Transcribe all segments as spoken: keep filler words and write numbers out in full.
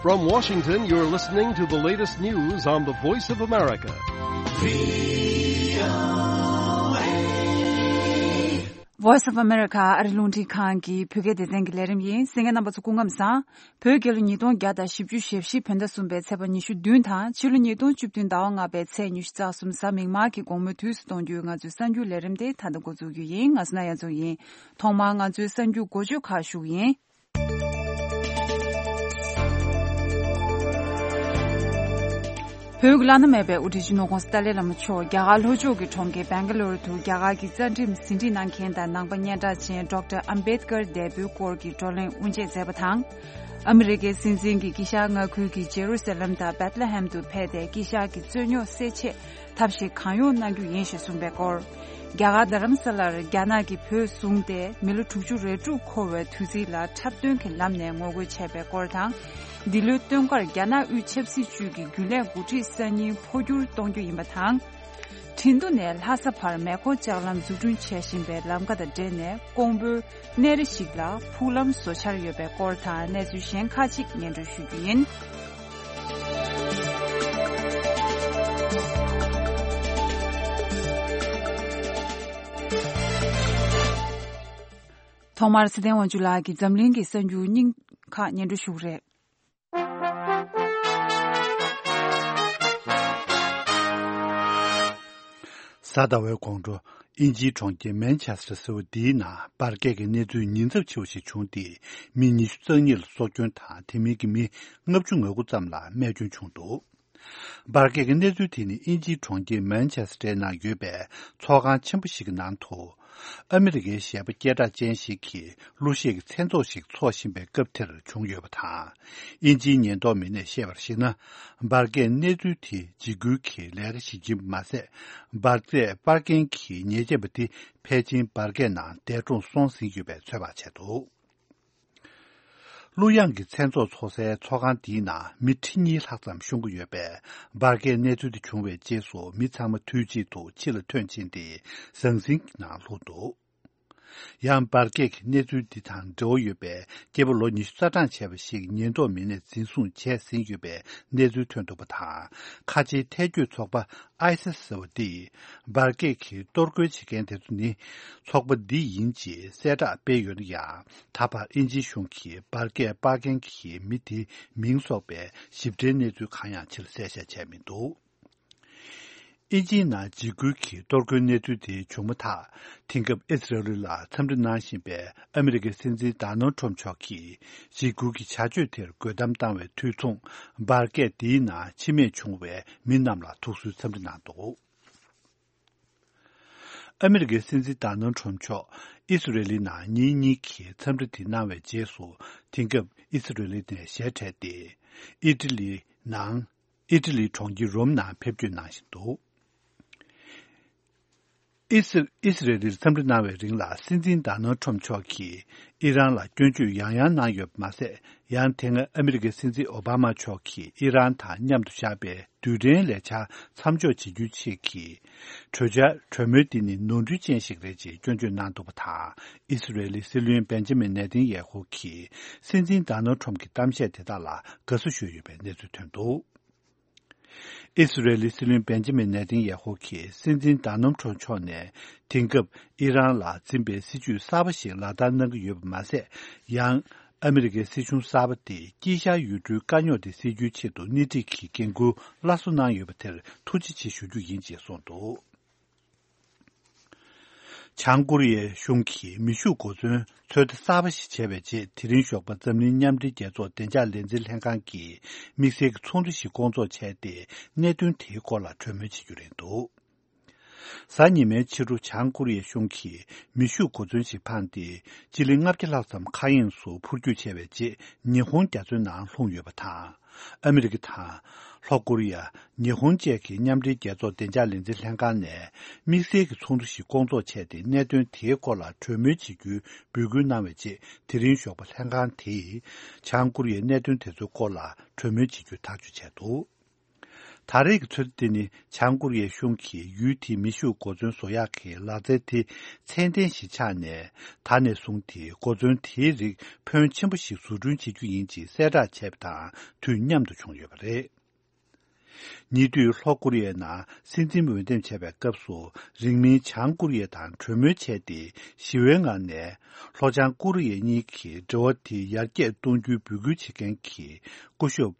From Washington, you're listening to the latest news on the Voice of America. Voice of America ཨ་རི་རླུང་འཕྲིན་ཁང་གི་བོད་སྐད་སྡེ་ཚན་གྱི་ལས་རིམ་ཡིན། གསན་མཁན་རྣམ་པ་ཚོ་སྐུ་ཁམས་བཟང་། བོད་རྒྱལ་ལོ་ཉིས་སྟོང་བརྒྱ་དང་བཞི་བཅུ་ཞེ་བཞི་བོད་ཟླ་གསུམ་པའི་ཚེས་པ་ཉི་ཤུ་བདུན་དང་ཕྱི་ལོ་ཉིས་སྟོང་བཅུ་བདུན་ཟླ་བ་ལྔ་པའི་ཚེས་ཉི་ཤུ་རྩ་གསུམ་གཟའ་མིག་དམར་གྱི་དགོང་མོའི་དུས་སུ་གཏོང་རྒྱུའི་ང་ཚོའི་གསར་འགྱུར་ལས་རིམ་དེ་ད་ལྟ་འགོ་འཛུགས་རྒྱུ་ཡིན། ང་སུ་ན་ཡ་ཚོ་ཡིན། ཐོག་མར་ང་ཚོའི་གསར་འགྱུར་འགོ་བརྗོད་ཁག་ཞུ་གི་ཡིན། བོད་ཀྱི་བླ་ན་མེད་པའི་དབུ་ཁྲིད་སྤྱི་ནོར་ྋགོང་ས་ཏཱ་ལའི་བླ་མ་མཆོག་རྒྱ་གར་ལྷོ་ཕྱོགས་ཀྱི་གྲོང་ཁྱེར་སྦེང་ག་ལོར་དུ་རྒྱ་གར་གྱི་རྩ་ཁྲིམས་ཟིན་བྲིས་གནང་མཁན་དང་ནང་པ་སྙན་གྲགས་ཅན་ཌོག་ཊར་ཨམ་བེད་ཀར་འདས་པོའི་སྐོར་གྱི་བགྲོ་གླེང་དབུ་འབྱེད་མཛད་པ་དང་། ཨ་མི་རི་ཀའི་སྲིད་འཛིན་གྱིས་དཀྱིལ་ཤར་མངའ་ཁུལ་གྱི་ཇེ་རུ་སཱ་ལམ་དང་བེད་ལེ་ཧེམ་དུ་ཕེབས་ཏེ་དཀྱིལ་ཤར་གྱི་རྩོད་རྙོག་སེལ་ཆེད། ཐབས་ཤེས་གང་ཡོང་གནང་རྒྱུ་ཡིན་ཞེས་གསུངས་པའི་སྐོར། རྒྱ་གར་རྡ་རམ་ས་ལར་རྒྱ་ནག་གིས་བོད་བཟུང་སྟེ་མི་ལོ་དྲུག་ཅུ་རེ་དྲུག་འཁོར་བའི་དུས་ཚིགས་ལ་འཁྲབ་སྟོན་གྱི་ལམ་ནས་ངོ་རྒོལ་བྱས་པའི་སྐོར་དང་། འདི་ལོའི་སྟོན་ཁར་རྒྱ་ནག་དབུས་ཆབ་སྲིད་ཅུས་ཀྱི་རྒྱུན་ལས་འགོ་ཁྲིད་གསར་རྙིང་འཕོ་འགྱུར་གཏོང་རྒྱུ་ཡིན་པ་དང་། ཁྲིན་ཏུ་ནས་ལྷ་ས་བར་མེ་འཁོར་ལྕགས་ལམ་འཛུགས་སྐྲུན་བྱེད་བཞིན་པའི་ལམ་ཁ་དང་འབྲེལ་ནས་ཀོང་པོའི་གནས་རི་ཞིག་ལ་ཕུག་ལམ་བཟོ་འཆར་ཡོད་པའི་སྐོར་དང་གནས་ཚུལ་གཞན་ཁག་ཅིག་སྙན་སྒྲོན་ཞུ་རྒྱུ་ཡིན། ཐོག་མར་ཚེ་བརྟན་དབང་ཕྱུག་ལགས་ཀྱིས་འཛམ་གླིང་གི་གསར་འགྱུར་སྙིང་ཁག་སྙན་སྒྲོན་ཞུ་གི་རེད། གཟའ་ཟླ་བའི་དགོང་དྲོ། དབྱིན་ཇིའི་གྲོང་ཁྱེར་མན་ཆེ་སི་ཊར་ཟེར་བ་འདིའི་ནང་འབར་གས་ཀྱི་གནས་ཚུལ་ཉེན་ཚབས་ཆེ་བ་ཞིག་བྱུང་སྟེ། མི་ཉི་ཤུ་རྩ་གཉིས་ལ་སྲོག་སྐྱོན་དང་། དེ་མིན་གྱི་མི་ལྔ་བཅུ་ང་དགུ་ཙམ་ལ་རྨས་སྐྱོན་བྱུང་འདུག་འབར་གས་ཀྱི་གནས་ཚུལ་དེ་ནི་དབྱིན་ཇིའི་གྲོང་ཁྱེར་མན་ཆེ་སི་ཊར་ནང་ཡོད་པའི་ཚོགས་ཁང་ཆེན་པོ་ཞིག་གི་ནང་དུ། ཨ་མི་རི་ཀའི་གཞས་པ་སྐད་གྲགས་ཅན་ཞིག་གིས་གླུ་གཞས་ཀྱི་མཚན་ཚོགས་ཤིག་འཚོགས་བཞིན་པའི་སྐབས་དེར་བྱུང་ཡོད་པ་དང་། དབྱིན་ཇིའི་ཉེན་རྟོག་མི་སྣས་བཤད་པར་གཞིགས་ན། འབར་གས་གནས་ཚུལ་དེ་འཇིགས་སྐུལ་གྱི་ལས་ཀ་ཞིག་ཡིན་པ་མ་ཟད། འབར་རྫས་སྤར་མཁན་གྱི་ཉེས་ཅན་པ་དེ་ཕལ་ཆེར་འབར་གས་ནང་འདས་གྲོངས་སོང་ཟིན་ཡོད་པའི་ཚོད་དཔག་བྱས་འདུག་གླུ་དབྱངས་ཀྱི་མཚན་ཚོགས་འཚོགས་སའི་ཚོགས་ཁང་འདིའི་ནང་མི་ཁྲི་གཉིས་ལྷག་ཙམ་ཤོང་གི་ཡོད་པས། འབར་གས་གནས་ཚུལ་དེ་བྱུང་བའི་རྗེས་སུ་མི་ཚང་མ་དུས་གཅིག་ཏུ་ཕྱི་ལ་ཐོན་ཕྱིན་ཏེ་ཟང་ཟིང་གི་ནང་ལྷུང་འདུག་ཡང་འབར་གས་ཀྱི་གནས་ཚུལ་འདི་དང་འབྲེལ་བ་ཡོད་པའི་སྐྱེས་པ་ལོ་ཉི་ཤུ་རྩ་གྲངས་བྱས་པ་ཞིག་ཉེན་རྟོག་མི་སྣས་འཛིན་བཟུང་བྱས་ཟིན་ཡོད་པའི་གནས་ཚུལ་ཐོན་འདུག་པ་དང་། ཁ་ཆེའི་ཐལ་སྐྱོད་ཚོགས་པ་ཨའི་སི་ཟེར་བ་འདིས་འབར་གས་ཀྱི་གཏོར་རྒོལ་བྱེད་མཁན་དེ་ཚོ་ནི་ཚོགས་པ་འདི་ཡིན་ཅེས་གསལ་བསྒྲགས་སྤེལ་ཡོད་ན་ཡང་། ད་བར་དབྱིན་ཇིའི་གཞུང་གིས་འབར་གས་སྤར་མཁན་གྱི་མི་དེའི་མིང་སོགས་པའི་ཞིབ་ཕྲའི་གནས་ཚུལ་གང་ཡང་ཕྱིར་གསལ་བཤད་བྱས་མི་འདུག་དབྱིན་ཇིའི་ནང་འཇིགས་སྐུལ་གྱི་གཏོར་རྒོལ་གནས་ཚུལ་དེ་བྱུང་མ་ཐག་དེང་སྐབས་ཨི་སི་རེལ་ལ་འཚམས་འདྲི་གནང་བཞིན་པའི་ཨ་མི་རི་ཀའི་སྲིད་འཛིན་ཌོ་ནལ་ཌི་ཊརམ་ཕི་མཆོག་གིས་འཇིགས་སྐུལ་གྱི་བྱ་སྤྱོད་དེར་རྒོལ་གཏམ་བཏང་བའི་དུས་མཚུངས། འབར་གས་འདིའི་ནང་འཆི་རྨས་བྱུང་བའི་མི་རྣམས་ལ་ཐུགས་གསོའི་འཚམས་འདྲི་གནང་འདུག་ཨ་མི་རི་ཀའི་སྲིད་འཛིན་ཌོ་ནལ་ཌི་ཊརམ་ཕི་མཆོག་ཨི་སི་རེ་ལི་ནང་ཉིན་གཉིས་ཀྱི་འཚམས་འདྲི་དེ་གནང་བའི་རྗེས་སུ། དེང་སྐབས་ཨི་སི་རེ་ལི་ནས་ཞལ་བྲལ་ཏེ། ཨི་ཊ་ལི་ནང་། ཨི་ཊ་ལིའི་གྲོང་ཁྱེར་རོམ་ནང་ཕེབས་སྐྱོད་གནང་བཞིན་འདུག་ཨི་སི། ཨི་སི་རེ་ལིར་འཚམས་འདྲི་གནང་བའི་རིང་ལ། སྲིད་འཛིན་ཌོ་ནལ་ཌི་ཊརམ་ཕི་མཆོག་གིས་ཨི་རན་ལ་སྐྱོན་བརྗོད་ཡང་ཡང་གནང་ཡོད་པ་མ་ཟད། ཡང་དེ་སྔ་ཨ་མི་རི་ཀའི་སྲིད་འཛིན་ཨོ་བྷ་མ་མཆོག་གིས་ཨི་རན་དང་མཉམ་དུ་བཞག་པའི་རྡུལ་ཕྲན་ལས་འཆར་མཚམས་འཇོག་བྱེད་རྒྱུའི་ཆེད་ཀྱི་གྲོས་འཆར། གྲོས་མོལ་འདི་ནི་ནོར་འཁྲུལ་ཅན་ཞིག་རེད་ཅེས་སྐྱོན་བརྗོད་གནང་འདུག་པ་དང་། ཨི་སི་རེ་ལིའི་སྲིད་བློན་བེན་ཇ་མིན་ནེ་ཐན་ཡེ་ཧུ་གིས་སྲིད་འཛིན་ཌོ་ནལ་ཌི་ཊརམ་ཕི་གི་གཏམ་བཤད་དེ་དག་ལ་དགའ་བསུ་ཞུས་ཡོད་པའི་གནས་ཚུལ་ཐོན་འདུག་ཨི་སི་རེལ་སྲིད་བློན་བེན་ཇ་མིན་ནེ་ཐན་ཡེ་ཧུ་གྱིས་སྲིད་འཛིན་ཌོ་ནལ་ཌི་ཊརམ་ཕི་མཆོག་ནས་དེང་སྐབས་ཨི་རན་ལ་འཛིན་པའི་སྲིད་བྱུས་གསར་པ་ཞིག་ལག་བསྟར་གནང་གི་ཡོད་པ་མ་ཟད། ཡང་ཨ་མི་རི་ཀའི་སྲིད་གཞུང་གསར་པ་དེས་དཀྱིལ་ཤར་ཡུལ་གྲུའི་དཀའ་རྙོག་དེ་སེལ་རྒྱུའི་ཆེད་དུ་སྣེ་ཁྲིད་ཀྱི་འགན་འཁུར་སླར་གསོ་གནང་ཡོད་པ་དེར་ཐུགས་རྗེ་ཆེ་ཞུ་རྒྱུ་ཡིན་ཅེས་གསུངས་འདུག་བྱང་ཀོ་རི་ཡའི་གཞུང་གིས་མེ་ཤུགས་གོ་མཚོན་ཚོད་ལྟ་གསར་པ་ཞིག་བྱས་པའི་རྗེས། དེ་རིང་ཞོགས་པ་འཛམ་གླིང་མཉམ་འབྲེལ་རྒྱལ་ཚོགས་བདེ་འཇགས་ལས་འཛིན་ལྷན་ཁང་གིས་དམིགས་བསལ་གྱི་ཚོགས་འདུ་ཞིག་བསྐོང་ཚོགས་བྱས་ཏེ། གནད་དོན་དེའི་སྐོར་ལ་གྲོས་མོལ་བྱེད་རྒྱུ་རེད་འདུག་གཟའ་ཉི་མའི་ཕྱི་དྲོ་བྱང་ཀོ་རི་ཡའི་གཞུང་གིས་མེ་ཤུགས་གོ་མཚོན་ཞིག་འཕངས་ཏེ། སྤྱི་ལེ་ལྔ་བརྒྱ་ལྷག་ཙམ་མཁའ་དབྱིངས་སུ་འཕུར་སྐྱོད་བྱས་པའི་རྗེས། ཉི་ཧོང་རྒྱ་མཚོའི་ནང་ལྷུང་ཡོད་པ་དང་། ཨ་མི་རི་ཀ་དང་། ལྷོ་ཀོ་རི་ཡ། ཉི་ཧོང་བཅས་ཀྱི་མཉམ་འབྲེལ་རྒྱལ་ཚོགས་བདེ་འཇགས་ལས་འཛིན་ལྷན་ཁང་ནས། དམིགས་བསལ་གྱི་ཚོགས་འདུ་ཞིག་བསྐོང་ཚོགས་བྱས་ཏེ། གནད་དོན་དེའི་སྐོར་ལ་གྲོས་མོལ་བྱེད་རྒྱུའི་འབོད་སྐུལ་གནང་བའི་རྗེས། དེ་རིང་ཞོགས་པ་ལྷན་ཁང་དེས། བྱང་ཀོ་རི་ཡའི་གནད་དོན་དེ་ཚོའི་སྐོར་ལ་གྲོས་མོལ་བྱེད་རྒྱུ་ཐག་གཅོད་བྱས་འདུག་ད་རེས་ཀྱི་ཚོད་ལྟ་དེ་ནི་བྱང་ཀོ་རི་ཡའི་གཞུང་གིས་ཡུལ་དེའི་མེ་ཤུགས་གོ་མཚོན་བཟོ་ཡག་གི་ལག་རྩལ་དེ་ཚད་ལྡན་ཞིག་ཆགས་ནས། ད་ནས་བཟུང་དེ་གོ་མཚོན་དེའི་རིགས་ཕོན་ཆེན་པོ་ཞིག་བཟོ་སྐྲུན་བྱེད་རྒྱུ་ཡིན་ཅེས་གསལ་བསྒྲགས་བྱས་པ་དང་དུས་མཉམ་དུ་བྱུང་ཡོད་པ་རེད། ཉེ་དུས་ལྷོ་ཀོ་རི་ཡའི་ནང་སྲིད་འཛིན་འོས་འདེམས་བྱས་པའི་སྐབས་སུ། རིང་མིན་བྱང་ཀོ་རི་ཡ་དང་གྲོས་མོལ་བྱས་ཏེ། ཞི་བའི་ངང་ནས་ལྷོ་བྱང་ཀོ་རི་ཡ་གཉིས་ཀྱི་འབྲེལ་བ་དེ་ཡར་རྒྱས་གཏོང་རྒྱུའི་འབོད་སྐུལ་བྱེད་མཁན་གྱི་སྐུ་ཞབས་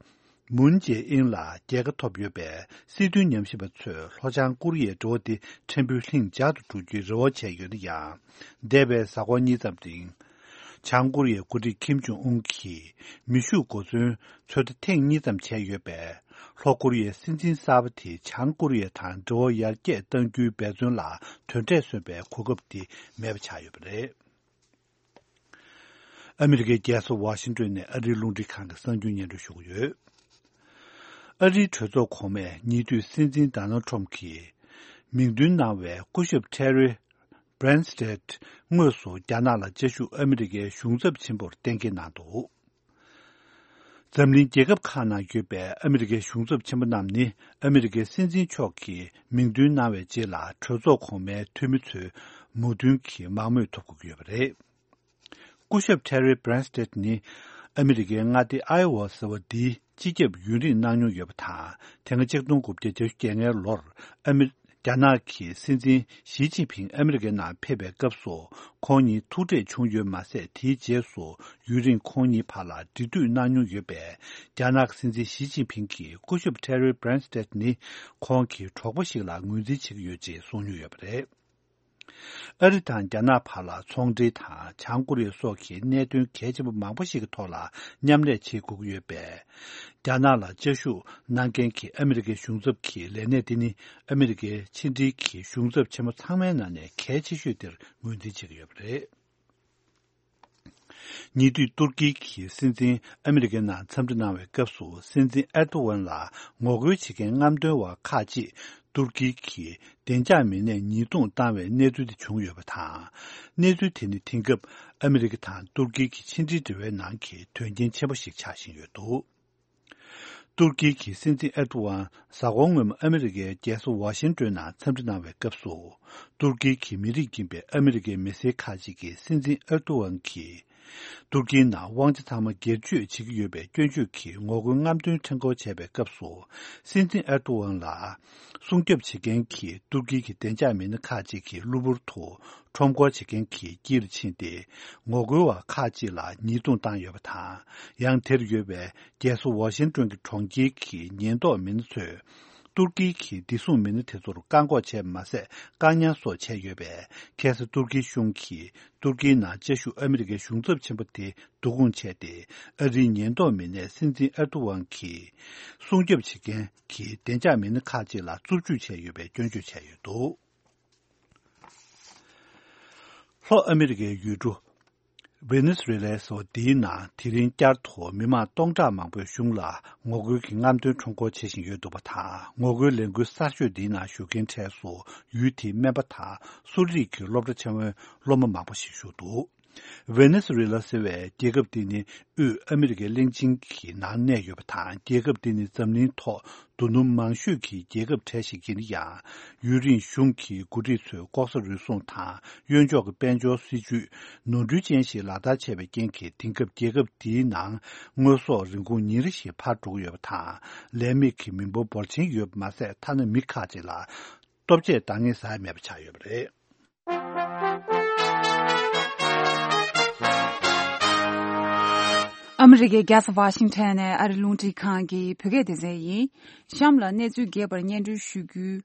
མུན་ཇེ་ཨིན་ལ་རྒྱལ་ཁ་ཐོབ་ཡོད་པས། སྲིད་དོན་ཉམས་ཞིབ་པ་ཚོས་ལྷོ་བྱང་ཀོ་རི་ཡའི་འབྲེལ་བ་དེ་ཕྲན་བུ་ལྷིང་འཇགས་སུ་འགྲོ་རྒྱུའི་རེ་བ་བྱས་ཡོད་ན་ཡང་། འདས་པའི་གཟའ་འཁོར་གཉིས་ཙམ་རིང་། བྱང་ཀོ་རི་ཡའི་འགོ་ཁྲིད་ཁིམ་ཇོང་ཨུན་གྱིས་མེ་ཤུགས་གོ་མཚོན་ཚོད་ལྟ་ཐེངས་གཉིས་ཙམ་བྱས་ཡོད་པས། ལྷོ་ཀོ་རི་ཡའི་སྲིད་འཛིན་གསར་པ་དེས་བྱང་ཀོ་རི་ཡ་དང་འབྲེལ་བ་ཡར་རྒྱས་གཏང་རྒྱུའི་འབད་བརྩོན་ལ་དོན་འབྲས་སོན་པའི་གོ་སྐབས་དེ་མེད་པ་ཆགས་ཡོད་པ་རེད། ཨ་མི་རི་ཀའི་རྒྱལ་ས་ཝ་ཤིང་ཏོན་ནས་ཨ་རིའི་རླུང་འཕྲིན་ཁང་གི་གསར་འགྱུར་སྙན་སྒྲོན་ཞུ་གི་ཡོད། ཨ་རིའི་གྲོས་ཚོགས་གོང་མས་ཉེ་དུས་སྲིད་འཛིན་ཌོ་ནལ་ཁྲོམ་གྱིས་མིང་འདོན་གནང་བའི་སྐུ་ཞབས་ཁྲེ་རི་བྷི་རན་སྟེད་དངོས་སུ་རྒྱ་ནག་ལ་བཅའ་བཞུགས་ཨ་མི་རི་ཀའི་གཞུང་ཚབ་ཆེན་པོར་གཏན་འཁེལ་གནང་འདུག། འཛམ་གླིང་རྒྱལ་ཁབ་ཁག་ནང་ཡོད་པའི་ཨ་མི་རི་ཀའི་གཞུང་ཚབ་ཆེན་པོ་རྣམས་ནི། ཨ་མི་རི་ཀའི་སྲིད་འཛིན་མཆོག་གིས་མིང་འདོན་གནང་བའི་རྗེས་ལ་གྲོས་ཚོགས་གོང་མའི་འཐུས་མི་ཚོའི་མོས་མཐུན་གྱི་མང་མོས་ཐོབ་དགོས་ཀྱི་ཡོད་པ་རེད། སྐུ་ཞབས་ཁྲེ་རི་བྷི་རན་སྟེད་ནི། ཨ་མི་རི་ཀའི་མངའ་སྡེ་ཨའེ་ཝ་ཟེར་བ་འདིའི་སྤྱི་ཁྱབ་ཡུན་རིང་གནང་མྱོང་ཡོད་པ་དང་། དེ་སྔ་ཆིག་སྟོང་དགུ་བརྒྱ་བརྒྱད་ཅུ་གྱ་ལྔའི་ལོར་ཨ་མི། རྒྱ་ནག་གི་སྲིད་འཛིན་ཞི་ཅིན་ཕིང་ཨ་མི་རི་ཀའི་ནང་ཕེབས་པའི་སྐབས་སུ། ཁོང་གཉིས་ཐུག་འཕྲད་བྱུང་ཡོད་མ་ཟད། དེའི་རྗེས་སུ་ཡུན་རིང་ཁོང་གཉིས་བར་ལ་འབྲེལ་མཐུད་གནང་མྱོང་ཡོད་པས། རྒྱ་ནག་གི་སྲིད་འཛིན་ཞི་ཅིན་ཕིང་གིས་སྐུ་ཞབས་ཁྲེ་རི་བྷི་རན་སྟེད་ནི་ཁོང་གི་གྲོགས་པོ་ཞིག་ལ་ངོས་འཛིན་བྱེད་ཀྱི་ཡོད་ཅེས་གསུངས་མྱོང་ཡོད་པ་རེད། ཨ་རི་དང་རྒྱ་ནག་བར་ལ་ཚོང་འབྲེལ་དང་། བྱང་ཀོ་རི་ཡ་སོགས་ཀྱི་གནད་དོན་གལ་ཆེན་པོ་མང་པོ་ཞིག་གི་ཐོག་ལ་མཉམ་ལས་བྱེད་དགོས་ཀྱི་ཡོད་པས། རྒྱ་ནག་ལ་བཅའ་བཞུགས་གནང་མཁན་གྱི་ཨ་མི་རི་ཀའི་གཞུང་ཚབ་ཀྱི་ལས་གནས་དེ་ནི། ཨ་མི་རི་ཀའི་ཕྱི་འབྲེལ་གྱི་གཞུང་ཚབ་ཆེན་མོ་ཚང་མའི་ནང་ནས་གལ་ཆེ་ཤོས་དེར་ངོས་འཛིན་བྱེད་ཀྱི་ཡོད་པ་རེད། ཉེ་དུས་ཏུར་ཀི་གི་སྲིད་འཛིན་ཨ་མི་རི་ཀའི་ནང་འཚམས་འདྲི་གནང་བའི་སྐབས་སུ། སྲིད་འཛིན་ཨེར་ཏོ་ཝན་ལ་ངོ་རྒོལ་བྱེད་མཁན་རྔམ་སྟོན་པ་ཁག་ཅིག་ཏུར་ཀི་གི་བདེ་འཇགས་མི་སྣས་ཉེས་རྡུང་བཏང་བའི་གནས་ཚུལ་དེ་བྱུང་ཡོད་པ་དང་། གནས་ཚུལ་དེ་ནི་དེང་སྐབས་ཨ་མི་རི་ཀ་དང་ཏུར་ཀི་གི་ཕྱི་འབྲེལ་འབྲེལ་བའི་ནང་གི་དོན་རྐྱེན་ཆེན་པོ་ཞིག་ཆགས་བཞིན་ཡོད་འདུག། ཏུར་ཀི་གི་སྲིད་འཛིན་ཨེར་ཏོ་ཝན་གཟའ་འཁོར་སྔོན་མ་ཨ་མི་རི་ཀའི་རྒྱལ་ས་ཝ་ཤིང་ཏོན་ནང་འཚམས་འདྲི་གནང་བའི་སྐབས་སུ། ཏུར་ཀི་གི་མི་རིགས་ཡིན་པའི་ཨ་མི་རི་ཀའི་མི་སེར་ཁག་ཅིག་གིས་སྲིད་འཛིན་ཨེར་ཏོ་ཝན་གྱིས། ཏུར་ཀིའི་ནང་དབང་ཆ་ཚང་མ་སྒེར་གཅོད་བྱེད་ཀྱི་ཡོད་པའི་སྐྱོན་བརྗོད་ཀྱིས་ངོ་རྒོལ་རྔམ་སྟོན་འཕྲེང་སྐོར་བྱས་པའི་སྐབས་སུ། སྲིད་འཛིན་ཨེར་ཏོ་ཝན་ལ་སྲུང་སྐྱོབ་བྱེད་མཁན་གྱི་ཏུར་ཀི་གི་བདེ་འཇགས་མི་སྣ་ཁག་ཅིག་གིས་གློ་བུར་དུ་ཁྲོམ་སྐོར་བྱེད་མཁན་གྱི་དཀྱིལ་ཕྱིན་ཏེ། ངོ་རྒོལ་བ་ཁག་ཅིག་ལ་ཉེས་རྡུང་བཏང་ཡོད་པ་དང་། ཡང་དེར་ཡོད་པའི་རྒྱལ་ས་ཝ་ཤིང་ཏོན་གྱི་གྲོང་ཁྱེར་གྱི་ཉེན་རྟོག་མི་སྣ་ཚོས། ཏུར་ཀི་གི་བདེ་སྲུང་མི་སྣ་དེ་ཚོར་བཀག་འགོག་བྱས་མ་ཟད། བཀག་ཉར་སོགས་བྱས་ཡོད་པས། ཁ་སང་ཏུར་ཀིའི་གཞུང་གིས་ཏུར་ཀིའི་ནང་བཅའ་བཞུགས་ཨ་མི་རི་ཀའི་གཞུང་ཚབ་ཆེན་པོ་དེ་བསྡུ་སྐོང་བྱས་ཏེ། ཨ་རིའི་ཉེན་རྟོག་མི་སྣས་སྲིད་འཛིན་ཨེར་ཏོ་ཝན་གྱིས་སྲུང་སྐྱོབ་བྱེད་མཁན་གྱི་བདེ་འཇགས་མི་སྣ་ཁག་ཅིག་ལ་རྩུབ་སྤྱོད་བྱས་ཡོད་པའི་སྐྱོན་བརྗོད་བྱས་ཡོད་འདུག། ལྷོ་ཨ་མི་རི་ཀའི་ཡུལ་གྲུ་ཝེ་ནེ་སུ་ཝེ་ལའི་སོ་འདིའི་ནང་དེ་རིང་བསྐྱར་དུ་མི་མང་སྟོང་ཕྲག་མང་པོས་གཞུང་ལ་ངོ་རྒོལ་གྱི་རྔམ་སྟོན་ཁྲོམ་སྐོར་བྱེད་བཞིན་ཡོད་འདུག་པ་དང་། ངོ་རྒོལ་ལས་འགུལ་གསར་ཤོས་འདིའི་ནང་ཞུགས་མཁན་གྲས་སུ་ཡུལ་དེའི་སྨན་པ་དང་། གསོ་རིག་གི་སློབ་གྲྭ་ཆེན་མོའི་སློབ་མ་མང་པོ་ཞིག་ཞུགས་འདུག། ཝེ་ནེ་སུ་ཝེ་ལ་ཟེར་བའི་རྒྱལ་ཁབ་འདི་ནི་དབུས་ཨ་མི་རི་ཀའི་གླིང་ཆེན་གྱི་ནང་གནས་ཡོད་པ་དང་། རྒྱལ་ཁབ་འདི་ནི་འཛམ་གླིང་ཐོག་རྡོ་སྣུམ་མང་ཤོས་ཀྱི་རྒྱལ་ཁབ་གྲས་ཤིག་ཡིན་ན་ཡང་། ཡུན་རིང་གཞུང་གི་འགོ་ཁྲིད་ཚོས་ལྐོག་ཟ་རུལ་སུངས་དང་། གཡོན་ཕྱོགས་ཀྱི་དཔལ་འབྱོར་སྲིད་ཇུས་ནོར་འཁྲུལ་ཅན་ཞིག་ལག་བསྟར་བྱས་པའི་རྐྱེན་གྱིས། དེང་སྐབས་རྒྱལ་ཁབ་འདིའི་ནང་དངོས་ཟོག་རིན་གོང་ཉིན་རེ་བཞིན་འཕར་འགྲོ་གི་ཡོད་པ་དང་། ལས་མེད་ཀྱི་མི་འབོར་འབོར་ཆེན་ཡོད་པ་མ་ཟད། ཐ་ན་མི་ཁག་ཅིག་ལ་ལྟོ་ཆས་འདང་ངེས་ཟ་ཡ་མེད་པ་ཆགས་ཡོད་པ་རེད། ཨ་མི་རི་ཀའི་རྒྱལ་ས་ཝ་ཤིང་ཊོན་ནས་ཨ་རི་རླུང་འཕྲིན་ཁང་གི་བོད་སྐད་སྡེ་ཚན་ཡིན། གཤམ་ལ་གནས་ཚུལ་རྒྱས་པར་སྙན་སྒྲོན་ཞུ་རྒྱུའི།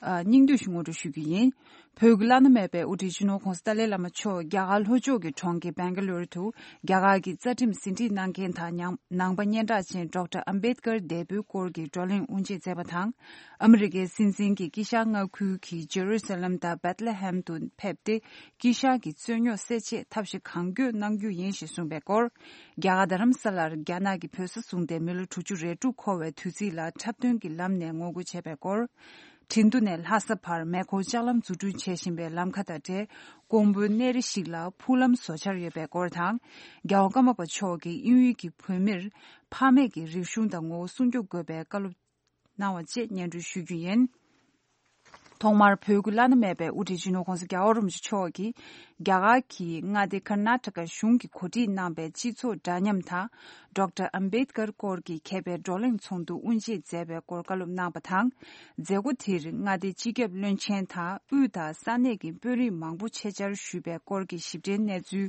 ཨ། སྙིང་བསྡུས་ཤིག་ངོ་སྤྲོད་ཞུ་རྒྱུ་ཡིན། བོད་ཀྱི་བླ་ན་མེད་པའི་དབུ་ཁྲིད་སྤྱི་ནོར་༸གོང་ས་ཏཱ་ལའི་བླ་མ་མཆོག་རྒྱ་གར་ལྷོ་ཕྱོགས་ཀྱི་གྲོང་ཁྱེར་སྦེང་ག་ལུ་རུ་དུ། རྒྱ་གར་གྱི་རྩ་ཁྲིམས་ཟིན་བྲིས་གནང་མཁན་དང་། ནང་ནང་པ་སྙན་གྲགས་ཅན་ཌོག་ཊར་ཨམ་བེད་ཀར་འདས་པོའི་སྐོར་གྱི་བགྲོ་གླེང་དབུ་འབྱེད་མཛད་པ་དང་། ཨ་མི་རི་ཀའི་སྲིད་འཛིན་གྱིས་དཀྱིལ་ཤར་མངའ་ཁུལ་གྱི་ཇེ་རུ་སཱ་ལམ་དང་བེད་ལེ་ཧེམ་དུ་ཕེབས་ཏེ། དཀྱིལ་ཤར་གྱི་རྩོད་རྙོག་སེལ་ཆེད་ཐབས་ཤེས་གང་དགོས་གནང་རྒྱུ་ཡིན་ཞེས་གསུངས་པའི་སྐོར། རྒྱ་གར་རྡ་རམ་ས་ལར་རྒྱ་ནག་གི་བོད་ས་བཟུང་སྟེ་མི་ལོ་དྲུག་ཅུ་རེ་དྲུག་འཁོར་བའི་དུས་ཚིགས་ལ་འཁྲབ་སྟོན་གྱི་ལམ་ནས་ངོ་རྒོལ་བྱས་པའི་སྐོར། ཁྲིན་ཏུ་ནས་ལྷ་ས་བར་མེ་འཁོར་ལྕགས་ལམ་འཛུགས་སྐྲུན་བྱེད་བཞིན་པའི་ལམ་ཁ་དང་འབྲེལ། ཀོང་པོའི་གནས་རི་ཞིག་ལ་ཕུག་ལམ་བཟོ་འཆར་ཡོད་པའི་སྐོར་དང་། རྒྱལ་བ་ཀརྨ་པ་མཆོག་གིས་དབྱིན་ཡུལ་གྱི་བོད་མིར་ཕ་མེས་ཀྱི་རིག་གཞུང་དང་ངོ་བོ་སྲུང་སྐྱོབ་དགོས་པའི་བཀའ་སློབ། གནང་བ་བཅས་སྙན་སྒྲོན་ཞུ་རྒྱུ་ཡིན། ཐོག་མར་བོད་ཀྱི་བླ་ན་མེད་པའི་དབུ་ཁྲིད་སྤྱི་ནོར་༸གོང་ས་༸རྒྱལ་བ་རིན་པོ་ཆེ་མཆོག་གིས་རྒྱ་གར་གྱི་མངའ་སྡེ་ཀར་ནཱ་ཊ་ཀ་གཞུང་གིས་གོ་སྒྲིག་གནང་པའི་སྤྱི་ཚོགས་འདྲ་མཉམ་དང་ཌོག་ཊར་ཨམ་བེད་ཀར་སྐོར་གྱི་མཁས་པའི་བགྲོ་གླེང་ཚོགས་འདུ་དབུ་འབྱེད་མཛད་པའི་སྐོར་བཀའ་སློབ་གནང་བ་དང་། མཛད་སྒོ་དེར་མངའ་སྡེའི་སྤྱི་ཁྱབ་བློན་ཆེན་དང་དབུས་དང་ས་གནས་ཀྱི་དཔོན་རིགས་མང་པོ་ཆེད་བཅར་ཞུས་པའི་སྐོར་གྱི་ཞིབ་ཕྲའི་གནས་ཚུལ་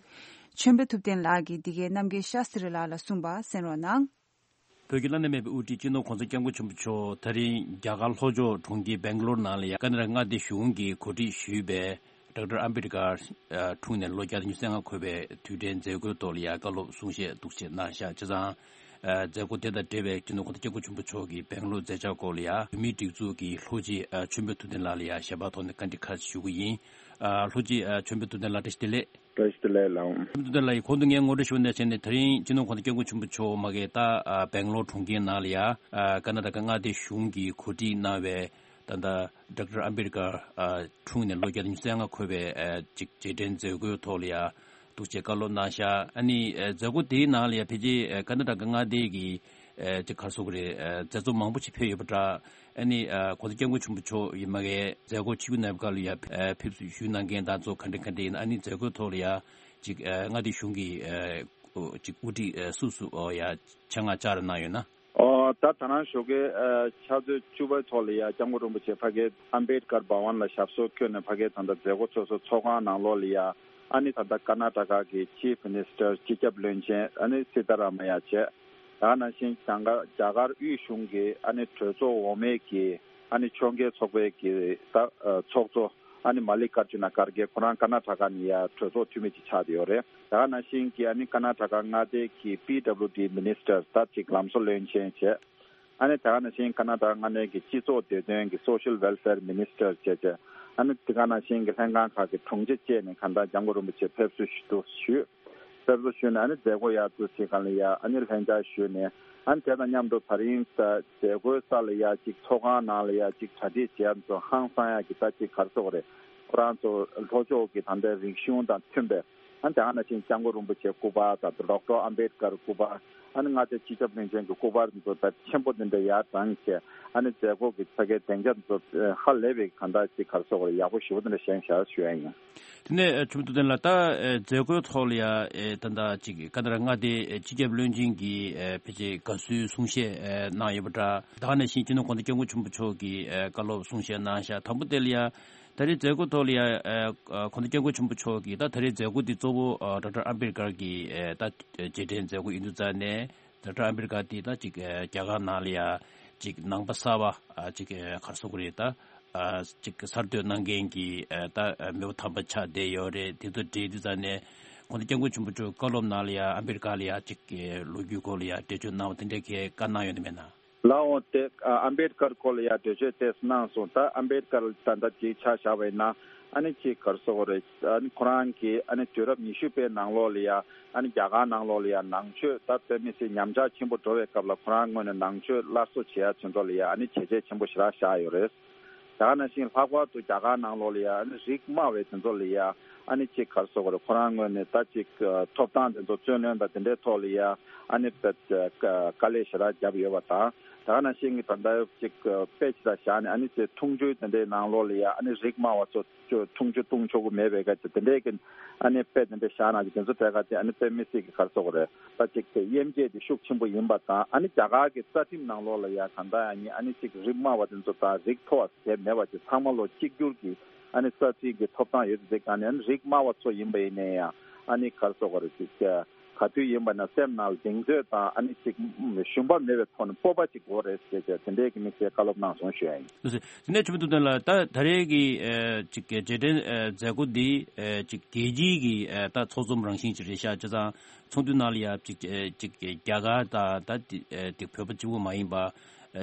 ཆོས་འཕེལ་ཐུབ་བསྟན་ལགས་ཀྱིས་འདི་གའི་རྣམ་རྒྱལ་ཤཱསྟྲི་ལགས་ལ་གསུངས་པ་གསན་རོགས་གནང་། བོད་ཀྱི་བླ་ན་མེད་པའི་དབུ་ཁྲིད་སྤྱི་ནོར་༸གོང་ས་༸སྐྱབས་མགོན་ཆེན་པོ་མཆོག་ད་རིང་རྒྱ་གར་ལྷོ་ཕྱོགས་གྲོང་ཁྱེར་སྦེང་ལོར་ནང་ལ་ཡ་ཀ་ན་ཌ་མངའ་སྡེ་གཞུང་གིས་གོ་སྒྲིག་ཞུས་པའི་ཌོག་ཊར་ཨམ་བེད་ཀར་འཁྲུངས་ནས་ལོ་བརྒྱ་དང་ཉི་ཤུ་རྩ་ལྔ་འཁོར་བའི་དུས་དྲན་མཛད་སྒོའི་ཐོག་ལ་ཡ་བཀའ་སློབ་གསུང་བཤད་འདུག་སེ་གནང་བཞག་བྱས་ཙང་། མཛད་སྒོ་དེ་དང་འབྲེལ་བའི་སྤྱི་ནོར་༸གོང་ས་༸སྐྱབས་མགོན་ཆེན་པོ་མཆོག་གིས་སྦེང་ལོར་མཛད་འཆར་སྐོར་ལ་ཡ་བོད་མིའི་སྒྲིག་འཛུགས་ཀྱི་ལྷུ་སྤྱི་ཆོས་འཕེལ་ཐུབ་བསྟན་ལགས་ལ་ཡ་ཞལ་པར་ཐོག་ནས་བཀའ་འདྲི་ཁ་ཤས་ཞུ་གི་ཡིན། ལྷུ་སྤྱི་ཆོས་འཕེལ་ཐུབ་བསྟན་ལགས་བཀྲ་ཤིས་བདེ་ལེགས། བཀྲ་ཤིས་བདེ་ལེགས་ལགས། ཁྲིམས་མཐུན་ལ་ཡི་གོང་དུ་ངས་ངོ་སྤྲོད་ཞུ་བ་ནང་བཞིན་ནི་དེ་རིང་སྤྱི་ནོར་༸གོང་ས་༸སྐྱབས་མགོན་ཆེན་པོ་མཆོག་མ་གི་ད་སྦེང་ལོར་གྲོང་ཁྱེར་ནང་ལ་ཡ་ཀར་ནཱ་ཊ་ཀ་མངའ་སྡེ་གཞུང་གིས་གོ་སྒྲིག་གནང་བའི་ད་ལྟ་ཌོག་ཊར་ཨམ་བེད་ཀར་འཁྲུངས་ནས་ལོ་བརྒྱ་དང་ཉི་ཤུ་རྩ་ལྔ་འཁོར་བའི་ཅིག་རྗེས་དྲན་མཛད་སྒོའི་ཐོག་ལ་ཡ་འདུག་སེ་བཀའ་སློབ་གནང་བཞག་ཨ་ནི་མཛད་སྒོ་དེའི་ནང་ལ་ཡ་ཕལ་ཆེར་ཀར་ནཱ་ཊ་ཀ་མངའ་སྡེ་གི་ཅིག་ག་རེ་ཟེར་དགོས་རེད། མཛད་གཙོ་མང་པོ་ཞིག་ཕེབས་ཡོད་པ་འདྲ། ཨ་ནི་༸གོང་ས་༸སྐྱབས་མགོན་ཆེན་པོ་མཆོག་ཡིན་མ་གི་མཛད་སྒོ་ཆིབས་བསྒྱུར་གནང་བའི་སྐབས་ལ་ཡ་ཕེབས་བསུ་ཞུས་གནང་མཁན་དང་ཚོ་ག་འདྲ་ག་འདྲ་ཡིན། ཨ་ནི་མཛད་སྒོའི་ཐོག་ལ་ཡ་ཅིག་མངའ་སྡེ་གཞུང་གི་ཅིག་དབུ་ཁྲིད་སུ་སུ་ཡ་ཆེད་མངགས་བཅར་གནང་ཡོད་ན། ཨོ་ད་ད་རང་ཞོགས་ཀས་ཕྱག་ཚོད་བཅུ་པའི་ཐོག་ལ་ཡ་༸སྐྱབས་མགོན་རིན་པོ་ཆེ་ཕ་གི་ཨམ་བེད་ཀར་བྷ་ཝན་ལ་ཞབས་སོར་འཁོད་ནས་ཕ་གི་ད་ལྟ་མཛད་སྒོ་ཚོགས་གཙོ་ཚོགས་ཁང་ནང་ལོགས་ལ་ཡ་ཨ་ནི་ད་ལྟ་ཀར་ནཱ་ཊ་ཀ་གི་ཆིབ་མི་ནིས་ཊར་སྤྱི་ཁྱབ་བློན་ཆེན་ཨ་ནི་སི་ཏཱ་ར་མ་ཡ་བྱས། ད་ག་ནང་བཞིན་རྒྱ་གར་རྒྱ་གར་དབུས་གཞུང་གི་ཨ་ནི་གྲོས་ཚོགས་འོག་མའི་གི་ཨ་ནི་ཕྱོགས་འགལ་ཚོགས་པའི་གི་ད་ཚོགས་གཙོ་ཨ་ནི་མ་ལི་ཀར་ཇུ་ན་ཁར་གེ་ཁོ་རང་ཀར་ནཱ་ཊ་ཀ་ནས་ཡ་གྲོས་ཚོགས་འཐུས་མི་ཅིག་ཆགས་བསྡད་ཡོད་རེད། ད་ག་ནང་བཞིན་གི་ཨ་ནི་ཀར་ནཱ་ཊ་ཀ་མངའ་སྡེ་གི་པི་ཌབ་ལུ་ཌི་མི་ནིས་ཊར་ད་ཅིག་ལམ་བཟོ་བློན་ཆེན་བྱས། ཨ་ནི་ད་ག་ནང་བཞིན་ཀར་ནཱ་ཊ་ཀ་མངའ་སྡེ་གི་སྤྱི་ཚོགས་བདེ་དོན་གི་སོ་ཤལ་ཝེལ་ཕེར་མི་ནིས་ཊར་བྱས་བྱས། ཨ་ནི་དེ་ག་ནང་བཞིན་གི་ལྷན་ཁང་ཁག་གི་དྲུང་ཆེ་བཅས་ནས་གང་ལྟར་༸སྐྱབས་མགོན་རིན་པོ་ཆེ་ཕེབས་བསུ་ཞུ་དུ་ཞུས། ཕེབས་བསུ་ཞུས་ནས་ཨ་ནི་མཛད་སྒོ་ཡར་ཚུར་བྱེད་གང་ལ་ཡ་ཨ་ནི་ལྷན་བཅར་ཞུས་ནས། ཨ་ནི་དེ་དང་མཉམ་དུ་ད་རིང་ད་མཛད་སྒོའི་ས་ལ་ཡ་གཅིག་ཚོགས་ཁང་ནང་ལ་ཡ་གཅིག་གྲ་སྒྲིག་བྱས་ཚོ་ཧང་སང་ཡ་གི་ད་གཅིག་ག་རེ་ཟེར་དགོས་རེད། ཁོ་རང་ཚོ་ལྷོ་ཕྱོགས་ཀྱི་ད་ལྟའི་རིག་གཞུང་དང་མཐུན་པའི་ཨ་ནི་དེ་ག་ནང་བཞིན་༸སྐྱབས་མགོན་རིན་པོ་ཆེའི་སྐུ་པར་དང་ཌོག་ཊར་ཨམ་བེད་ཀར་སྐུ་པར། ཨ་ནི་མངའ་སྡེ་སྤྱི་ཁྱབ་བློན་ཆེན་གྱི་སྐུ་པར་ཚོ་དཔེ་ཆེན་པོ་འདི་འདྲ་ཡར་དྲངས་བྱས། ཨ་ནི་མཛད་སྒོ་གི་ཕ་གིའི་སྡིངས་ཆ་ཚོ་ཧ་ལས་པའི་གང་ལྟར་ཅིག་ག་རེ་ཟེར་དགོས་རེད། ཡག་པོ་ཞེ་པོ་འདི་འདྲ་བཞེངས་བཞག་ཞུ་ཡ་ཡིན། དེ་ནས་ཨ་ཁྲིམས་ཐུབ་བསྟན་ལགས། ད་ཨེ་མཛད་སྒོའི་ཐོག་ལ་ཡ་ཨེ་ད་ལྟ་ཅིག་ཀར་ནཱ་ཊ་ཀ་མངའ་སྡེའི་ཨེ་སྤྱི་ཁྱབ་བློན་ཆེན་གྱིས་ཨེ་ཕལ་ཆེར་དགའ་བསུའི་གསུང་བཤད་ཨེ་གནང་ཡོད་པ་འདྲ། ད་ག་ནང་བཞིན་སྤྱི་ནོར་༸གོང་ས་༸སྐྱབས་མགོན་ཆེན་པོ་མཆོག་གིས་ཨེ་བཀའ་སློབ་གསུང་བཤད་གནང་བཞག་དང་པོ་དེ་ལ་ཡ་ད་རེས་མཛད་སྒོ་ཐོག་ལ་ཡ་ཨེ་༸གོང་ས་༸སྐྱབས་མགོན་ཆེན་པོ་མཆོག་གིས་ད་ད་རེས་མཛད་སྒོ་འདི་གཙོ་བོ་ཨེ་ཌོག་ཊར་ཨམ་བེད་ཀར་གྱི་ཨེ་ད་རྗེས་དྲན་མཛད་སྒོ་ཡིན་དུས་ཙང་ནས། ཌོག་ཊར་ཨམ་བེད་ཀར་དེ་ད་ཅིག་ཨེ་རྒྱ་གར་ནང་ལ་ཡ་ཅིག་ནང་པ་གསར་པ་ཨ་ཅིག་ཨེ་ག་རེ་ཟེར་དགོས་རེད། ད་ཨ་ཅིག་གསར་གཏོད་གནང་མཁན་གྱི་ཨེ་ད་ཨེ་མི་བུ་དམ་པ་ཆགས་བསྡད་ཡོད་རེད། དེ་ཚོ་འབྲེལ་དུས་ཙང་ནས་༸གོང་ས་༸སྐྱབས་མགོན་ཆེན་པོ་མཆོག་བཀའ་སློབ་ནང་ལ་ཡ་ཨམ་བེད་ཀར་ལ་ཡ་ཅིག་ཨེ་ལོ་རྒྱུས་སྐོར་ལ་ཡ་འགྲེལ་བརྗོད་གནང་བ་དེ་འདྲའི་གི་བཀའ་གནང་ཡོད་ནི་མེད་ན། ལགས་འོང་། དེ་ཨ་ཨམ་བེད་ཀར་སྐོར་ལ་ཡ་འགྲེལ་བརྗོད་ཏོག་ཙམ་གནང་སོང་། ད་ཨམ་བེད་ཀར་ད་ལྟ་ཅིག་ཆ་བཞག་པ་ཡིན་ན། ཨ་ནི་ཅིག་ག་རེ་ཟེར་དགོས་རེད། ཨ་ནི་ཁོ་རང་གིས་ཨ་ནི་དུས་རབས་ཉི་ཤུ་པའི་ནང་ལོགས་ལ་ཡ་ཨ་ནི་རྒྱ་གར་ནང་ལོགས་ལ་ཡ་ནང་ཆོས་ད་དཔེ་མི་སྲིད་ཉམས་ཆག་ཆེན་པོ་འགྲོ་བའི་སྐབས་ལ་ཁོ་རང་ངོས་ནས་ནང་ཆོས་སླར་གསོ་བྱེད་ཡ་ཆེད་དུ་ལ་ཡ་ཨ་ནི་བྱས་རྗེས་ཆེན་པོ་ཞེ་དྲག་བཞག་ཡོད་རེད། ད་ག་ནང་བཞིན་ལྷག་པར་དུ་རྒྱ་གར་ནང་ལོགས་ལ་ཡ་ཨ་ནི་རིགས་དམའ་བའི་དེ་ཚོ་ལ་ཡ་ཨ་ནི་ཅིག་ག་རེ་ཟེར་དགོས་རེད། ཁོ་རང་ངོས་ནས་ད་ཅིག་ཐོབ་ཐང་དེ་ཚོ་རྩོད་ལེན་དང་དེ་འདྲའི་ཐོག་ལ་ཡ་ཨ་ནི་དཔེ་དཀའ་ལས་ཞེ་དྲག་བརྒྱབ་ཡོད་པ་དང་། ད་ག་ནང་བཞིན་གྱི་ད་ལྟ་ཅིག་དཔེ་ཅིག་ལ་བཞག་ནས་ཨ་ནི་ཅིག་འཐུང་ཆུའི་དེ་འདྲའི་ནང་ལོགས་ལ་ཡ་ཨ་ནི་རིགས་དམའ་བ་ཚོ། ཆུ་འཐུང་ཆུ་འཐུང་ཆོག་གི་མེད་པའི་སྐད་ཆ་དེ་འདྲའི་གི་ཨ་ནི་དཔེ་དེ་འདྲ་བཞག་ན་གི་དེ་ཚོ་དེ་ག་དེ་ཨ་ནི་དཔེ་མི་སྲིད་གི་ག་རེ་ཟེར་དགོས་རེད། ད་ཅིག་དེ་དབྱེ་འབྱེད་དེ་ཤུགས་ཆེན་པོ་ཡིན་པ་དང་། ཨ་ནི་རྒྱ་གར་གི་རྩ་ཁྲིམས་ནང་ལོགས་ལ་ཡ་གང་ལྟར་ཡང་ཨ་ནི་ཅིག་རིགས་དམའ་བ་དེ་ཚོ་དང་རིགས་མཐོ་བ་དེ་མེད་པ་ཅིག་ཚང་མ་ལོ་གཅིག་གྱུར་གི་ཨ་ནི་རྩ་ཁྲིམས་གི་ཐོབ་ཐང་ཡོད་དེ་ག་ནས་ཨ་ནི་རིགས་དམའ་བ་ཚོ་ཡིན་པ་ཡིན་ནའི་ཡང་ཨ་ནི་ག་རེ་ཟེར་དགོས་རེད། ཅིག་ག་དུས་ཡིན་པ་ན་སེམས་ནང་གདེང་ཚོད་དང་ཨ་ནི་ཅིག་ཞུམ་པ་མེད་པའི་ཐོག་ནས་སྤོབས་པ་ཅིག་དགོས་རེད་ཟེར་བྱས་དེ་འདྲའི་གི་དམིགས་བསལ་བཀའ་སློབ་གནང་སོང་ཞུ་ཡ་ཡིན། ལགས་སོ། དེ་ནས་ཆུ་མིག་ཐུབ་བསྟན་ལགས། ད་ད་རེས་ཀྱི་ཨ་ཅིག་གི་རྗེས་དྲན་ཨ་མཛད་སྒོ་འདི་ཨ་ཅིག་རྒྱལ་སྤྱིའི་གི་ཨ་ད་ཚོགས་འཛོམས་རང་བཞིན་ཅིག་རེད་ཤག་བྱས་ཙང་ཚོགས་འདུ་ནང་ལ་ཡ་ཅིག་ཨ་ཅིག་རྒྱ་གར་དང་ད་དེ་ཨ་དེ་བོད་པ་གཅིག་པུ་མ་ཡིན་པ་ཨ་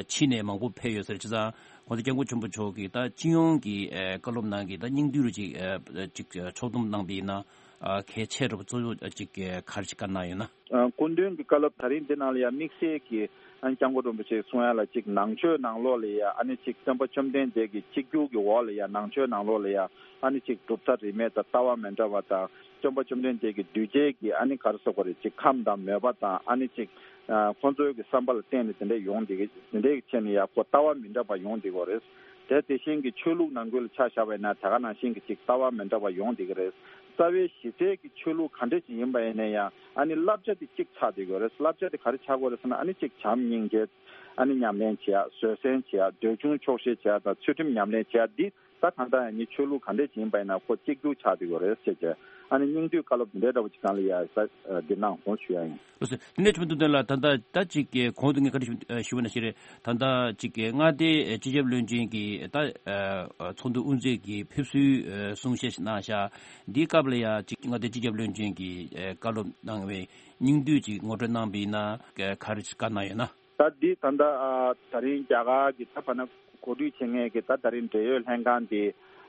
ཕྱི་ནས་མང་པོ་ཕེབས་ཡོད་ཟེར། བྱས་ཙང་ གོང་ས་སྐྱབས་མགོན་ཆེན་པོ་མཆོག་གིས་ད་སྤྱི་ཡོངས་ཀྱི་ཨ་བཀའ་སློབ་ནང་གི་ད་སྙིང་བསྡུས་རུ་ཅིག་ཨ་ཅིག་ཕྱོགས་བསྡོམས་གནང་པ་ཡིན་ན། ཨ་གལ་ཆེ་དྲགས་པ་གཙོ་བོ་ཅིག་ག་རེ་ཞིག་བཀའ་གནང་ཡོད་ན། ཨ་སྐུ་མདུན་གྱི་བཀའ་སློབ་ད་རིང་འདི་ནང་ལ་ཡང་དམིགས་བསལ་གྱི་ཨ་ནི་སྐྱབས་མགོན་རིན་པོ་ཆེས་གསུང་ཡ་ལ་ཅིག་ནང་ཆོས་ནང་ལོགས་ལ་ཡང་ཨ་ནི་ཅིག་སྟོན་པ་བཅོམ་ལྡན་འདས་ཀྱི་གཅིག་གྱུར་གྱི་འོག་ལ་ཡང་ནང་ཆོས་ནང་ལོགས་ལ་ཡང་ཨ་ནི་ཅིག་གྲུབ་མཐའ་རིས་མེད་དང་ལྟ་བ་མི་འདྲ་བ་དང་། སྟོན་པ་བཅོམ་ལྡན་འདས་ཀྱི་གདུལ་བྱའི་གི་ཨ་ནི་ག་རེ་ཟེར་དགོས་རེད། ཅིག་ཁམས་དང་མོས་པ་དང་ཨ་ནི་ཅིག་ཨ་ཁོང་ཚོའི་གི་བསམ་པ་ལ་བརྟེན་ནས་དེ་འདྲ་ཡོང་བསྡད་ཀྱི། དེ་འདྲའི་གི་ཆེད་ནས་ཡང་ཁོ་ལྟ་བ་མི་འདྲ་བ་ཡོང་བསྡད་ཀྱི་ཡོད་རེད། དེ་དེ་བཞིན་གྱི་ཆོས་ལུགས་ནང་ཁུལ་ལ་ཆ་བཞག་པ་ཡིན་ན་དེ་ག་ནང་བཞིན་གྱི་ཅིག་ལྟ་བ་མི་འདྲ་བ་ཡོང་བསྡད་ཀྱི་རེད། རྩ་བའི་གཞི་རྩའི་གི་ཆོས་ལུགས་ག་འདྲ་ཅིག་ཡིན་པ་ཡིན་ན་ཡང་ཨ་ནི་བསླབ་བྱ་དེ་གཅིག་ཆགས་བསྡད་ཀྱི་ཡོད་རེད། བསླབ་བྱ་དེ་ག་རེ་ཆགས་ཀྱི་ཡོད་རེད་ཟེར་ན་ཨ་ནི་ཅིག་བྱམས་སྙིང་རྗེ། ཨ་ནི་ཉམས་ལེན་བྱེད་ཡ། བཟོད་བསྲན་བྱེད་ཡ། འདོད་ཆུང་ཆོག་ཤེས་བྱེད་ཡ་དང་ཚུལ་ཁྲིམས་ཉམས་ལེན་བྱེད་ཡ་འདི་ད་གང་ལྟར་ཡང་ནི་ཆོས་ལུགས་ག་འདྲས་ཅིག་ཡིན་པ་ཡིན་ན་ཁོ་གཅིག་གྱུར་ཆགས་བསྡད་ཡོད་རེད་ཟེར་བྱས། ཨ་ནི་སྙིང་བསྡུས་བཀའ་སློབ་འདི་འདྲའི་འདྲ་བོ་ཅིག་སྒང་ལ་ཡ་ས་འདི་གནང་སོང་ཞུ་ཡ་ཡིན། ལགས་སོ། དེ་ནས་ཁྲིམས་དོན་ལ་ད་ལྟ་ད་ཅིག་གོང་དུ་ངས་བཀའ་འདྲི་ཞུ་ཞུ་བ་ནང་བཞིན་རེད། ད་ལྟ་ཅིག་མངའ་སྡེ་སྤྱི་ཁྱབ་བློན་ཆེན་གྱི་ད་ཚོགས་འདུ་དབུ་འཛུགས་ཀྱི་ཕེབས་བསུའི་གསུང་བཤད་ཞིག་གནང་ཤག་འདིའི་སྐབས་ལ་ཡ་ཅིག་མངའ་སྡེ་སྤྱི་ཁྱབ་བློན་ཆེན་གྱིས་བཀའ་སློབ་གནང་བའི་སྙིང་བསྡུས་ཅིག་ངོ་སྤྲོད་གནང་བ་ཡིན་ན་ག་རེ་བཀའ་གནང་ཡོད་ན། ད་འདི་ད་ལྟ་ཨ་ད་རིང་རྒྱ་གར་གྱི་ད་བར་ན་གོ་སྒྲིག་བྱེད་མཁན་གྱི་ད་ད་རིང་འབྲེལ་ཡོད་ལྷན་ཁང་འདི་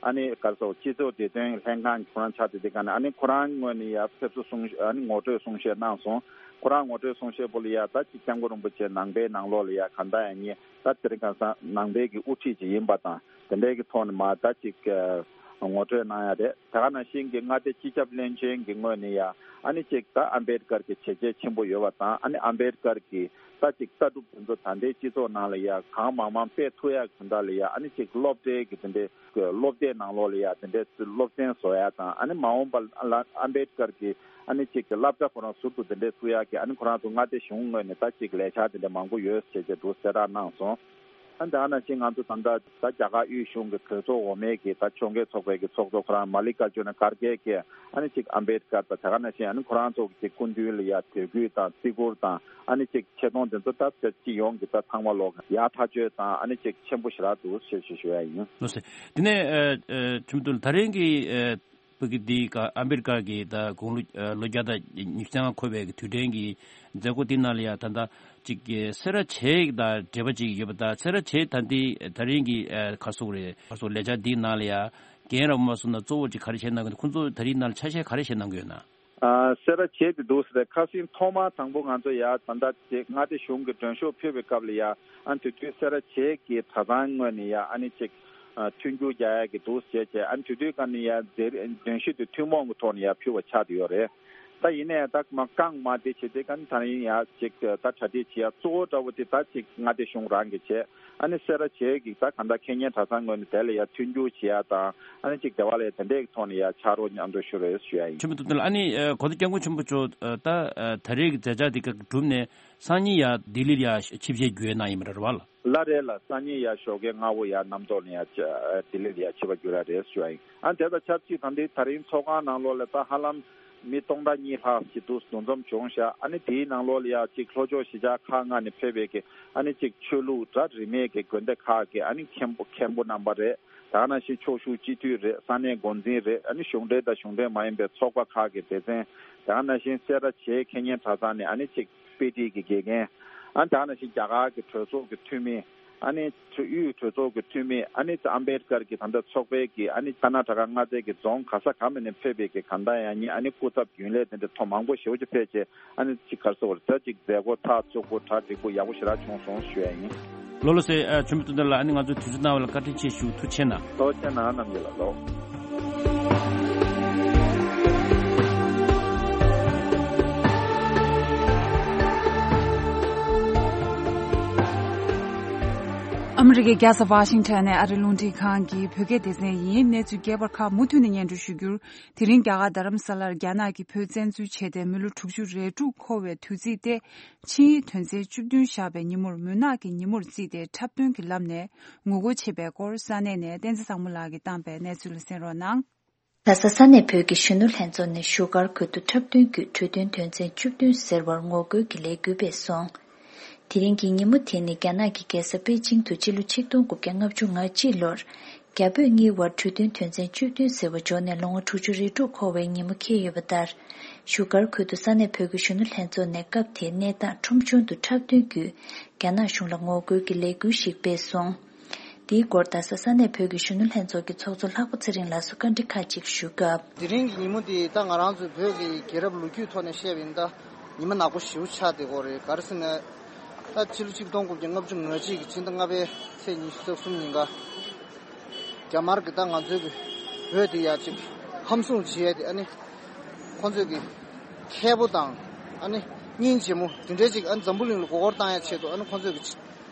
ཨ་ནི་ག་རེ་ཟེར་སྤྱི་ཚོགས་བདེ་དོན་ལྷན་ཁང་གི་ཁོ་རང་ཆགས་བསྡད་དེ་ག་ནས་ཨ་ནི་ཁོ་རང་ངོས་ནས་ཡ་ཕེབས་བསུ་གསུང་ཨ་ནི་ངོ་སྤྲོད་གསུང་བཤད་གནང་སོང་། ཁོ་རང་ངོ་སྤྲོད་གསུང་བཤད་པོ་ལ་ཡ་ད་ཅིག་སྐྱབས་མགོན་རིན་པོ་ཆེ་ནང་པའི་ནང་ལོགས་ལ་ཡ་ག་འདྲ་ཡ་ཉེ་ད་དེ་རིང་ཁ་སང་ནང་པའི་གི་དབུ་ཁྲིད་ཅིག་ཡིན་པ་དང་དེ་འདྲའི་གི་ཐོག་ནས་མ་ད་ཅིག་ངོ་སྤྲོད་གནང་ཡ་རེད། དེ་ག་ནང་བཞིན་གྱི་མངའ་སྡེ་སྤྱི་ཁྱབ་བློན་ཆེན་གྱི་ངོས་ནས་ཡ་ཨ་ནི་ཅིག་ད་ཨམ་བེད་ཀར་གྱི་བྱས་རྗེས་ཆེན་པོ་ཡོད་པ་དང་ཨ་ནི་ཨམ་བེད་ཀར་གྱི་ད་ཅིག་ལྟ་གྲུབ་དེ་ཚོ་ད་ལྟའི་སྤྱི་ཚོགས་ནང་ལ་ཡ་གང་མང་མང་སྤེལ་ཐུབ་ཡ་གི་དོན་དག་ལ་ཡ་ཨ་ནི་ཅིག་སློབ་གྲྭའི་གི་དེ་འདྲའི་སློབ་སྡེ་ནང་ལོགས་ལ་ཡ་དེ་འདྲའི་སློབ་ཚན་བཟོ་ཡ་དང་ཨ་ནི་མ་འོངས་པ་ལ་ཨམ་བེད་ཀར་གྱི་ཨ་ནི་ཅིག་གི་བསླབ་བྱ་ཁོ་རང་ཟུར་དུ་དེ་འདྲའི་བཙུགས་ཡ་གི་ཨ་ནི་ཁོ་རང་ཚོ་མངའ་སྡེ་གཞུང་ངོས་ནས་ད་ཅིག་ལས་འཆར་དེ་འདྲ་མང་པོ་ཡོད་ཟེར་བྱས་འདུག་གསལ་བསྒྲགས་གནང་སོང་། ཨ་ནི་ད་ག་ནང་བཞིན་ང་ཚོ་ད་ལྟ་ད་རྒྱ་གར་དབུས་གཞུང་གི་གྲོས་ཚོགས་འོག་མའི་གི་ད་ཕྱོགས་འགལ་ཚོགས་པའི་གི་ཚོགས་གཙོ་ཁོ་རང་མ་ལི་ཀ་ཨར་ཇུ་ན་ཁར་གེ་གིས་ཨ་ནི་ཅིག་ཨམ་བེད་ཀར་དང་ད་ག་ནང་བཞིན་ཨ་ནི་ཁོ་རང་ཚོ་གི་ཅིག་སྐུ་མདུན་ལ་ཡ་དད་གུས་དང་བརྩི་བཀུར་དང་ཨ་ནི་ཅིག་ཆེ་མཐོང་དེ་ཚོ་ད་སྤྱི་ཡོངས་ཀྱི་ད་ཚང་མ་ལོག་ཡག་ཐག་ཆོད་དང་ཨ་ནི་ཅིག་ཆེན་པོ་ཞེ་དྲག་འདུག་ཞེས་ཞུ་ཞུ་ཡ་ཡིན། ལགས་སོ། དེ་ནས་ཨ་ཨ་ཁྲིམས་དོན་ད་རིང་གི་ཨ་བོད་ཀྱི་འདི་ག་ཨ་མེ་རི་ཀ་གི་ད་དགུང་ལོ་ཨ་ལོ་བརྒྱ་དང་ཉི་ཤུ་རྩ་ལྔ་འཁོར་བའི་གི་དུས་དྲན་གྱི་མཛད་སྒོ་དེ་ནང་ལ་ཡ་ད་ལྟ་ཅིག་གི་སེ་ར་བྱེས་དང་འབྲེལ་བ་ཅིག་ཡོད་པ་དང་སེ་ར་བྱེས་ད་འདི་ད་རིང་གི་ཨ་ག་སོག་རེད་ག་སོག་ལས་འཆར་འདིའི་ནང་ལ་ཡ་རྒན་རབས་མ་སོང་ན་གཙོ་བོ་ཅིག་ག་རེ་བྱས་གནང་གི་འདུག་ཁོང་ཚོ་ད་རིང་ནང་ལ་ཆ་ཤས་ག་རེ་བྱས་གནང་གི་ཡོད་ན། ཨ་སེ་ར་བྱེས་དེ་འདུག་ཟེར་ཁ་སང་ཐོག་མ་དང་པོ་ང་ཚོ་ཡ་ད་ལྟ་ཅིག་མངའ་སྡེ་གཞུང་གི་མགྲོན་ཤོག་ཕུལ་བའི་སྐབས་ལ་ཡ་ཨ་དེ་དུས་སེ་ར་བྱེས་ཀྱི་གྲྭ་ཚང་ངོས་ནས་ཡ་ཨ་ནི་ཅིག་ཨ་མཐུན་འགྱུར་རྒྱག་ཡ་གི་འདུག་ཟེར་བྱས་ཨ་ནི་དེ་དུས་ཀ་ནས་ཡ་མཛད་མགྲོན་ཤོག་དེ་ཐུན་མོང་གི་ཐོག་ནས་ཡ་ཕུལ་བ་ཆགས་བསྡད་ཡོད་རེད། ད་ཡིན་ནའི་ད་མ་རྐང་མ་དེ་བྱེད་དེ་ཀ་ནས་ད་ཡིན་ཡ་ཅིག་ད་གྲ་སྒྲིག་བྱེད་ཡ་གཙོ་བོ་འདྲ་བོ་དེ་ད་ཅིག་མངའ་སྡེ་གཞུང་རང་གིས་བྱས། ཨ་ནི་སེ་ར་བྱེས་ཀྱི་ད་གང་ལྟར་ཁེ་ཉེན་གྲྭ་ཚང་ངོས་ནས་དེ་ལ་ཡ་མཐུན་འགྱུར་བྱེད་ཡ་དང་ཨ་ནི་ཅིག་དེ་བ་ལ་ཡ་དེ་འདྲའི་ཐོག་ནས་ཡ་ཕྱག་རོགས་མཉམ་དུ་ཞུ་རེད་ཞུ་ཡ་ཡིན། ཁྲིམས་དོན་ལ་ཨ་ནི་ཨ་གོང་ས་སྐྱབས་མགོན་ཆེན་པོ་མཆོག་ཨ་ད་ཨ་ད་རེས་ཀྱི་མཛད་འཆར་འདི་ག་གྲུབ་ནས་སང་ཉིན་ཡ་ལྡི་ལི་ལ་ཡ་ཆིབས་ཞལ་བསྒྱུར་གནང་ཡིན་པ་རེད་བ་ལ། ལ་རེད་ལ་སང་ཉིན་ཡ་ཞོགས་ཀའི་སྔ་བོ་ཡ་གནམ་ཐོག་ནས་ཡ་ལྡི་ལི་ལ་ཡ་ཆིབས་པ་བསྒྱུར་ཡ་རེད་ཞུ་ཡ་ཡིན། ཨ་དེ་དང་ཆབས་ཅིག་ད་འདི་ད་རིང་ཚོགས་ཁང་ནང་ལོགས་ལ་ད་ཧ་ལམ་མི་སྟོང་ཕྲག་གཉིས་ལྷག་ཅིག་འདུ་འདུ་འཛོམས་བྱུང་ཤག་ཨ་ནི་དེའི་ནང་ལོགས་ལ་ཡ་ཅིག་ལྷོ་ཕྱོགས་གཞིས་ཆགས་ཁག་ལྔ་ནས་ཕེབས་པའི་གི་ཨ་ནི་ཅིག་ཆོས་ལུགས་གྲྭ་རིས་མེད་ཀྱི་དགོན་སྡེ་ཁག་གི་ཨ་ནི་མཁན་པོ་མཁན་པོ་རྣམ་པ་རེད། ད་ག་ནང་བཞིན་ཕྱོགས་བཞུགས་སྤྱི་འཐུས་རེད། ས་གནས་འགོ་འཛིན་རེད། ཨ་ནི་གཞུང་འབྲེལ་དང་གཞུང་འབྲེལ་མ་ཡིན་པའི་ཚོགས་པ་ཁག་གི་སྡེ་ཚན། ད་ག་ནང་བཞིན་སེ་ར་བྱེས་ཁེ་ཉེན་གྲྭ་ཚང་ནས་ཨ་ནི་ཅིག་དཔེ་ཁྲིད་ཀྱི་དགེ་རྒན། ཨ་ནི་ད་ག་ནང་བཞིན་རྒྱ་གར་གྱི་གྲོས་ཚོགས་ཀྱི་འཐུས་མི། ཨ་ནི་དབུས་གྲོས་ཚོགས་ཀྱི་འཐུས་མི། ཨ་ནི་ཨམ་བེད་ཀར་གྱི་ད་ལྟ་ཚོགས་པའི་གི་ཨ་ནི་ཀར་ན་ཊ་ཀ་མངའ་སྡེ་གི་རྫོང་ག་ས་ག་མ་ནས་ཕེབས་པའི་གི་གང་ལྟར་ཡང་ཉིན་ཨ་ནི་སྐུ་ཚབ་རྒྱུན་ལས་དེ་འདྲ་ཐོག་མང་པོ་ཞེ་པོ་ཅིག་ཕེབས་རྗེས་ཨ་ནི་ཅིག་ག་རེ་ཟེར་དགོས་རེད། ད་ཅིག་མཛད་སྒོ་ཐག་བཅུག་པོ་གྲ་འགྲིག་པོ་ཡག་པོ་ཞེ་དྲག་བྱུང་སོང་ཞུ་ཡ་ཡིན། ལགས་ལགས་སེ། ཨ་ཆོས་མི་སྟོན་ལ་ཨ་ནི་ང་ཚོ་དུས་ཚོད་གནང་བ་ལ་བཀའ་དྲིན་ཆེ་ཞུ། ཐུགས་རྗེ་གནང་། ཐུགས་རྗེ་གནང་རྣམ་པ་ལགས་ལོ། ཨ་མི་རི་ཀའི་རྒྱལ་ས་ཝ་ཤིང་ཊོན་ནས་ཨ་རི་རླུང་འཕྲིན་ཁང་གི་བོད་སྐད་སྡེ་ཚན་ཡིན། གནས་ཚུལ་རྒྱས་པར་ཁག་མུ་མཐུད་ནས་སྙན་སྒྲོན་ཞུ་རྒྱུར། དེ་རིང་རྒྱ་གར་རྡ་རམ་ས་ལར་རྒྱ་ནག་གིས་བོད་བཙན་འཛུལ་བྱས་ཏེ་མི་ལོ་དྲུག་ཅུ་རེ་དྲུག་འཁོར་བའི་དུས་ཚིགས་ཏེ། ཕྱི་ཡི་དོན་ཚན་བཅུ་བདུན་བཞག་པའི་ཉིན་མོར་མུན་ནག་གི་ཉིན་མོར་བརྩིས་ཏེ་འཁྲབ་སྟོན་གྱི་ལམ་ནས་ངོ་རྒོལ་བྱེད་པའི་སྐོར་ས་གནས་ནས་བསྟན་འཛིན་བཟང་མོ་ལགས་ཀྱིས་བཏང་པའི་གནས་ཚུལ་ལ་གསན་རོགས་གནང་། ལྷ་ས་ས་གནས་བོད་ཀྱི་གཞོན་ནུ་ལྷན་ཚོགས་ནས་བཞུགས་སྒར་ཁུལ་དུ་འཁྲབ་སྟོན་བརྒྱུད་གྲོས་མཐུན་དོན་ཚན་བཅུ་བདུན་ཟེར་བར་ངོ་རྒོལ་གྱི་ལས་འགུལ་སྤེལ་སོང་། དེ་རིང་གི་ཉིན་མོ་དེ་ནི་རྒྱ་ནག་གི་རྒྱལ་ས་པེ་ཅིང་དུ་སྤྱི་ལོ་ཆིག་སྟོང་དགུ་བརྒྱ་ལྔ་བཅུ་ང་གཅིག་ལོར། རྒྱ་བོད་གཉིས་དབར་གྲོས་མཐུན་དོན་ཚན་བཅུ་བདུན་ཟེར་བ་འཇོག་ནས་ལོ་ངོ་དྲུག་ཅུ་རེ་དྲུག་འཁོར་བའི་ཉིན་མོ་འཁེལ་ཡོད་པ་ལྟར། བཞུགས་སྒར་ཁུལ་དུ་ས་གནས་བོད་ཀྱི་གཞོན་ནུ་ལྷན་ཚོགས་ནས་སྐབས་དེའི་གནས་སྟངས་ཁྲོམ་གཞུང་དུ་འཁྲབ་སྟོན་བརྒྱུད། རྒྱ་ནག་གཞུང་ལ་ངོ་རྒོལ་གྱི་ལས་འགུལ་ཞིག་སྤེལ་སོང་། འདིའི་སྐོར་རྡ་ས་ས་གནས་བོད་ཀྱི་གཞོན་ནུ་ལྷན་ཚོགས་ཀྱི་ཚོགས་གཙོ་ལྷག་པ་ཚེ་རིང་ལགས་སུ་བཀའ་འདྲི་ཁག་ཅིག་ཞུས་སྐབས། དེ་རིང་གི་ཉིན་མོ་འདི་ད་ང་རང་ཚོའི་བོད་ཀྱི་རྒྱལ་རབས་ལོ་རྒྱུས་ཐོག་ནས་བཤད་པ་ཡིན་ད་ཉི་མ་ནག་པོ་ཞེ་པོ་ཆགས་བསྡད་ཀྱི་ཡོད་རེད། ག་རེ་ཟེར་ན། ད་ཕྱི་ལོ་ཆིག་སྟོང་དགུ་བརྒྱ་ལྔ་བཅུ་ང་གཅིག་གི་ཕྱི་ཟླ་ལྔ་པའི་ཚེས་ཉི་ཤུ་རྩ་གསུམ་ཉིན་ཀ་རྒྱ་དམར་གྱིས་ད་ང་ཚོའི་གི་བོད་འདི་ཡ་གཅིག་ཧམ་བཟུང་བྱས་ཏེ། ཨ་ནི་ཁོང་ཚོས་གི་མཁས་པོ་དང་། ཨ་ནི་སྙིང་རྗེ་མོ་དེ་འདྲའི་ཅིག་ཨ་ནི་འཛམ་བུ་གླིང་ལ་མགོ་སྐོར་བཏང་ཡ་ཆེད་དུ། ཨ་ནི་ཁོང་ཚོས་གི་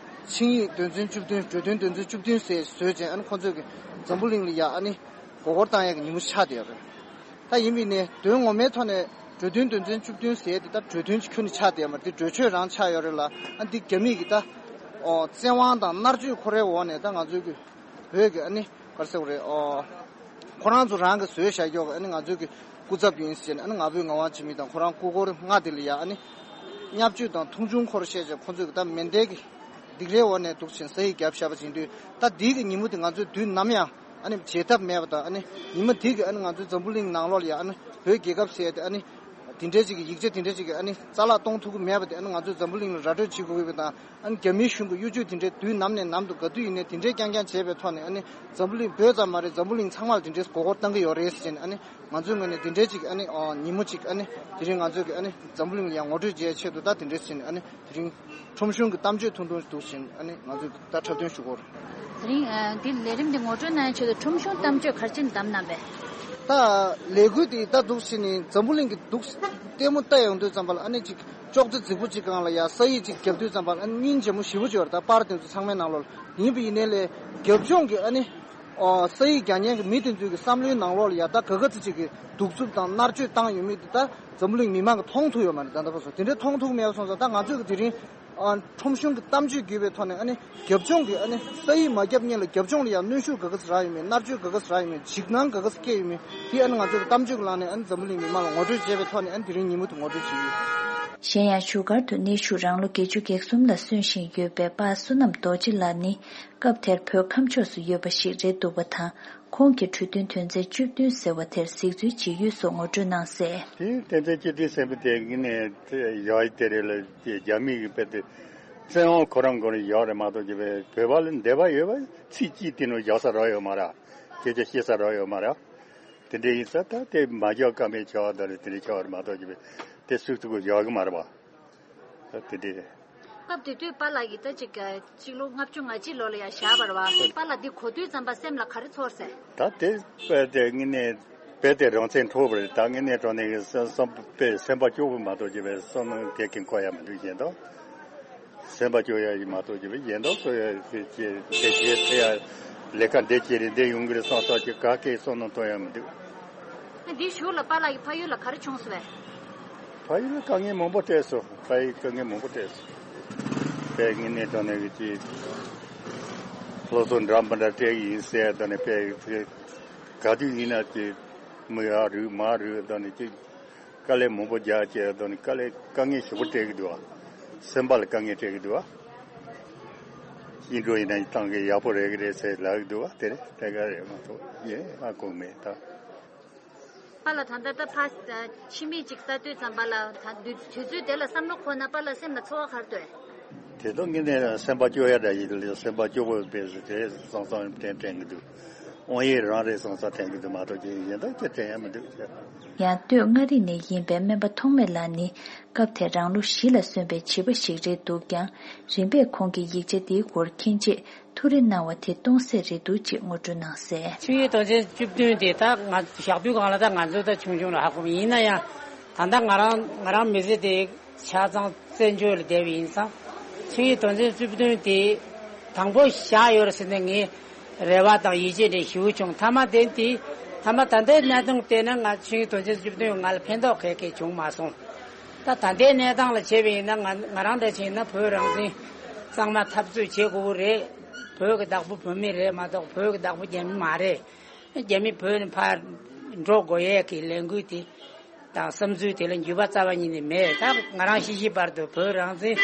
ཆིངས་ཡིག་དོན་ཚན་བཅུ་བདུན། གྲོས་མཐུན་དོན་ཚན་བཅུ་བདུན་ཟེར་བཟོས་བྱས། ཨ་ནི་ཁོང་ཚོས་གི་འཛམ་བུ་གླིང་ལ་ཡ་ཨ་ནི་མགོ་སྐོར་བཏང་ཡ་གི་ཉིན་མོ་ཆགས་བསྡད་ཡོད་རེད། ད་ཡིན་པ་ཡིན་ནའི་དོན་ངོ་མའི་ཐོག་ནས་གྲོས་མཐུན་དོན་ཚན་བཅུ་བདུན་ཟེར་དེ་ད་གྲོས་མཐུན་གྱི་ཁྱོན་ནས་ཆགས་བསྡད་མ་རེད། དེ་གྲོས་ཆོད་རང་ཆགས་ཡོད་རེད་ལ། ཨ་འདི་རྒྱ་མིས་གི་ད་ཨོ་བཙན་དབང་དང་མནར་གཅོད་ཁོ་རའི་འོག་ནས་ད་ང་ཚོའི་གི་བོད་ཀྱི་ཨ་ནི་ག་རེ་ཟེར་དགོས་རེད། ཨོ་ཁོ་རང་ཚོ་རང་གི་བཟོས་བཞག་ཀྱོག་གི་ཨ་ནི་ང་ཚོའི་གི་སྐུ་ཚབ་ཡིན་ཟེར་ནས། ཨ་ནི་ང་ཕོད་ངག་དབང་འཆི་མེད་དང་ཁོ་རང་སྐུ་འཁོར་ལྔ་དེ་ལ་ཡ་ཨ་ནི་བརྙས་བཅོས་དང་མཐོང་ཆུང་ཁོ་ར་བཤད་བྱས། ཁོ་ཚོས་གི་ད་མེ་མདའི་གི་སྡིགས་རའི་འོག་ནས་འདུག་ཕྱིན་ས་ཡིག་བརྒྱབ་བཞག་པ་ཡིན་དུས། ད་འདི་གི་ཉིན་མོ་དེ་ང་ཚོས་དུས་ནམ་ཡང་ཨ་ནི་བརྗེད་ཐབས་མེད་པ་དང་། ཨ་ནི་ཉི་མ་འདི་གི་ཨ་ནི་ང་ཚོའི་འཛམ་བུ་གླིང་ནང་ལོགས་ལ་ཡ་ཨ་ནི་བོད་རྒྱལ་ཁབ་ཟེར་ཏེ་ཨ་ནི་དེ་འདྲའི་ཅིག་གི་ཡིག་ཆ་དེ་འདྲའི་ཅིག་གི་ཨ་ནི་རྩ་བརླག་གཏོང་ཐུབ་ཀྱི་མེད་པ་དེ། ཨ་ནི་ང་ཚོས་འཛམ་བུ་གླིང་ལ་ར་སྤྲོད་བྱེད་དགོས་ཀྱི་ཡོད་པ་དང་། ཨ་ནི་རྒྱ་མིའི་གཞུང་གི་གཡོ་ཇུས་དེ་འདྲའི་དུས་ནམ་ནས་ནམ་དུ་ག་དུས་ཡིན་ནའི་དེ་འདྲའི་རྐྱང་རྐྱང་བྱས་པའི་ཐོག་ནས། ཨ་ནི་འཛམ་བུ་གླིང་བོད་ཙམ་མ་རེད། འཛམ་བུ་གླིང་ཚང་མ་ལ་དེ་འདྲའི་མགོ་སྐོར་བཏང་གི་ཡོད་རེད་ཟེར་ནས། ཨ་ནི་ང་ཚོའི་ངོས་ནས་དེ་འདྲའི་ཅིག་ཨ་ནི་ཨ་ཉིན་མོ་ཅིག་ཨ་ནི་དེ་རིང་ང་ཚོས་ཀྱི་ཨ་ནི་འཛམ་བུ་གླིང་ལ་ཡང་ངོ་སྤྲོད་བྱེད་ཆེད་དུ། ད་དེ་འདྲའི་ཟེར་ནས་ཨ་ནི་དེ་རིང་ཁྲོམ་གཞུང་གི་གཏམ་བརྗོད་ཐུང་ཐུང་འདུག་ཟེར་ནས། ཨ་ནི་ང་ཚོས་ད་འཁྲབ་སྟོན་ཞུ་གོ། དེ་རིང་ཨ་འདི་ལས་རིམ་འདི་ངོ་སྤྲོད་གནང་ཡའི་ཆེད་དུ་ཁྲོམ་གཞུང་གཏམ་བརྗོད་ག་རེ་བྱས་ནས་བདམས་གནང་བས། ད་ལས་འགུལ་འདི་ད་འདུག་ཟེར་ནས་འཛམ་བུ་གླིང་གི་འདུག་ལྟད་མོ་ལྟ་ཡོང་དུས་ཙམ་པ་ལ། ཨ་ནི་ཅིག་ཅོག་ཙེ་རྫིག་པོ་ཅིག་སྒང་ལ་ཡ་ས་ཡིག་ཅིག་བརྒྱབ་དུས་ཙམ་པ་ལ། ཨ་ནི་སྙིང་རྗེ་མོ་ཞེ་པོ་ཅིག་ཡོད་རེད། ད་པར་དེ་ཚོ་ཚང་མའི་ནང་ལོགས་ལ། ཡིན་པ་ཡིན་ནའི་ལས་རྒྱབ་ལྗོངས་ཀྱི་ཨ་ནི་ཨོ་ས་ཡིག་རྒྱག་མཁན་གྱི་མི་དེ་ཚོའི་གི་བསམ་བློའི་ནང་ལོགས་ལ་ཡ་ད་ག་ག་ཚོད་ཅིག་གི་གདུག་རྩུབ་དང་མནར་གཅོད་བཏང་ཡོད་མེད་དེ་ད་འཛམ་བུ་གླིང་མི་མང་གིས་མཐོང་ཐུབ་ཡོད་མ་རེད། ད་ལྟ་བར་དུ་དེ་འདྲའི་མཐོང་ཐུབ་མེད་པ་སོང་ཙང་། ད་ང་ཚོས་གི་དེ་རིང་ཨ་ཁྲོམ་གཞུང་གི་གཏམ་བརྗོད་བརྒྱུད་པའི་ཐོག་ནས། ཨ་ནི་རྒྱབ་ལྗོངས་ཀྱི་ཨ་ནི་ས་ཡིག་མ་བརྒྱབ་སྔོན་ལ་རྒྱབ་ལྗོངས་ལ་ཡང་གནོན་ཤུགས་ག་ག་ཚོད་རག་ཡོད་མེད། མནར་གཅོད་ག་ག་ཚོད་རག་ཡོད་མེད། འཇིགས་སྣང་ག་ག་ཚོད་སྐྱེས་ཡོད་མེད། དེ་ཨ་ནི་ང་ཚོས་གི་གཏམ་བརྗོད་ཀྱི་ལམ་ནས་ཨ་ནི་འཛམ་བུ་གླིང་མི་མང་ལ་ངོ་སྤྲོད་བྱས་པའི་ཐོག་ནས། ཨ་ནི་དེ་རིང་ཉིན་མོ་དེ་ངོ་སྤྲོད་བྱས་ཡོད། གཞན་ཡང་བཞུགས་སྒར་དུ་གནས་བཞུགས་རང་ལོ་བརྒྱད་ཅུ་གྱ་གསུམ་ལ་སོན་བཞིན་ཡོད་པའི་པ་བསོད་ནམས་རྡོ་རྗེ་ལགས་ནི། སྐབས་དེར་བོད་ཁམས་ཕྱོགས་སུ་ཡོད་པ་ཞིག་རེད་འདུག་པ་དང་། ཁོང་གིས་གྲོས་མཐུན་དོན་ཚན་བཅུ་བདུན་ཟེར་བ་དེར་གཟིགས་ཚུལ་ཇི་ཡོད་སོགས་ངོ་སྤྲོད་གནང་གསལ། དེ་དོན་ཚན་བཅུ་བདུན་ཟེར་བ་དེ་ངས་ནས་ཡག་དེ་རེད་ལ། དེ་རྒྱ་མི་གི་དཔེ་དེ་བཙན་དབང་ཁོ་རང་སྒང་ལ་ཡག་རེད་མ་གཏོགས་ཀྱི། བོད་པ་ལ་འདོད་པ་ཡོད་པ་ཚིག་གཅིག་དེ་ནོར་རྒྱག་ས་རག་ཡོད་མ་རེད། སྐད་ཆ་བཤད་ས་རག་ཡོད་མ་རེད། དེ་འདྲ་ཡིན་ཙང་ད་དེ་མ་རྒྱག་ཀ་མེད་ཆགས་པ་དང་། དེ་འདྲ་ཆགས་པ་རེད་མ་གཏོགས་ཀྱི། དེ་སུས་ཐུག་གི་ཡག་གི་མ་རེད་པ། ད་དེ་འདྲ་རེད། སྐབས་དེ་དུས་པཱ་ལགས་ཀྱིས་ད་ཅིག་ཅིག་ལོ་ལྔ་བཅུ་ང་གཅིག་ལོ་ལ་ཡང་བཞག་པ་རེད་བ། པཱ་ལགས་འདི་གོ་དུས་ཙམ་པ་སེམས་ལ་ག་རེ་ཚོར་ཟེར། ད་དེ་དཔེ་དེ་ངས་ནས་དཔེ་དེ་རང་བཙན་འཕྲོག་པ་རེད། ད་ངས་ནས་དྲང་གནས་ཀྱི་བསམ་བསམ་དཔེ་སེམས་པ་སྐྱོ་པོ་མ་གཏོགས་ཀྱི་བསམ་བློ་དེ་གིན་འཁོར་ཡ་མི་འདུག་གཞན་དག་སེམས་པ་སྐྱོ་ཡ་ཡིན་མ་གཏོགས་ཀྱི་གཞན་དག་སོ་ཡ་དེ་དེ་བྱས་དེ་ཡ་ལས་ཀ་འདི་བྱས་རེད། འདི་ཡོང་གི་རེད་བསམ་བསམ་གྱི་ག་གེ་བསམ་བློ་གཏོང་ཡ་མི་འདུག་འདི་གཞུག་ལ་པཱ་ལགས་ཀྱི་ཕ་ཡུལ་ལ་ག་རེ་བྱུང་སོང་བས། ཕ་ཡུལ་ལ་དཀའ་ངལ་མང་པོ་འཕྲད་སོང་། ཕ་ཡུལ་དཀའ་ངལ་མང་པོ་འཕྲད་སོང་། དཔེ་ངས་ནས་དྲང་གནས་ཀྱི་ཅིག་སློབ་གསོ་འདྲ་མི་འདྲ་སྤྲད་ཀྱི་ཡིན་ཟེར། དོན་ནས་དཔེ་ག་དུས་ཡིན་ན་ཅིག་མི་ཡར་རུབ་མར་རུབ། དོན་ནས་ཅིག་དཀའ་ལས་མང་པོ་རྒྱག་བྱས། དོན་ནས་དཀའ་ལས་དཀའ་ངལ་ཞེ་པོ་འཕྲད་ཀྱི་འདུག་བ། སེམས་པ་ལ་དཀའ་ངལ་འཕྲད་ཀྱི་འདུག་བ། སྐྱིད་འགྲོ་ཡིན་ན་བཏང་གི་ཡག་པོ་རེད་གི་རེད་ཟེར་ལབ་ཀྱི་འདུག་བ། དེ་རེད། དེ་ག་རེད་མ་གཏོགས་ཡིན་ཨ་གོ་མེད་ད། པཱ་ལགས་ད་ལྟ་ད་ཕ་ཕྱི་མིག་ཅིག་ལྟ་དུས་ཙམ་པ་ལ་ད་དུས་དུས་ཚོད་དེ་ལ་བསམ་བློ་འཁོར་ན་པཱ་ལགས་སེམས་ལ་ཚོར་བ་ག་རེ་འདུག་དེ་དག་ངས་ནས་སེམས་པ་སྐྱོ་ཡ་འདྲ་ཡིན་ལ། སེམས་པ་སྐྱོ་པོ་དཔེ་སུ་དེ་སང་སང་དྲན་དྲན་གི་འདུག་དབང་ཡིག་རང་རེད་སང་སང་དྲན་གི་འདུག་མ་གཏོགས་ཅི་གཞན་དག་ཅི་དྲན་ཡ་མི་འདུག་ཡང་སྟོད་མངའ་རིས་ནས་ཡིན་པའི་སྨན་པ་ཐོགས་མེད་ལགས་ནི། སྐབས་དེར་རང་ལོ་བཞི་ལ་སོན་པའི་བྱིས་པ་ཞིག་རེད་འདུག་ཀྱང་། རིམ་པས་ཁོང་གིས་ཡིག་ཆ་འདིའི་སྐོར་མཁྱེན་རྗེས་ཐུགས་རེ་གནང་བ་དེ་སྟོང་ཟད་རེད་འདུག་ཅེས་ངོ་སྤྲོད་གནང་གསལ། ཆིངས་ཡིག་དོན་ཚན་བཅུ་བདུན་དེ་ད་ང་ཞག་དུས་སྒང་ལ་ད་ང་ཚོ་ད་ཆུང་ཆུང་ལ་ཧ་གོ་མ་ཡིན་ན་ཡང་། ད་ལྟ་ང་རང་ང་རང་མི་ཚེ་དེ་ཆ་ཚང་བཙན་བྱོལ་ལ་བསྡད་པ་ཡིན་ཙང་། ཆིངས་ཡིག་དོན་ཚན་བཅུ་བདུན་དེ་དང་པོ་བཞག་ཡོད་རེད་ཟེར་ནས་ངས་རེ་བ་དང་ཡིད་ཆེས་དེ་ཞེ་པོ་བྱུང་། མཐའ་མ་དེ་དེ་མཐའ་མ་ད་ལྟའི་གནས་སྟངས་བལྟས་ན་ང་ཆིངས་ཡིག་དོན་ཚན་བཅུ་བདུན་ང་ལ་ཕན་ཐོགས་ག་གེ་བྱུང་མ་སོང་། ད་ད་ལྟའི་གནས་སྟངས་ལ་བྱས་པ་ཡིན་ན། ང་ང་རང་འདྲ་ཅིག་ཡིན་ན་བོད་རང་བཙན་གཙང་མ་འཐབ་རྩོད་བྱེད་དགོས་ཀྱི་རེད། བོད་ཀྱི་བདག་པོ་བོད་མི་རེད་མ་གཏོགས་བོད་ཀྱི་བདག་པོ་རྒྱ་མི་མ་རེད། རྒྱ་མི་བོད་ནས་ཕར་འགྲོ་དགོས་ཡས་ཀྱི་ལས་འགུལ་དེ་དང་བསམ་ཚུལ་དེ་ལ་འགྱུར་བ་རྩ་བ་ཉིད་ནས་མེད། ད་ང་རང་ཤི་ཤི་བར་དུ་བོད་རང་བཙན་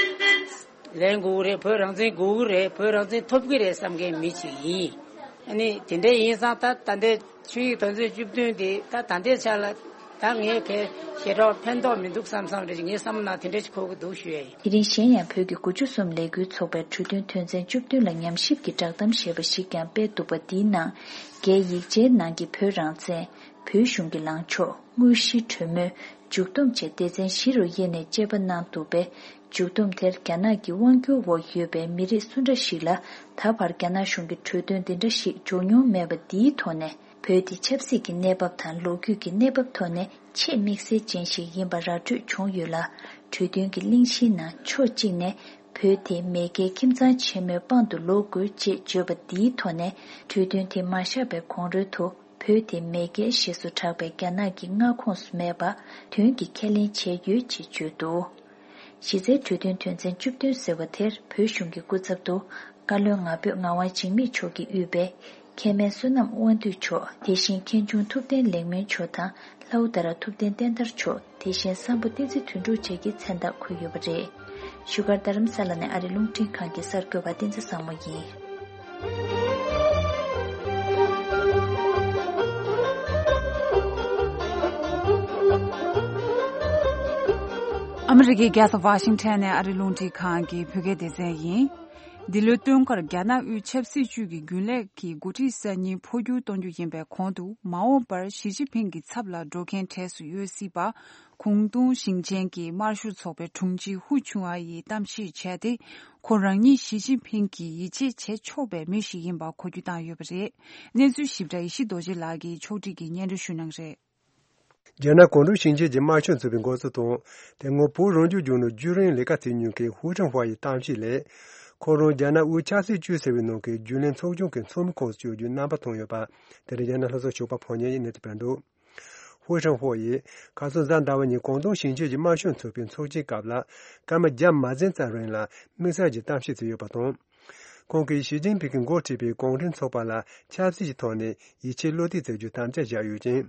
ལེན་དགོས་ཀྱི་རེད། བོད་རང་བཙན་དགོས་ཀྱི་རེད། བོད་རང་བཙན་ཐོབ་ཀྱི་རེད་བསམ་མཁན་མི་ཞིག་ཡིན། ཨ་ནི་དེ་འདྲ་ཡིན་ཙང་ད་ད་ལྟའི་ཆིངས་ཡིག་དོན་ཚན་བཅུ་བདུན་དེ་ད་ད་ལྟའི་ཆ་ལ། ད་ངས་དེ་ཞེ་དྲག་ཕན་ཐོགས་མི་འདུག་བསམ་བསམ་རེད། ངའི་བསམ་ན་དེ་འདྲ་ཞིག་གོ་གི་འདུག་ཞུ་ཡ་ཡིན། དེ་རིང་གཞན་ཡང་བོད་ཀྱི་དགུ་བཅུ་གསུམ་ལས་འགུལ་ཚོགས་པའི་གྲོས་མཐུན་དོན་ཚན་བཅུ་བདུན་ལ་ཉམས་ཞིབ་ཀྱི་བསྒྲགས་གཏམ་ཞེས་པ་ཞིག་ཀྱང་སྤེལ་འདུག་པ། འདིའི་ནང་རྒྱའི་ཡིག་ཆའི་ནང་གི་བོད་རང་བཙན། བོད་གཞུང་གི་ལངས་ཕྱོགས། དངོས་གཞིའི་གྲོས་མོལ། མཇུག་བསྡོམས་བཅས་སྡེ་ཚན་བཞི་རུ་དབྱེ་ནས་དཔྱད་པ་གནང་འདུག་པས། མཇུག་བསྡོམས་དེར་རྒྱ་ནག་གི་དབང་སྒྱུར་འོག་ཡོད་པའི་མི་རིགས་སུ་འདྲ་ཞིག་ལ་ད་བར་རྒྱ་ནག་གཞུང་གི་གྲོས་དོན་འདི་འདྲ་ཞིག་འབྱོར་མྱོང་མེད་པ་འདིའི་ཐོག་ནས། བོད་འདི་ཆབ་སྲིད་ཀྱི་གནས་བབ་དང་ལོ་རྒྱུས་ཀྱི་གནས་བབ་ཐོག་ནས་ཆེས་དམིགས་བསལ་ཅན་ཞིག་ཡིན་པ་ར་སྤྲོད་བྱུང་ཡོད་ལ། གྲོས་མཐུན་གྱི་གླེང་གཞིའི་ནང་ཕྱོགས་གཅིག་ནས་བོད་དེ་མེས་རྒྱལ་ཁྱིམ་ཚང་ཆེན་མོའི་དཔང་དུ་ལོག་དགོས་ཅེས་བརྗོད་པ་འདིའི་ཐོག་ནས། གྲོས་མཐུན་དེ་མ་བཞག་པའི་གོང་རོལ་དུ་བོད་དེ་མེས་རྒྱལ་ཞེས་སུ་གྲགས་པའི་རྒྱ་ནག་གི་མངའ་ཁོངས་སུ་མེད་པ་དོན་གྱིས་ཁས་ལེན་བྱས་ཡོད་ཅེས་བརྗོད་འདུག་གཞི་རྩའི་གྲོས་མཐུན་དོན་ཚན་བཅུ་བདུན་ཟེར་བ་དེར་བོད་གཞུང་གི་སྐུ་ཚབ་ཏུ་བཀའ་བློན་ང་ཕོད་ངག་དབང་འཇིགས་མེད་མཆོག་གིས་དབུས་པའི་མཁན་སྨན་བསོད་ནམས་དབང་འདུས་མཆོག་དེ་བཞིན་མཁན་ཆུང་ཐུབ་བསྟན་ལེགས་སྨོན་མཆོག་དང་ལྷ་བུ་དྷ་ར་ཐུབ་བསྟན་བསྟན་དར་མཆོག་དེ་བཞིན་སམ་བྷོ་བསྟན་འཛིན་དོན་གྲུབ་བཅས་ཀྱི་མཚན་རྟགས་འཁོད་ཡོད་པ་རེད། བཞུགས་སྒར་རྡ་རམ་ས་ལ་ནས་ཨ་རིའི་རླུང་འཕྲིན་ཁང་གི་གསར་འགོད་པ་བསྟན་འཛིན་བཟང་མོ་ཡིན། ཨ་མི་རི་ཀའི་རྒྱལ་ས་ཝ་ཤིང་ཊོན་ནས་ཨ་རིའི་རླུང་འཕྲིན་ཁང་གི་བོད་སྐད་སྡེ་ཚན་ཡིན། འདི་ལོའི་སྟོན་ཁར་རྒྱ་ནག་དབུས་ཆབ་སྲིད་ཅུས་ཀྱི་རྒྱུན་ལས་ཀྱི་འགོ་ཁྲིད་གསར་རྙིང་འཕོ་འགྱུར་གཏོང་རྒྱུ་ཡིན་པའི་གོང་དུ། མ་འོངས་པར་ཞི་ཅིན་ཕིང་གི་ཚབ་ལ་འགྲོ་མཁན་གྲས་སུ་ཡོད་སྲིད་པ། ཀོང་ཏུང་ཞིང་ཆེན་གྱི་དམར་ཤོག་ཚོགས་པའི་དྲུང་ཆེ་ཧུའུ་ཆུང་ཨ་ཡིས་གཏམ་བཤད་བྱས་ཏེ། ཁོ་རང་ཉིད་ཞི་ཅིན་ཕིང་གིས་ཡིད་ཆེས་བྱེད་ཆོག་པའི་མི་ཞིག་ཡིན་པ་གོ་རྒྱུ་བཏང་ཡོད་པ་རེད། གནས་ཚུལ་ཞིབ་ཕྲ་ཡེ་ཤེས་རྡོ་རྗེ་ལགས་ཀྱིས་ཕྱོགས་སྒྲིག་གིས་སྙན་སྒྲོན་ཞུ་གནང་རེད། རྒྱ་ནག་ཀོང་ཏུང་ཞིང་ཆེན་གྱི་དམར་ཤོག་ཚོགས་པའི་འགོ་གཙོ་དང་། དེ་སྔོན་བོད་རང་སྐྱོང་ལྗོངས་ནང་རྒྱུན་རིང་ལས་ཀ་བྱེད་མྱོང་མཁན་ཧུའུ་ཁྲང་ཧྭ་ཡི་གཏམ་བཤད་ལས། ཁོ་རང་རྒྱ་ནག་དབུས་ཆབ་སྲིད་ཅུས་ཟེར་བའི་ནང་གི་རྒྱུན་ལས་ཚོགས་ཆུང་གི་ཚོགས་མི་ཁོངས་སུ་བསྐྱོད་རྒྱུའི་རྣམ་པ་མཐོང་ཡོད་པ། དེ་རིང་རྒྱ་ནག་ལྷོ་ཕྱོགས་ཞོགས་པ་ཕོ་ཉ་ཡིས་གནས་ཚུལ་སྤེལ་འདུག་ཧུའུ་ཁྲང་ཧྭ་ཡིས་ཁ་སང་གཟའ་ཟླ་བ་ཉིན་ཀོང་ཏུང་ཞིང་ཆེན་གྱི་དམར་ཤོག་ཚོགས་པའི་ཚོགས་ཆེན་སྐབས་ལ། སྐར་མ་བརྒྱ་མ་ཟིན་ཙམ་རིང་ལ་དམིགས་བསལ་གྱི་གཏམ་བཤད་བྱས་ཡོད་པ་དང་། ཁོང་གིས་ཞི་ཅིན་ཕིང་གིས་འགོ་ཁྲིད་པའི་གུང་ཁྲན་ཚོགས་པ་ལ་ཆབ་སྲིད་ཀྱི་ཐོག་ནས་ཡིད་ཆེས་བློ་གཏད་བྱ་རྒྱུའི་དམ་བཅའ་བཞག་ཡོད་ཅིང་།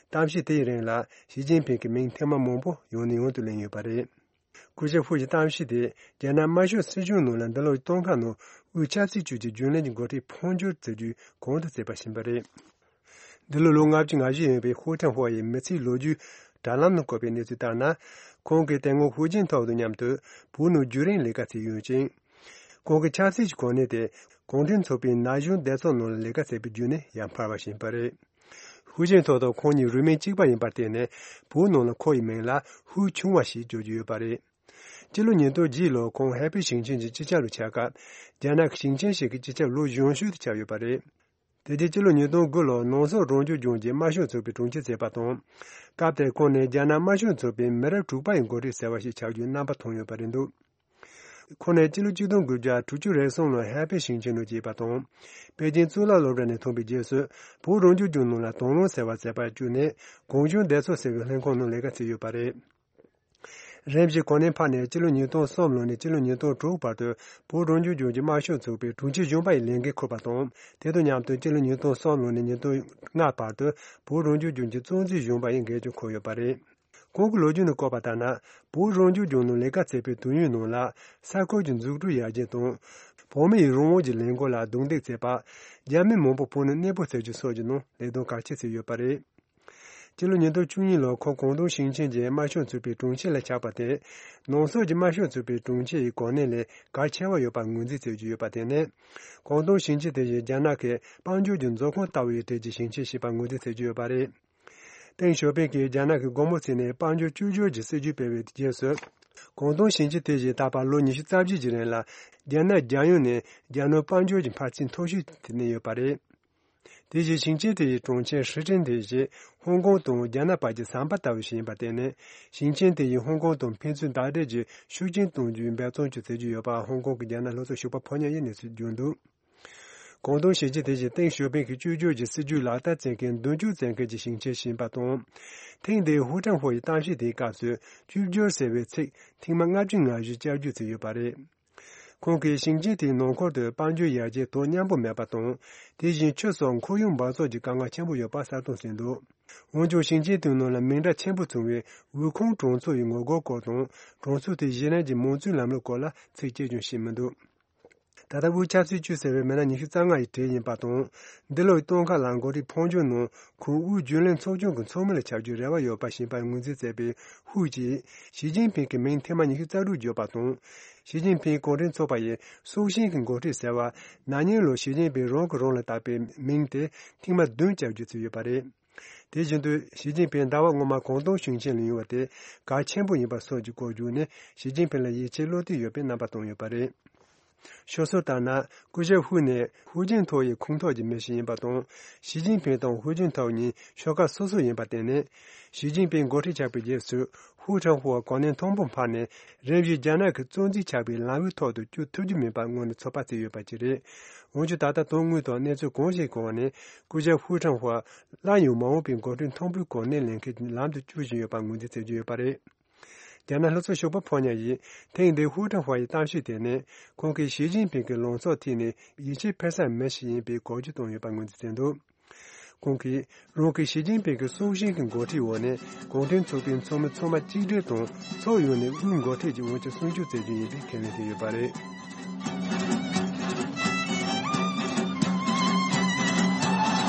གཏམ་བཤད་དེའི་རིང་ལ་ཞི་ཅིན་ཕིང་གི་མིང་ཐེངས་མ་མང་པོ་ཡང་ནས་ཡང་དུ་ལེན་ཡོད་པ་རེད། སྐུ་ཞབས་ཧུའུ་ཡི་གཏམ་བཤད་དེ་རྒྱ་ནག་དམར་ཤོག་སྲིད་གཞུང་ནང་ལ་འདི་ལོའི་སྟོན་ཁ་ནང་དབུས་ཆབ་སྲིད་ཅུས་ཀྱི་རྒྱུན་ལས་ཀྱི་འགོ་ཁྲིད་འཕོ་འགྱུར་བྱེད་རྒྱུའི་གོང་དུ་བརྩིས་པ་ཡིན་པ་རེད། འདི་ལོ་ལོ་ལྔ་བཅུ་ང་བཞི་ཡིན་པའི་ཧུའུ་ཁྲང་ཧྭ་ཡི་མི་ཚེའི་ལོ་རྒྱུས་དྲ་ལམ་ནང་བཀོད་པའི་གནས་ཚུལ་ལྟར་ན། ཁོང་གིས་དེ་སྔོན་ཧུའུ་ཅིན་ཐའོ་དང་མཉམ་དུ་བོད་ནང་རྒྱུན་རིང་ལས་ཀ་བྱས་ཡོད་ཅིང་། ཁོང་གི་ཆབ་སྲིད་ཀྱི་གོ་གནས་དེ་གུང་ཁྲན་ཚོགས་པའི་ན་གཞོན་སྡེ་ཚོགས་ནང་ལ་ལས་ཀ་བྱས་པའི་བརྒྱུད་ནས་ཡར་འཕར་བ་ཞིག་ཡིན་པ་རེད། ཧུའུ་ཅིན་ཐའོ་དང་ཁོང་གཉིས་རུས་མིང་གཅིག་པ་ཡིན་པར་བརྟེན་ནས་བོད་ནང་ལ་ཁོ་ཡི་མིང་ལ་ཧུའུ་ཆུང་བ་ཞེས་བརྗོད་ཀྱི་ཡོད་པ་རེད། སྤྱི་ལོ་ཉིས་སྟོང་བརྒྱད་ལོར་ཁོང་ཧའེ་པེ་ཞིང་ཆེན་གྱི་སྤྱི་ཁྱབ་རུ་ཆགས་སྐབས། རྒྱ་ནག་གི་ཞིང་ཆེན་ཞིག་གི་སྤྱི་ཁྱབ་ལོ་གཞོན་ཤོས་དེ་ཆགས་ཡོད་པ་རེད། དེ་རྗེས་སྤྱི་ལོ་ཉིས་སྟོང་དགུ་ལོར་ནང་སོག་རང་སྐྱོང་ལྗོངས་ཀྱི་དམར་ཤོག་ཚོགས་པའི་དྲུང་ཆེ་མཛད་པ་དང་། སྐབས་དེར་ཁོང་ནི་རྒྱ་ནག་དམར་ཤོག་ཚོགས་པའི་མི་རབས་དྲུག་པ་ཡི་འགོ་ཁྲིད་ཟེར་བ་ཞིག་ཆགས་རྒྱུའི་རྣམ་པ་མཐོང་ཡོད་པ་རེད་འདུག་ཁོང་ནི་སྤྱི་ལོ་གཅིག་སྟོང་དགུ་བརྒྱ་དྲུག་ཅུ་རེ་གསུམ་ལོར་ཧའེ་པེ་ཞིང་ཆེན་དུ་སྐྱེས་པ་དང་། པེ་ཅིང་གཙུག་ལག་སློབ་གྲྭ་ནས་ཐོན་པའི་རྗེས་སུ། བོད་རང་སྐྱོང་ལྗོངས་ནང་ལ་དོ་སྣང་ཟེར་བ་མཛད་པར་བསྐྱོད་ནས། གུང་གཞོན་སྡེ་ཚོགས་ཟེར་བའི་ལྷན་ཁང་ནང་ལས་ཀ་བྱས་ཡོད་པ་རེད། རིམ་བཞིན་གོ་གནས་འཕར་ནས་སྤྱི་ལོ་ཉིས་སྟོང་གསུམ་ལོ་ནས་སྤྱི་ལོ་ཉིས་སྟོང་དྲུག་བར་དུ་བོད་རང་སྐྱོང་ལྗོངས་ཀྱི་དམར་ཤོག་ཚོགས་པའི་དྲུང་ཆེ་གཞོན་པ་ཡི་ལས་འགན་འཁུར་བ་དང་། དེ་དང་མཉམ་དུ་སྤྱི་ལོ་ཉིས་སྟོང་གསུམ་ལོ་ནས་ཉིས་སྟོང་ལྔ་བར་དུ་བོད་རང་སྐྱོང་ལྗོངས་ཀྱི་གཙོ་འཛིན་གཞོན་པ་ཡི་འགན་ཀྱང་འཁུར་ཡོད་པ་རེད། ཁོང་གི་ལོ་རྒྱུས་ནང་བཀོད་པ་ལྟར་ན། བོད་རང་སྐྱོང་ལྗོངས་ནང་ལས་ཀ་བྱས་པའི་དུས་ཡུན་ནང་ལ། ས་ཁུལ་གྱི་འཛུགས་སྐྲུན་ཡར་རྒྱས་དང་། བོད་མིའི་རང་དབང་གི་ལས་འགུལ་ལ་རྡུང་རྡེག་བྱས་པ། རྒྱ་མི་མང་པོ་བོད་ནང་གནས་སྤོ་བྱ་རྒྱུ་སོགས་ཀྱི་ནང་ལས་དོན་གལ་ཆེ་བྱས་ཡོད་པ་རེད། སྤྱི་ལོ་ཉིས་སྟོང་བཅུ་གཉིས་ལོར་ཁོང་ཀོང་ཏུང་ཞིང་ཆེན་གྱི་དམར་ཤོག་ཚོགས་པའི་དྲུང་ཆེ་ལ་ཆགས་པ་དེ། ནང་སོག་གི་དམར་ཤོག་ཚོགས་པའི་དྲུང་ཆེ་ཡི་གོ་གནས་ལས་གལ་ཆེ་བ་ཡོད་པར་ངོས་འཛིན་བྱེད་ཀྱི་ཡོད་པར་བརྟེན་ནས། ཀོང་ཏུང་ཞིང་ཆེན་དེ་བཞིན་རྒྱ་ནག་གི་དཔལ་འབྱོར་གྱི་མཛོད་ཁང་ལྟ་བུའི་གྲས་ཀྱི་ཞིང་ཆེན་ཞིག་པར་ངོས་འཛིན་བྱེད་ཀྱི་ཡོད་པ་རེད། ཏེང་ཞའོ་ཕིང་གིས་རྒྱ་ནག་གི་དགོང་མོ་ཚིགས་ནས་དཔལ་འབྱོར་བཅོས་བསྒྱུར་གྱི་སྲིད་ཇུས་སྤེལ་བའི་རྗེས་སུ། ཀོང་ཏུང་ཞིང་ཆེན་དེ་བཞིན་ད་བར་ལོ་ཉི་ཤུ་རྩ་བརྒྱད་ཀྱི་རིང་ལ་རྒྱ་ནག་རྒྱལ་ཡོངས་ནས་རྒྱ་ནོར་དཔལ་འབྱོར་གྱི་འཕར་ཚད་མཐོ་ཤོས་དེ་གནས་ཡོད་པ་རེད། དེ་བཞིན་ཞིང་ཆེན་དེ་ཡི་གྲོང་ཁྱེར་ཧྲི་ཀྲིན་དེ་བཞིན་ཧོང་ཀོང་དང་རྒྱ་ནག་བར་གྱི་ཟམ་པ་ལྟ་བུ་ཞིག་ཡིན་པར་བརྟེན་ནས། ཞིང་ཆེན་དེ་ཡིས་ཧོང་ཀོང་དང་ཕན་ཚུན་བརྡ་སྤྲོད་ཀྱི་ཤུགས་རྐྱེན་གཏོང་རྒྱུའི་འབད་བརྩོན་ཅིག་བྱེད་ཀྱི་ཡོད་པ་ཧོང་ཀོང་གི་རྒྱ་ནག་ལྷོ་ཕྱོགས་ཞོགས་པ་ཕོ་ཉ་ཡིས་གནས་ཚུལ་བརྗོད་འདུག་ཀོང་ཏུང་ཞིང་ཆེན་དེ་བཞིན་ཏེང་ཞའོ་ཕིང་གི་བཅོས་བསྒྱུར་གྱི་སྲིད་ཇུས་ལག་བསྟར་བྱེད་མཁན་མདུན་སྐྱོད་མཛད་མཁན་གྱི་ཞིང་ཆེན་ཞིག་ཡིན་པ་དང་། ཐེངས་འདིའི་ཧུའུ་ཀྲང་ཧོ་ཡི་གཏམ་བཤད་དེའི་སྐབས་སུ་བཅོས་བསྒྱུར་ཟེར་བའི་ཚིག་ཐེངས་མ་ལྔ་བཅུ་ང་བཞི་བསྐྱར་བསྒྱུར་བྱས་ཡོད་པ་རེད། ཁོང་གིས་ཞིང་ཆེན་དེའི་ནང་ཁུལ་དུ་དཔལ་འབྱོར་ཡར་རྒྱས་དོ་མཉམ་པོ་མེད་པ་དང་། དེ་བཞིན་ཆུ་སོགས་ཁོར་ཡུག་འབག་བཙོག་གི་དཀའ་ངལ་ཆེན་པོ་ཡོད་པ་གསལ་སྟོན་བྱས་འདུག་འོན་ཀྱང་ཞིང་ཆེན་དེའི་ནང་ལ་མིང་གྲགས་ཆེན་པོ་བྱུང་བའི་དབུལ་ཁང་གྲོང་ཚོ་ཡི་ངོ་རྒོལ་སྐོར་དང་། གྲོང་ཚོ་དེའི་གཞི་རིམ་གྱི་མང་གཙོའི་ལམ་ལུགས་སྐོར་ལ་ཚིག་གཅིག་ཀྱང་བཤད་མི་འདུག་ད་ ད་ལྟ་དབུས་ཆབ་སྲིད་ཅུས་ཟེར་བའི་མི་སྣ་ཉི་ཤུ་རྩ་ལྔ་ཡི་གྲས་ཡིན་པ་དང་། འདི་ལོའི་སྟོན་ཁ་ལ་འགོ་ཁྲིད་ཕོ་འབྱོར་ནང་ཁོ་དབུས་རྒྱུན་ལས་ཚོགས་ཆུང་གི་ཚོགས་མི་ལ་ཆགས་རྒྱུའི་རེ་བ་ཡོད་པ་ཞིག་ཡིན་པར་ངོས་འཛིན་མཛད་པའི་ཧུའུ་ཅིས་ཞི་ཅིན་ཕིང་གི་མིང་ཐེངས་མ་ཉི་ཤུ་རྩ་དྲུག་བརྗོད་པ་དང་། ཞི་ཅིན་ཕིང་གུང་ཁྲན་ཚོགས་པ་ཡི་སྲོག་ཤིང་གི་འགོ་ཁྲིད་ཟེར་བ་ན་ནིང་ལོར་ཞི་ཅིན་ཕིང་རང་གིས་རང་ལ་བཏགས་པའི་མིང་དེ་ཐེངས་མ་བདུན་བཅར་རྒྱུ་བྱས་ཡོད་པ་རེད། དེ་བཞིན་དུ་ཞི་ཅིན་ཕིང་ཟླ་བ་སྔོན་མ་ཀོང་ཏུང་ཞིང་ཆེན་ལ་ཡོང་བ་དེ་གལ་ཆེན་པོ་ཡིན་པ་སོགས་ཀྱི་སྐོར་བརྗོད་ནས་ཞི་ཅིན་ཕིང་ལ་ཡིད་ཆེས་བློ་གཏད་ཡོད་པའི་རྣམ་པ་བསྟན་ཡོད་པ་རེད། ཤོད་སྲོལ་ལྟར་ན་སྐུ་ཞབས་ཧུའུ་ནི་ཧུའུ་ཅིན་ཐའོ་ཡི་ཁོངས་གཏོགས་ཀྱི་མི་ཞིག་ཡིན་པ་དང་། ཞི་ཅིན་ཕིང་དང་ཧུའུ་ཅིན་ཐའོ་གཉིས་ཤོག་ཁག་སོ་སོ་ཡིན་པར་བརྟེན་ནས། ཞི་ཅིན་ཕིང་འགོ་ཁྲིད་ཆགས་པའི་རྗེས་སུ་ཧུའུ་ཁྲང་ཧུའུ་གོ་གནས་མཐོན་པོར་འཕངས་ནས་རིམ་བཞིན་རྒྱ་ནག་གི་གཙོ་འཛིན་ཆགས་པའི་ལམ་བུའི་ཐོག་ཏུ་བསྐྱོད་ཐུབ་རྒྱུ་མིན་པ་སྔོན་ནས་ཚོད་དཔག་བྱས་ཡོད་པ་ཅིག་རེད། འོན་ཀྱང་ད་ལྟ་དོན་དངོས་ཐོག་གནས་ཚུལ་གང་ཞིག་གང་ནས་སྐུ་ཞབས་ཧུའུ་ཁྲང་ཧུའུ་སླར་ཡང་མ་འོངས་པའི་འགོ་ཁྲིད་མཐོན་པོའི་གོ་གནས་ལེན་མཁན་གྱི་ལམ་དུ་བསྐྱོད་བཞིན་ཡོད་པ་ངོས་འཛིན་བྱེད་ཀྱི་ཡོད་པ་རེད། རྒྱ་ནག་ལྷོ་ཕྱོགས་ཞོགས་པ་ཕོ་ཉ་ཡིས་ཐེངས་འདིའི་ཧུའུ་ཁྲང་ཧུའུ་ཡི་གཏམ་བཤད་དེ་ནི་ཁོང་གིས་ཞི་ཅིན་ཕིང་གི་ལངས་ཕྱོགས་ཐད་ནས་ཡིད་ཆེས་འཕེར་ས་མི་ཞིག་ཡིན་པའི་གོ་རྒྱུ་བཏོན་ཡོད་པ་ངོས་འཛིན་བྱས་འདུག་ཁོང་གིས་རང་གིས་ཞི་ཅིན་ཕིང་གི་སྲོག་ཤིང་གི་འགོ་ཁྲིད་འོག་ནས་གུང་ཁྲན་ཚོགས་པའི་ཚོགས་མི་ཚང་མ་གཅིག་སྒྲིལ་དང་ཕྱོགས་ཡོངས་ནས་དབུས་འགོ་ཁྲིད་ཀྱི་དབང་ཆ་སྲུང་སྐྱོབ་བྱེད་རྒྱུ་ཡིན་པའི་ཁས་ལེན་བྱས་ཡོད་པ་རེད།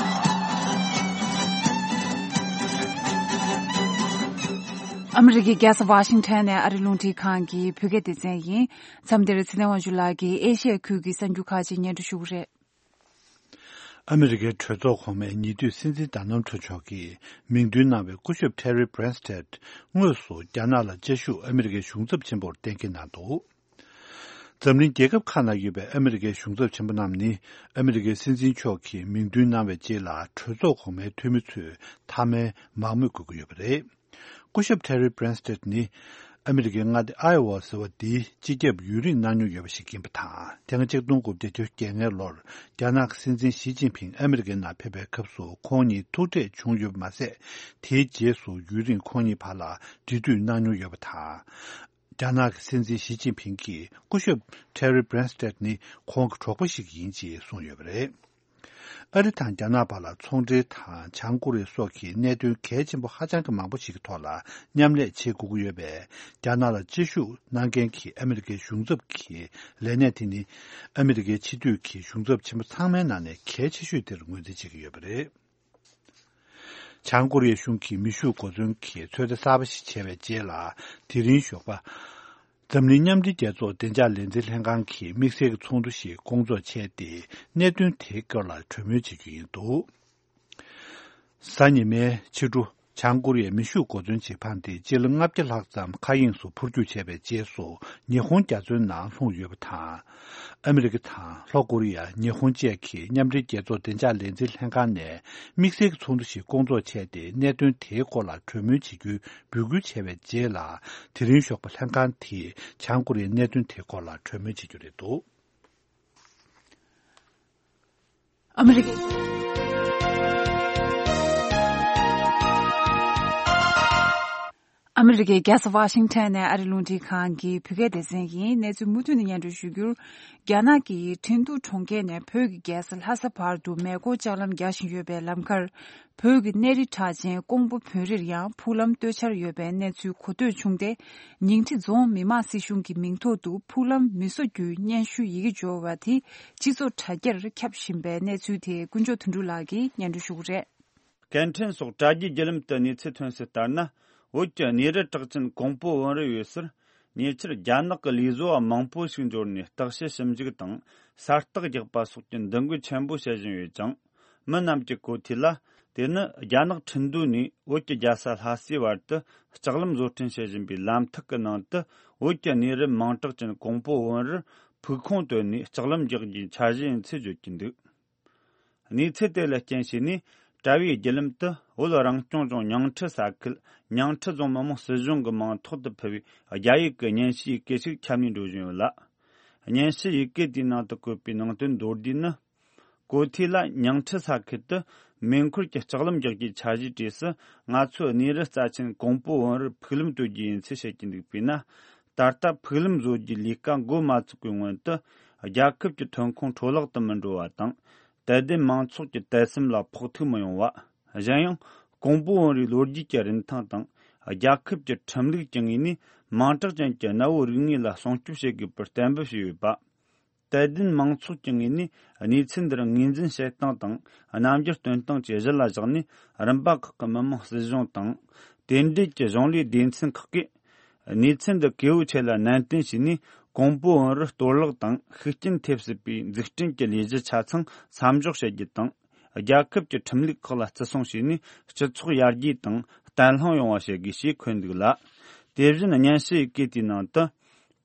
ཨ་མི་རི་ཀའི་རྒྱལ་ས་ཝ་ཤིང་ཊོན་ནས་ཨ་རི་རླུང་འཕྲིན་ཁང་གི་བོད་སྐད་སྡེ་ཚན་ཡིན། མཚམས་འདིར་ཚེ་བརྟན་དབང་ཕྱུག་ལགས་ཀྱིས་ཨེ་ཤི་ཡ་ཁུལ་གྱི་གསར་འགྱུར་ཁག་ཅིག་སྙན་སྒྲོན་ཞུ་གི་རེད། ཨ་མི་རི་ཀའི་གྲོས་ཚོགས་གོང་མའི་ཉེ་དུས་སྲིད་འཛིན་ཌོ་ནལ་ཊམ་མཆོག་གིས་མིང་འདོན་གནང་བའི་སྐུ་ཞབས་ཊེ་རི་བྷི་རན་སྟེད་དངོས་སུ་རྒྱ་ནག་ལ་བཅའ་བཞུགས་ཨ་མི་རི་ཀའི་གཞུང་ཚབ་ཆེན་པོར་གཏན་འཁེལ་གནང་འདུག་འཛམ་གླིང་རྒྱལ་ཁབ་ཁག་ནང་ཡོད་པའི་ཨ་མི་རི་ཀའི་གཞུང་ཚབ་ཆེན་པོ་རྣམས་ནི་ཨ་མི་རི་ཀའི་སྲིད་འཛིན་མཆོག་གིས་མིང་འདོན་གནང་བའི་རྗེས་ལ་གྲོས་ཚོགས་གོང་མའི་འཐུས་མི་ཚོས་མཐའ་མའི་མང་མོས་དགོས་ཀྱི་ཡོད་པ་རེད། སྐུ་ཞབས་ཊེ་རི་བྷི་རན་སྟེད་ནི་ཨ་མི་རི་ཀའི་མངའ་སྡེ་ཨའེ་ཝ་ཟེར་བ་འདིའི་སྤྱི་ཁྱབ་ཡུན་རིང་གནང་མྱོང་ཡོད་པ་ཞིག་ཡིན་པ་དང་། ཐེངས་གཅིག་སྟོང་དགུ་བརྒྱ་བརྒྱད་ཅུ་གྱ་ལྔ་ལོར་རྒྱ་ནག་གི་སྲིད་འཛིན་ཞི་ཅིན་ཕིང་ཨ་མི་རི་ཀའི་ནང་ཕེབས་པའི་སྐབས་སུ་ཁོང་གཉིས་ཐུག་འཕྲད་བྱུང་ཡོད་པ་མ་ཟད། དེའི་རྗེས་སུ་ཡུན་རིང་ཁོང་གཉིས་བར་ལ་འབྲེལ་མཐུད་གནང་མྱོང་ཡོད་པ་དང་། རྒྱ་ནག་གི་སྲིད་འཛིན་ཞི་ཅིན་ཕིང་གིས་སྐུ་ཞབས་ཊེ་རི་བྷི་རན་སྟེད་ནི་ཁོང་གི་གྲོགས་པོ་ཞིག་ཡིན་ཅེས་གསུངས་ཡོད་པ་རེད། ཨ་རི་དང་རྒྱ་ནག་བར་ལ་ཚོང་འབྲེལ་དང་བྱང་ཀོ་རི་ཡ་སོགས་ཀྱི་གནད་དོན་གལ་ཆེན་པོ་ཧ་ཅང་གི་མང་པོ་ཞིག་གི་ཐོག་ལ་མཉམ་ལས་བྱེད་དགོས་ཀྱི་ཡོད་པས། རྒྱ་ནག་ལ་བཅའ་བཞུགས་གནང་མཁན་གྱི་ཨ་མི་རི་ཀའི་གཞུང་ཚབ་ཀྱི་ལས་གནས་དེ་ནི་ཨ་མི་རི་ཀའི་སྤྱི་འཐུས་ཀྱི་གཞུང་ཚབ་ཆེན་པོ་ཚང་མའི་ནང་ནས་གལ་ཆེ་ཤོས་དེར་ངོས་འཛིན་བྱེད་ཀྱི་ཡོད་པ་རེད། བྱང་ཀོ་རི་ཡའི་གཞུང་གིས་མེ་ཤུགས་གོ་མཚོན་གྱི་ཚོད་ལྟ་གསར་པ་ཞིག་བྱས་པའི་རྗེས་ལ། དེ་རིང་ཞོགས་པ། འཛམ་གླིང་མཉམ་འབྲེལ་རྒྱལ་ཚོགས་བདེ་འཇགས་ལས་འཛིན་ལྷན་ཁང་གིས་དམིགས་བསལ་གྱི་ཚོགས་འདུ་ཞིག་བསྐོང་ཚོགས་བྱས་ཏེ། གནད་དོན་དེའི་སྐོར་ལ་གྲོས་མོལ་བྱེད་རྒྱུ་ཡིན་འདུག་གཟའ་ཉི་མའི་ཕྱི་དྲོ། བྱང་ཀོ་རི་ཡའི་མེ་ཤུགས་གོ་མཚོན་གཅིག་འཕངས་ཏེ་སྤྱི་ལེ་ལྔ་བརྒྱ་ལྷག་ཙམ་མཁའ་དབྱིངས་སུ་འཕུར་སྐྱོད་བྱས་པའི་རྗེས་སུ། ཉི་ཧོང་རྒྱ་མཚོའི་ནང་ལྷུང་ཡོད་པ་དང་། ཨ་མི་རི་ཀ་དང་ལྷོ་ཀོ་རི་ཡ། ཉི་ཧོང་བཅས་ཀྱིས་མཉམ་འབྲེལ་རྒྱལ་ཚོགས་བདེ་འཇགས་ལས་འཛིན་ལྷན་ཁང་ནས་དམིགས་བསལ་གྱི་ཚོགས་འདུ་ཞིག་བསྐོང་ཚོགས་བྱས་ཏེ། གནད་དོན་དེའི་སྐོར་ལ་གྲོས་མོལ་བྱེད་རྒྱུའི་འབོད་སྐུལ་བྱས་པའི་རྗེས་ལ། དེ་རིང་ཞོགས་པ་ལྷན་ཁང་དེས་བྱང་ཀོ་རི་ཡའི་གནད་དོན་དེའི་སྐོར་ལ་གྲོས་མོལ་བྱེད་རྒྱུ་རེད་འདུག་ཨ་མི་རི་ཀའི། ཨ་མི་རི་ཀའི་རྒྱལ་ས་ཝ་ཤིང་ཊོན་ནས་ཨ་རི་རླུང་འཕྲིན་ཁང་གི་བོད་སྐད་སྡེ་ཚན་ཡིན། གནས་ཚུལ་མུ་མཐུད་ནས་སྙན་སྒྲོན་ཞུ་རྒྱུར། རྒྱ་ནག་གི་ཁྲིན་ཏུའུ་གྲོང་ཁྱེར་ནས་བོད་ཀྱི་རྒྱལ་ས་ལྷ་ས་བར་དུ་མེ་འཁོར་ལྕགས་ལམ་རྒྱག་བཞིན་ཡོད་པའི་ལམ་ཁར། བོད་ཀྱི་གནས་རི་གྲགས་ཅན་ཀོང་པོ་བོན་རིར་ཡང་ཕུག་ལམ་གཏོད་འཆར་ཡོད་པའི་གནས་ཚུལ་གོ་ཐོས་བྱུང་སྟེ། ཉིང་ཁྲི་རྫོང་མི་དམངས་སྲིད་གཞུང་གི་མིང་ཐོག་ཏུ་ཕུག་ལམ་མི་བཟོ་རྒྱུའི་སྙན་ཞུ་ཡི་གེ་འབྱོར་བ་དེ་སྤྱི་ཚོགས་དྲ་རྒྱར་ཁྱབ་བཞིན་པའི་གནས་ཚུལ་དེ་དཀོན་མཆོག་དོན་གྲུབ་ལགས་ཀྱིས་སྙན་སྒྲོན་ཞུ་གི་རེད། སྐད་འཕྲིན་སོགས་དྲ་རྒྱའི་བརྒྱུད་ལམ་དུ་གནས་ཚུལ་ཐོན་གསལ་ལྟར་ན། བོད་ཀྱི་གནས་རི་གྲགས་ཅན་ཀོང་པོ་བོན་རི་ཡོད་སར། ཉེ་ཆར་རྒྱ་ནག་གི་ལས་བཟོ་བ་མང་པོ་ཞིག་འབྱོར་ནས་བརྟག་དཔྱད་ཞིབ་འཇུག་དང་གསལ་བརྟག་རྒྱག་པ་སོགས་ཀྱི་འདུ་འགོད་ཆེན་པོ་བྱེད་བཞིན་ཡོད་ཅིང་། མི་རྣམས་ཀྱི་གོ་ཐོས་ལ། དེ་ནི་རྒྱ་ནག་ཁྲིན་ཏུའུ་ནས་བོད་ཀྱི་རྒྱལ་ས་ལྷ་སའི་བར་དུ་ལྕགས་ལམ་བཟོ་སྐྲུན་བྱེད་བཞིན་པའི་ལམ་ཐིག་གི་ནང་དུ། བོད་ཀྱི་གནས་རི་མིང་གྲགས་ཅན་ཀོང་པོ་བོན་རིར་ཕུག་ཁུངས་བཏོན་ནས་ལྕགས་ལམ་རྒྱག་རྒྱུའི་འཆར་གཞི་ཡིན་ཚུལ་བརྗོད་ཀྱི་འདུག་གནས་ཚུལ་དེ་ལ་རྐྱེན་བྱས་ནས། དྲ་བའི་བརྒྱུད་ལམ་དུ་བོད་རང་སྐྱོང་ལྗོངས་ཉིང་ཁྲི་ས་ཁུལ་ཉིང་ཁྲི་རྫོང་མི་དམངས་སྲིད་གཞུང་གི་མིང་ཐོག་ཏུ་ཕུལ་བའི་རྒྱ་ཡིག་གི་སྙན་ཞུ་ཡི་གེ་ཞིག་ཁྱབ་ནས་འགྲོ་བཞིན་ཡོད་ལ། སྙན་ཞུ་ཡི་གེ་དེའི་ནང་དུ་བཀོད་པའི་ནང་དོན་མདོར་བསྡུས་ནི། གོ་ཐོས་ལ་ཉིང་ཁྲི་ས་ཁུལ་དུ་མེ་འཁོར་གྱི་ལྕགས་ལམ་རྒྱག་རྒྱུའི་འཆར་གཞིའི་གྲས་སུ། ང་ཚོའི་གནས་རི་རྩ་ཆེན་ཀོང་པོ་བོན་རིར་ཕུག་ལམ་གཏོད་རྒྱུ་ཡིན་ཚུལ་བཤད་ཀྱི་འདུག་པས་ན། ད་ལྟ་ཕུག་ལམ་བཟོ་རྒྱུའི་ལས་ཀ་འགོ་མ་ཚུགས་པའི་སྔོན་དུ། རྒྱལ་ཁབ་ཀྱི་ཐོན་ཁུངས་འཕྲོ་བརླག་ཏུ་མི་འགྲོ་བ་དང་། དད་ལྡན་མང་ཚོགས་ཀྱི་དད་སེམས་ལ་ཕོག་ཐུག་མི་ཡོང་བ། གཞན་ཡང་། ཀོང་པོ་བོན་རིའི་ལོ་རྒྱུས་ཀྱི་རིན་ཐང་དང་། རྒྱལ་ཁབ་ཀྱི་ཁྲིམས་ལུགས་ཀྱི་ངོས་ནས་མིང་གྲགས་ཅན་གྱི་གནའ་བོའི་རིག་གནས་ལ་སྲུང་སྐྱོབ་བྱེད་དགོས་པར་གཏན་འབེབས་བྱས་ཡོད་པ། དད་ལྡན་མང་ཚོགས་ཀྱི་ངོས་ནས་གནས་ཚུལ་འདིར་ངོས་འཛིན་བྱེད་སྟངས་དང་རྣམ་འགྱུར་སྟོན་སྟངས་ཀྱི་གཞི་ལ་བཞག་ནས། རིམ་པ་ཁག་གི་མི་དམངས་སྲིད་གཞུང་དང་། དེ་འབྲེལ་གྱི་གཞུང་ལས་སྡེ་ཚན་ཁག་གིས་གནས་ཚུལ་འདི་གལ་པོ་ཆེ་ལ་ནན་ཏན་བྱས་ནས། ཀོང་པོ་བོན་རུ་གཏོར་བརླག་དང་ཤུགས་རྐྱེན་ཐེབས་སྲིད་པའི་འཛུགས་སྐྲུན་གྱི་ལས་གཞི་ཆ་ཚང་མཚམས་འཇོག་བྱེད་རྒྱུ་དང་། རྒྱལ་ཁབ་ཀྱི་ཁྲིམས་ལུགས་ཁག་ལ་བརྩི་སྲུང་བྱས་ནས། སྤྱི་ཚོགས་ཡར་རྒྱས་དང་བརྟན་ལྷིང་ཡོང་བ་བྱེད་དགོས་ཞེས་འཁོད་འདུག་ལ། དེ་བཞིན་སྙན་ཞུ་ཡི་སྐད་དེའི་ནང་དུ།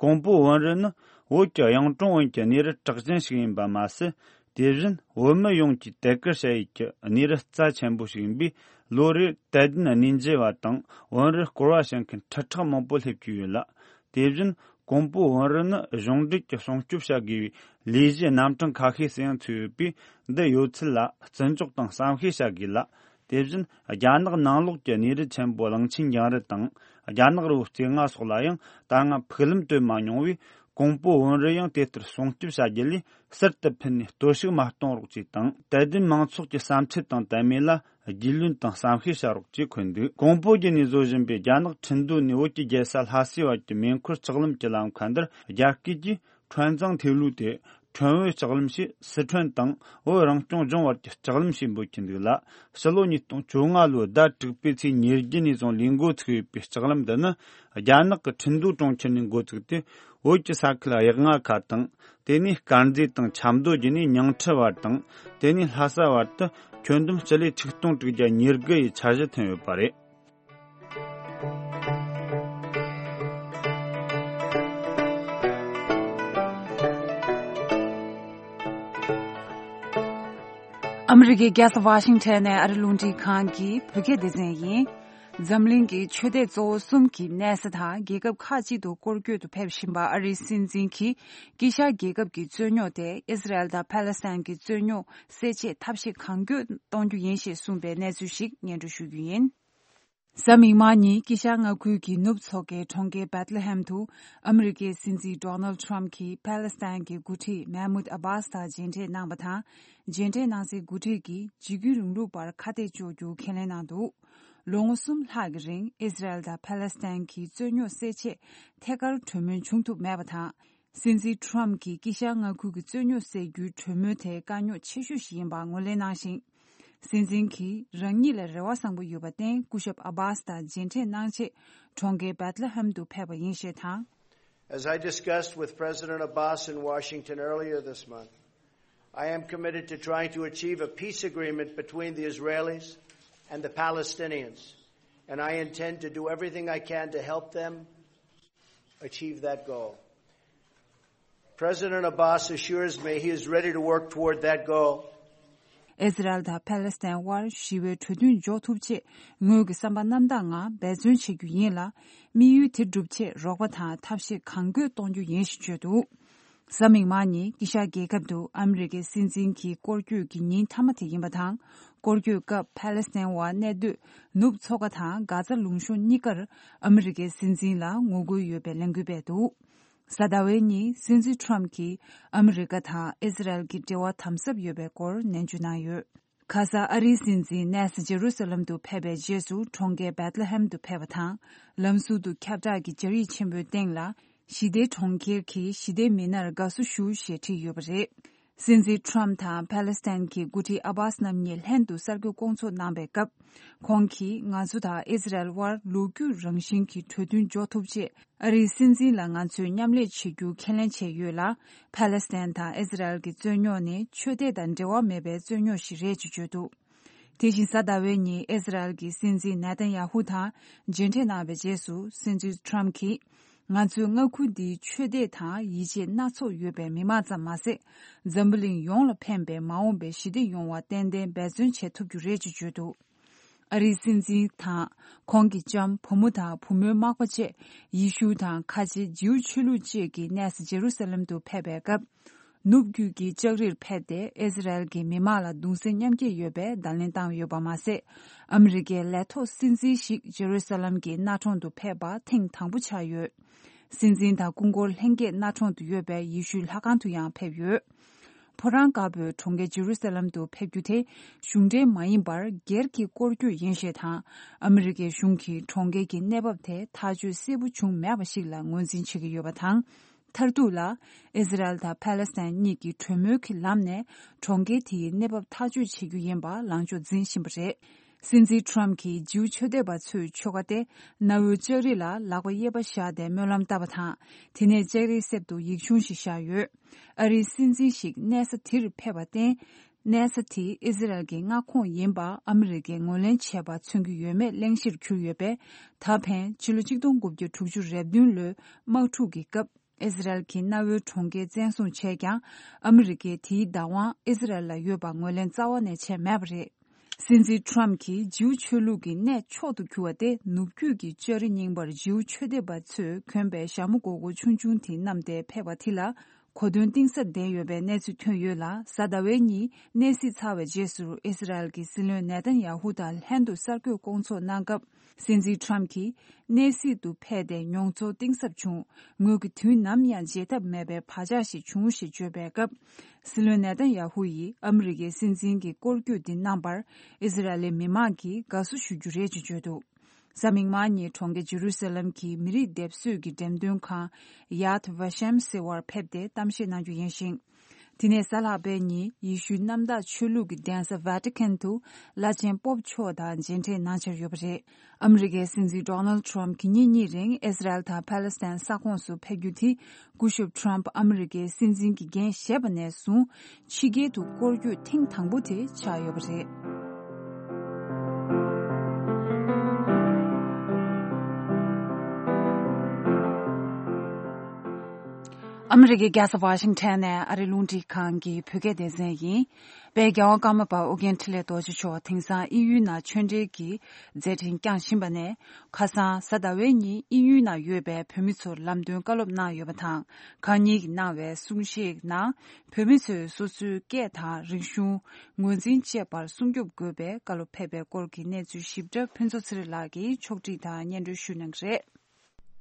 ཀོང་པོ་བོན་རུ་ནི་བོད་ཀྱི་གཡུང་དྲུང་བོན་གྱི་གནས་རི་གྲགས་ཅན་ཞིག་ཡིན་པ་མ་ཟད། དེ་བཞིན་བོད་མི་ཡོངས་ཀྱིས་དད་བཀུར་བྱ་ཡུལ་གྱི་གནས་རི་རྩ་ཆེན་པོ་ཞིག་ཡིན་པས། ལོ་རེར་དད་ལྡན་གནས་མཇལ་བ་དང་བོན་རུ་སྐོར་བ་བྱེད་མཁན་ཁྲི་ཕྲག་མང་པོ་སླེབས་ཀྱི་ཡོད་ལ། དེ་བཞིན་ཀོང་པོ་བོན་རུ་ནི་གཞུང་འབྲེལ་གྱི་སྲུང་སྐྱོབ་བྱ་དགོས་པའི་ལས་གཞི་རྣམ་གྲངས་ཁ་ཤས་སུ་ཡང་ཚུད་ཡོད་པས། འདི་ཡོད་ཚད་ལ་བརྩི་འཇོག་དང་བསམ་ཤེས་བྱ་དགོས་ལ། དེ་བཞིན་རྒྱ་ནག་ནང་ལོགས་ཀྱི་གནས་རི་ཆེན་པོ་གླང་ཆེན་རྒྱང་རི་དང་། རྒྱ་ནག་རི་བོ་རྩེ་ལྔ་སོགས་ལ་ཡང་ད་སྔ་ཕུག་ལམ་བཏོད་མ་མྱོང་བས། ཀོང་པོ་བོན་རུ་ཡང་དེ་ལྟར་སྲུང་སྐྱོབ་བྱ་རྒྱུ་ལས་ཟུར་དུ་ཕུད་ནས་གཏོར་བཤིག་མ་གཏོང་རོགས་བྱས་དང་། དད་ལྡན་མང་ཚོགས་ཀྱི་བསམ་འཆར་དང་དད་མོས་ལ་རྒྱུས་ལོན་དང་བསམ་ཤེས་བྱ་རོགས་ཅེས་འཁོད་འདུག་ཀོང་པོ་བརྒྱུད་ནས་བཟོ་བཞིན་པའི་རྒྱ་ནག་ཁྲིན་ཏུའུ་ནས་བོད་ཀྱི་རྒྱལ་ས་ལྷ་སའི་བར་གྱི་མེ་འཁོར་ལྕགས་ལམ་གྱི་ལམ་ཁ་འདིར། རྒྱ་སྐད་ཀྱིས་ཁྲོན་ཙང་ཐེ་ལུ་སྟེ། ཁྲོན་བོད་ལྕགས་ལམ་ཞེས་སི་ཁྲོན་དང་བོད་རང་སྐྱོང་ལྗོངས་བར་གྱི་ལྕགས་ལམ་ཞེས་འབོད་ཀྱི་འདུག་ལ། ཕྱི་ལོ་ཉིས་སྟོང་བཅོ་ལྔ་ལོའི་ཟླ་དྲུག་པའི་ཚེས་ཉེར་བརྒྱད་ནས་བཟུང་ལས་འགོ་ཚུགས་ཡོད་པའི་ལྕགས་ལམ་འདི་ནི། རྒྱ་ནག་གི་ཁྲིན་ཏུའུ་གྲོང་ཁྱེར་ནས་འགོ་བཙུགས་ཏེ། བོད་ཀྱི་ས་ཁུལ་གཡག་རྔ་ཁ་དང་། དེ་ནས་དཀར་མཛེས་དང་ཆབ་མདོ་བརྒྱུད་ནས་ཉིང་ཁྲི་བར་དང་། དེ་ནས་ལྷ་ས་བར་དུ་ཁྱོན་བསྡོམས་སྤྱི་ལེ་ཆིག་སྟོང་དྲུག་བརྒྱ་ཉེར་དགུ་ཡི་འཆར་གཞི་ཐོན་ཡོད་པ་རེད། ཨ་མི་རི་ཀའི་རྒྱལ་ས་ཝ་ཤིང་ཊོན་ནས་ཨ་རི་རླུང་འཕྲིན་ཁང་གི་བོད་སྐད་སྡེ་ཚན་ཡིན། འཛམ་གླིང་གི་ཆོས་དད་གཙོ་བོ་གསུམ་གྱི་གནས་ས་དང་རྒྱལ་ཁབ་ཁག་ཅིག་ཏུ་སྐོར་སྐྱོད་དུ་ཕེབས་བཞིན་པ་ཨ་རིའི་སྲིད་འཛིན་གྱིས་དཀྱིལ་ཤར་རྒྱལ་ཁབ་ཀྱི་རྩོད་རྙོག་དེ་ཨི་སི་རལ་དང་ཕཱ་ལེ་སི་ཐན་གྱི་རྩོད་རྙོག་སེལ་ཆེད་ཐབས་ཤེས་གང་མགྱོགས་གཏོང་རྒྱུ་ཡིན་ཞེས་གསུངས་པའི་གནས་ཚུལ་ཞིག་སྙན་སྒྲོན་ཞུ་རྒྱུ་ཡིན། གཟའ་མིག་དམར་ཉིན་དཀྱིལ་ཤར་མངའ་ཁུལ་གྱི་ནུབ་མཚོ་ཁའི་གྲོང་ཁྱེར་བེད་ལེ་ཧེམ་དུ་ཨ་མི་རི་ཀའི་སྲིད་འཛིན་ཌོ་ནལ་ཊམ་གྱིས་ཕཱ་ལེ་སི་ཐན་གྱི་འགོ་ཁྲིད་མེ་མུད་ཨ་བྷཱས་དང་མཇལ་འཕྲད་གནང་བ་དང་། མཇལ་འཕྲད་གནང་སའི་འགོ་ཁྲིད་ཀྱིས་འཇིགས་སྐུལ་རིང་ལུགས་པར་ཁ་གཏད་གཅོག་རྒྱུ་ཁས་ལེན་གནང་འདུག་ལོ་ངོ་གསུམ་ལྷག་གི་རིང་ཨི་སི་རལ་དང་ཕཱ་ལེ་སི་ཐན་གྱི་རྩོད་རྙོག་སེལ་ཆེད་ཐད་ཀར་གྲོས་མོལ་བྱུང་ཐུབ་མེད་པ་དང་། སྲིད་འཛིན་ཊམ་གྱིས་དཀྱིལ་ཤར་མངའ་ཁུལ་གྱི་རྩོད་རྙོག་སེལ་རྒྱུའི་གྲོས་མོལ་དེ་དཀའ་རྙོག་ཆེ་ཤོས་ཤིག་ཡིན་པ་ངོས་ལེན་གནང་ཞིང་། སྲིད་འཛིན་གྱིས་རང་ཉིད་ལ་རེ་བ་བཟང་པོ་ཡོད་པར་བརྟེན། སྐུ་ཞབས་ཨ་བྷཱས་དང་མཇལ་འཕྲད་གནང་ཆེད་གྲོང་ཁྱེར་བེད་ལེ་ཧེམ་དུ་ཕེབས་པ་ཡིན་ཞེས་དང་། As I discussed with President Abbas in Washington earlier this month, I am committed to trying to achieve a peace agreement between the Israelis and the Palestinians, and I intend to do everything I can to help them achieve that goal. President Abbas assures me he is ready to work toward that goal. ཨི་སི་རལ་དང་ཕཱ་ལེ་སི་ཐན་དབར་ཞི་བའི་གྲོས་མཐུན་འཇོག་ཐུབ་ཆེད་ངོས་ཀྱི་བསམ་པ་རྣམ་དག་ངང་འབད་བརྩོན་བྱེད་རྒྱུ་ཡིན་ལ། དམིགས་ཡུལ་དེ་འགྲུབ་ཆེད་རོགས་པ་དང་ཐབས་ཤེས་གང་དགོས་གཏོང་རྒྱུ་ཡིན་ཞེས་བརྗོད་འདུག་གཟའ་མིག་དམར་ཉིན་དཀྱིལ་ཤར་རྒྱལ་ཁབ་ཏུ་ཨ་མི་རི་ཀའི་སྲིད་འཛིན་གྱི་སྐོར་སྐྱོད་ཀྱི་ཉིན་མཐའ་མ་དེ་ཡིན་པ་དང་། སྐོར་སྐྱོད་སྐབས་ཕཱ་ལེ་སི་ཐན་བ་གནས་སྡོད་ནུབ་མཚོ་ཁ་དང་གྷ་ཛ་ལུང་གཤོང་གཉིས་ཀར་ཨ་མི་རི་ཀའི་སྲིད་འཛིན་ལ་ངོ་རྒོལ་ཡོད་པའི་ལས་འགུལ་སྤེལ་འདུག་གཟའ་ཟླ་བའི་ཉིན་སྲིད་འཛིན་ཊམ་གྱིས་ཨ་མི་རི་ཀ་དང་ཨི་སི་རལ་གྱི་འབྲེལ་བ་དམ་ཟབ་ཡོད་པའི་སྐོར་ནན་བརྗོད་གནང་ཡོད། ཁ་སང་ཨ་རིའི་སྲིད་འཛིན་གནས་ས་ཇེ་རུ་ས་ལམ་དུ་ཕེབས་པའི་རྗེས་སུ་གྲོང་ཁྱེར་བེད་ལེ་ཧེམ་དུ་ཕེབས་པ་དང་། ལམ་ཟུར་དུ་ཁྱབ་བསྒྲགས་ཀྱི་སྦྱར་ཡིག་ཆེན་པོའི་སྟེང་ལ། ཞི་བདེའི་གྲོང་ཁྱེར་གྱི་ཞི་བདེའི་མི་སྣར་དགའ་བསུ་ཞུ་ཞེས་བྲིས་ཡོད་པ་རེད། སྲིད་འཛིན་ཊམ་དང་ཕཱ་ལེ་སི་ཐན་གྱི་འགོ་ཁྲིད་ཨ་བྷཱས་རྣམ་གཉིས་ལྷན་དུ་གསར་འགོད་སྐོང་ཚོགས་གནང་པའི་སྐབས། ཁོང་གིས་ང་ཚོ་དང་ཨི་སི་རལ་དབར་ལོ་རྒྱུས་རང་བཞིན་གྱི་གྲོས་མཐུན་འཇོག་ཐུབ་ཆེད། ཨ་རིའི་སྲིད་འཛིན་ལ་ང་ཚོས་མཉམ་ལས་བྱེད་རྒྱུ་ཁས་ལེན་བྱས་ཡོད་ལ། ཕཱ་ལེ་སི་ཐན་དང་ཨི་སི་རལ་གྱི་རྩོད་རྙོག་ནི་ཆོས་དད་དང་འབྲེལ་བ་མེད་པའི་རྩོད་རྙོག་ཞིག་རེད་ཅེས་བརྗོད་འདུག་དེ་བཞིན་གཟའ་ཟླ་བའི་ཉིན་ཨི་སི་རལ་གྱི་སྲིད་འཛིན་ནེ་ཐན་ཡ་ཧུ་དང་མཇལ་འཕྲད་གནང་བའི་རྗེས་སུ། སྲིད་འཛིན་ཊམ་གྱིས། ང་ཚོའི་མངའ་ཁུལ་འདིའི་ཆོས་དད་དང་ཡིད་ཆེས་སྣ་ཚོགས་ཡོད་པའི་མི་མང་ཙམ་མ་ཟད། འཛམ་བུ་གླིང་ཡོངས་ལ་ཕན་པའི་མ་འོངས་པའི་ཞི་བདེ་ཡོང་བར་ཏན་ཏན་འབད་བརྩོན་བྱེད་ཐུབ་རྒྱུ་རེད་ཅེས་བརྗོད་འདུག་ཨ་རིའི་སྲིད་འཛིན་དང་ཁོང་གི་ལྕམ། བུ་མོ་དང་བུ་མོའི་མག་པ་བཅས་ཡེ་ཤུ་དང་ཁ་ཆེ་ཇིའུ་ཆོས་ལུགས་བཅས་ཀྱི་གནས་ས་ཇེ་རུ་ས་ལེམ་དུ་ཕེབས་པའི་སྐབས། ནུབ་རྒྱུད་ཀྱི་ལྕགས་རིར་ཕེབས་ཏེ་ཨི་སི་རལ་གྱི་མི་མང་ལ་གདུང་སེམས་མཉམ་སྐྱེད་ཡོད་པའི་བརྡ་ལན་བཏང་ཡོད་པ་མ་ཟད། ཨ་མི་རི་ཀའི་ལས་ཐོག་སྲིད་འཛིན་ཞིག་ཇེ་རུ་ས་ལེམ་གྱི་གནའ་གྲོང་དུ་ཕེབས་པ་ཐེངས་དང་པོ་ཆགས་ཡོད། སྲིད་འཛིན་དང་སྐུ་འཁོར་ལྷན་རྒྱས་གནའ་གྲོང་དུ་ཡོད་པའི་ཡེ་ཤུའི་ལྷ་ཁང་དུ་ཡང་ཕེབས་ཡོད། ཕོ་བྲང་དཀར་པོའི་གྲོང་ཁྱེར་ཇེ་རུ་ས་ལེམ་དུ་ཕེབས་རྒྱུ་དེ་གཞུང་འབྲེལ་མ་ཡིན་པར་སྒེར་གྱི་སྐོར་སྐྱོད་ཡིན་ཞེས་དང་། ཨ་མི་རི་ཀའི་གཞུང་གིས་གྲོང་ཁྱེར་གྱི་གནས་བབ་དེ་ཐག་གཅོད་གསལ་པོ་བྱུང་མེད་པ་ཞིག་ལ་ངོས་འཛིན་བྱེད་ཀྱི་ཡོད་པ་དང་། མཐར་ཐུག་ལ་ཨི་ཟི་རལ་དང་ཕཱ་ལེ་སི་ཐན་གཉིས་ཀྱིས་གྲོས་མོལ་གྱི་ལམ་ནས་གྲོང་ཁྱེར་དེའི་གནས་བབ་ཐག་གཅོད་བྱེད་རྒྱུ་ཡིན་པ་ལངས་ཕྱོགས་འཛིན་བཞིན་པ་རེད། སྲིད་འཛིན་ཊམ་གྱིས་ཇིའུ་ཆོས་དད་པ་ཚོའི་ཆོལ་ཁ་སྟེ་གནའ་བོའི་ལྕགས་རི་ལ་ལག་པ་གཡས་པ་བཞག་སྟེ་སྨོན་ལམ་བཏབ་པ་དང་། དེ་ནས་ལྕགས་རིའི་གསེབ་ཏུ་ཡིག་ཆུང་ཞིག་བཞག་ཡོད། ཨ་རིའི་སྲིད་འཛིན་ཞིག་གནས་ས་དེར་ཕེབས་པར་བརྟེན། གནས་ས་དེ་ཨི་ཟི་རལ་གྱི་མངའ་ཁོངས་ཡིན་པ་ཨ་མི་རི་ཀས་ངོས་ལེན་བྱས་པ་མཚོན་གྱི་ཡོད་མེད་གླེང་གཞིར་གྱུར་ཡོད་པས། ད་ཕན་ཕྱི་ལོ་ཆིག་སྟོང་དགུ་བརྒྱ་དྲུག་ཅུ་རེ་བདུན་ལོའི་དམག་འཁྲུག་གི་སྐབས་ཨི་ཟི་རལ་གྱི་གནའ་བོའི་གྲོང་ཁྱེར་བཙན་བཟུང་བྱས་ཀྱང་། ཨ་མི་རི་ཀས་དེའི་བདག་དབང་ཨི་ཟི་རལ་ལ་ཡོད་པ་ངོས་ལེན་རྩ་བ་ནས་བྱས་མེད་པ་རེད། སྲིད་འཛིན་ཊམ་གྱིས་ཇིའུ་ཆོས་ལུགས་ཀྱི་གནས་མཆོག་ཏུ་གྱུར་བ་སྟེ། ནུབ་རྒྱུད་ཀྱི་ལྕགས་རི་རྙིང་པར་ཇིའུ་ཆོས་དད་པ་ཚོས་གྱོན་པའི་ཞྭ་མོ་སྒོར་སྒོར་ཆུང་ཆུང་དེ་བསྣམས་ཏེ་ཕེབས་པ་དེ་ལ། གོ་སྟོན་གཏིང་ཟབ་ལྡན་ཡོད་པའི་གནས་ཚུལ་ཐོན་ཡོད་ལ། གཟའ་ཟླ་བའི་ཉིན་གནས་གཟིགས་ཚར་བའི་རྗེས་སུ་ཨི་སི་རལ་གྱི་སྲིད་བློན་ནེ་ཐན་ཡ་ཧུ་དང་ལྷན་དུ་གསར་འགོད་སྐོང་ཚོགས་གནང་སྐབས། སྲིད་འཛིན་ཊམ་གྱིས་གནས་གཟིགས་དུ་ཕེབས་ཏེ་མྱོང་ཚོར་གཏིང་ཟབ་བྱུང་། ངོས་ཀྱིས་དུས་ནམ་ཡང་བརྗེད་ཐབས་མེད་པའི་བག་ཆགས་ཤིག་བྱུང་ཞེས་བརྗོད་པའི་སྐབས། སྲིད་བློན་ནེ་ཐན་ཡ་ཧུ་ཡིས་ཨ་མི་རི་ཀའི་སྲིད་འཛིན་གྱི་སྐོར་སྐྱོད་འདི་གནང་བར་ཨི་སི་ར་ཨེལ་མི་མང་གིས་དགའ་བསུ་ཞུ་རྒྱུ་རེད་ཅེས་བརྗོད་འདུག་གཟའ་མིག་དམར་ཉིན་གྲོང་ཁྱེར་ཇེ་རུ་སཱ་ལམ་གྱི་མི་རིགས་སྡེབ་གསོད་ཀྱི་འགྲེམས་སྟོན་ཁང་ཡཱད་ཝ་ཤེམ་ཟེར་བར་ཕེབས་ཏེ་གཏམ་བཤད་གནང་རྒྱུ་ཡིན་ཞིང་། དེ་ནས་གཟའ་ལྷག་པའི་ཉིན་ཡེ་ཤུའི་གནམ་བདག་ཆོས་ལུགས་ཀྱི་གདན་ས་ཝེ་ཏི་ཀན་དུ་བླ་ཆེན་པོབ་མཆོག་དང་མཇལ་འཕྲད་གནང་འཆར་ཡོད་པ་རེད། ཨ་མི་རི་ཀའི་སྲིད་འཛིན་ཌོ་ནལ་ཌི་ཊམ་གྱིས་ཉིན་གཉིས་རིང་ཨི་སི་རལ་དང་ཕཱ་ལེ་སི་ཐན་ས་ཁོངས་སུ་ཕེབས་རྒྱུ་དེ་སྐུ་ཞབས་ཊམ་ཨ་མི་རི་ཀའི་སྲིད་འཛིན་གྱི་འགན་བཞེས་པ་ནས་བཟུང་ཕྱི་རྒྱལ་དུ་སྐོར་སྐྱོད་ཐེངས་དང་པོ་དེ་ཆགས་ཡོད་པ་རེད། ཨ་མི་རི་ཀའི་རྒྱལ་ས་ཝ་ཤིང་ཊོན་ནས་ཨ་རིའི་རླུང་འཕྲིན་ཁང་གི་བོད་སྐད་སྡེ་ཚན་ཡིན། དཔལ་རྒྱལ་བ་ཀརྨ་པ་ཨོ་རྒྱན་འཕྲིན་ལས་རྡོ་རྗེ་མཆོག་དེང་སང་དབྱིན་ཡུལ་ནང་ཆོས་འབྲེལ་གྱི་མཛད་འཕྲིན་བསྐྱངས་བཞིན་པ་ནས། ཁ་སང་གཟའ་ཟླ་བའི་ཉིན་དབྱིན་ཡུལ་ནང་ཡོད་པའི་བོད་མི་ཚོར་ལམ་སྟོན་བཀའ་སློབ་གནང་ཡོད་པ་དང་། ཁང་ཉིད་ཀྱིས་གནང་བའི་གསུང་བཤད་ནང་། བོད་མི་ཚོས་སོ་སོའི་སྐད་དང་རིག་གཞུང་། ངོས་འཛིན་བཅས་པར་སྲུང་སྐྱོབ་དགོས་པའི་བཀའ་སློབ་ཕེབས་པའི་སྐོར་གྱི་གནས་ཚུལ་ཞིབ་ཕྲ་ཕུན་ཚོགས་ཚེ་རིང་ལགས་ཀྱིས་ཕྱོགས་སྒྲིག་དང་སྙན་སྒྲོན་ཞུ་གནང་གི་རེད།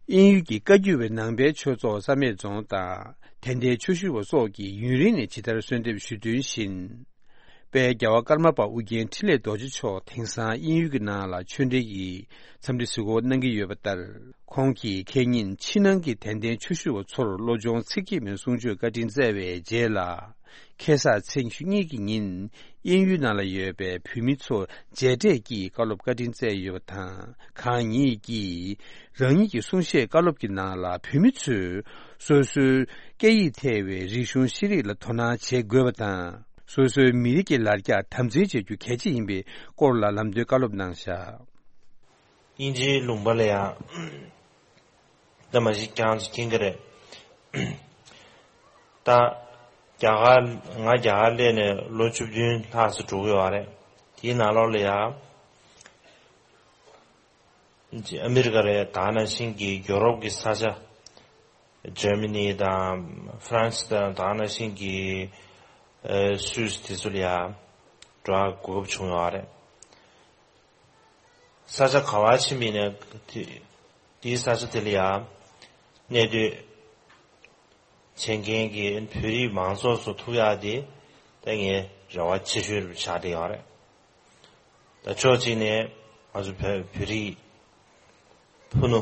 དབྱིན་ཡུལ་གྱི་བཀའ་བརྒྱུད་པའི་ནང་པའི་ཆོས་ཚོགས་བསམ་ཡས་རྫོང་དང་དད་ལྡན་ཆོས་ཞུ་བ་སོགས་ཀྱིས་ཡུན་རིང་ནས་ཇི་ལྟར་གསོལ་འདེབས་ཞུས་དོན་བཞིན། དཔལ་རྒྱལ་བ་ཀརྨ་པ་ཨོ་རྒྱན་འཕྲིན་ལས་རྡོ་རྗེ་མཆོག་དེང་སང་དབྱིན་ཡུལ་གྱི་ནང་ལ་ཆོས་འབྲེལ་གྱི་འཚམས་འདྲི་གཟིགས་སྐོར་གནང་གི་ཡོད་པ་ལྟར། ཁོང་གིས་ཁེ་ཉིན་ཕྱི་ནང་གི་དད་ལྡན་ཆོས་ཞུ་བ་ཚོར་བློ་སྦྱོང་ཚིག་བརྒྱད་མའི་གསུང་ཆོས་བཀའ་དྲིན་སྩལ་བའི་རྗེས་ལ། ཁ་སང་ཚེས་ཉི་ཤུ་གཉིས་ཀྱི་ཉིན། དབྱིན་ཡུལ་ནང་ལ་ཡོད་པའི་བོད་མི་ཚོར་མཇལ་འཕྲད་ཀྱིས་བཀའ་སློབ་བཀའ་དྲིན་སྩལ་ཡོད་པ་དང་། ཁང་ཉིད་ཀྱིས་རང་ཉིད་ཀྱི་གསུང་བཤད་བཀའ་སློབ་ཀྱི་ནང་ལ། བོད་མི་ཚོས་སོ་སོའི་སྐད་ཡིག་ཐེ་བའི་རིག་གཞུང་ཤེས་རིག་ལ་དོ་སྣང་བྱེད་དགོས་པ་དང་། སོ་སོའི་མི་རིགས་ཀྱི་ལ་རྒྱ་དམ་འཛིན་བྱེད་རྒྱུ་གལ་ཆེ་ཡིན་པའི་སྐོར་ལ་ལམ་སྟོན་བཀའ་སློབ་གནང་བཞག་དབྱིན་ཇིའི་ལུང་པ་ལ་ཡང་། ད་མ་གཞི་ཀྱང་ཅིག་མཁྱེན་གྱི་རེད། ད་རྒྱ་གར། ང་རྒྱ་གར་སླེབས་ནས་ལོ་བཅུ་བདུན་ལྷག་ཙམ་འགྲོ་གི་ཡོད་རེད། དེའི་ནང་ལོགས་ལ་ཡང་ཨ་མི་རི་ཀ་རེད། ད་ནང་བཞིན་གྱི་ཡོ་རོབ་ཀྱི་ས་ཆ། ཇར་མ་ནི་དང་ཧྥ་རན་སི་དང་། ད་ནང་བཞིན་གྱི་ཨ་སུད་སི་དེ་ཚོ་ལ་ཡང་འགྲོ་ཡག་གོ་སྐབས་བྱུང་ཡོད་རེད། ས་ཆ་ག་པར་ཕྱིན་པ་ཡིན་ནའི་དེ། དེའི་ས་ཆ་དེ་ལ་ཡང་གནས་སྡོད་བྱེད་མཁན་གྱི་བོད་རིགས་མང་ཚོགས་ཚོ་ཐུག་ཡག་དེ་ད་ངའི་རེ་བ་ཆེ་ཤོས་ཆགས་བསྡད་ཡོད་རེད། ད་ཕྱོགས་གཅིག་ནས་ང་ཚོ་བོད་བོད་རིགས་ཕུ་ནུ་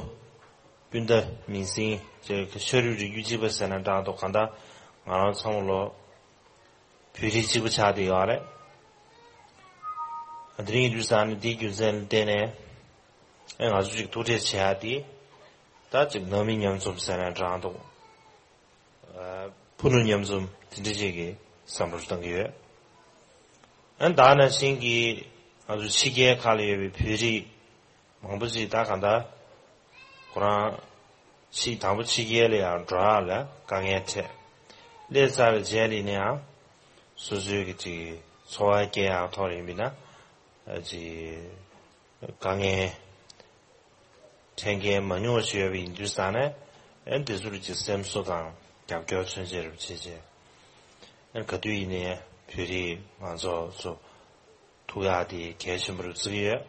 སྤུན་ཟླ་མིང་སྲིང་ཅེས་ཤ་རུས་རིགས་རྒྱུད་གཅིག་པ་ཟེར་ན་འདྲ་འདུག་གང་ལྟར་ང་རང་ཚང་མ་ལོ་བོད་རིགས་གཅིག་པ་ཆགས་བསྡད་ཡོད་རེད། དེ་རིང་དུས་སང་ནི་འདིའི་རྒྱུ་མཚན་ལ་བརྟེན་ནས། ཨེ་ང་ཚོ་གཅིག་ཐུག་འཕྲད་བྱེད་ཡག་དེ། ད་གཅིག་ནང་མི་མཉམ་འཛོམས་ཟེར་ན་འདྲ་འདུག་ཨ་ཕུ་ནུ་མཉམ་འཛོམས་དེ་འདྲ་ཅིག་གི་བསམ་བློ་བཏང་གི་ཡོད། ཨ་ད་ནང་བཞིན་གྱི་ང་ཚོ་ཕྱི་རྒྱལ་ཁག་ལ་ཡོད་པའི་བོད་རིགས་མང་པོ་ཅིག་ད་གང་ལྟར་ཁོ་རང་ཕྱི་དང་པོ་ཕྱི་རྒྱལ་ལ་ཡང་འགྲོ་ཡག་ལ་དཀའ་ངལ་འཕྲད། སླེབས་ཚར་བའི་རྗེས་ལ་ཡིན་ན་ཡང་སོ་སོའི་གི་ཅིག་འཚོ་བ་སྐྱེལ་ཡག་ཐོག་ལ་ཡིན་པ་ཡིན་ན་ཅིག་དཀའ་ངལ་འཕྲད་མཁན་མང་ཉུང་ཞིག་ཡོད་པ་ཡིན་དུས་ཙང་ནས། ཨེ་འདི་ཚོར་ཅིག་སེམས་གསོ་དང་རྒྱབ་སྐྱོར་མཚོན་བྱེད་རུ་བྱེད་བྱེད། ཨེ་ག་དུས་ཡིན་ནའི་བོད་རིགས་མང་ཚོགས་ཚོ་ཐུག་ཡག་དེ་གལ་ཆེན་པོ་རུ་བརྩི་གི་ཡོད།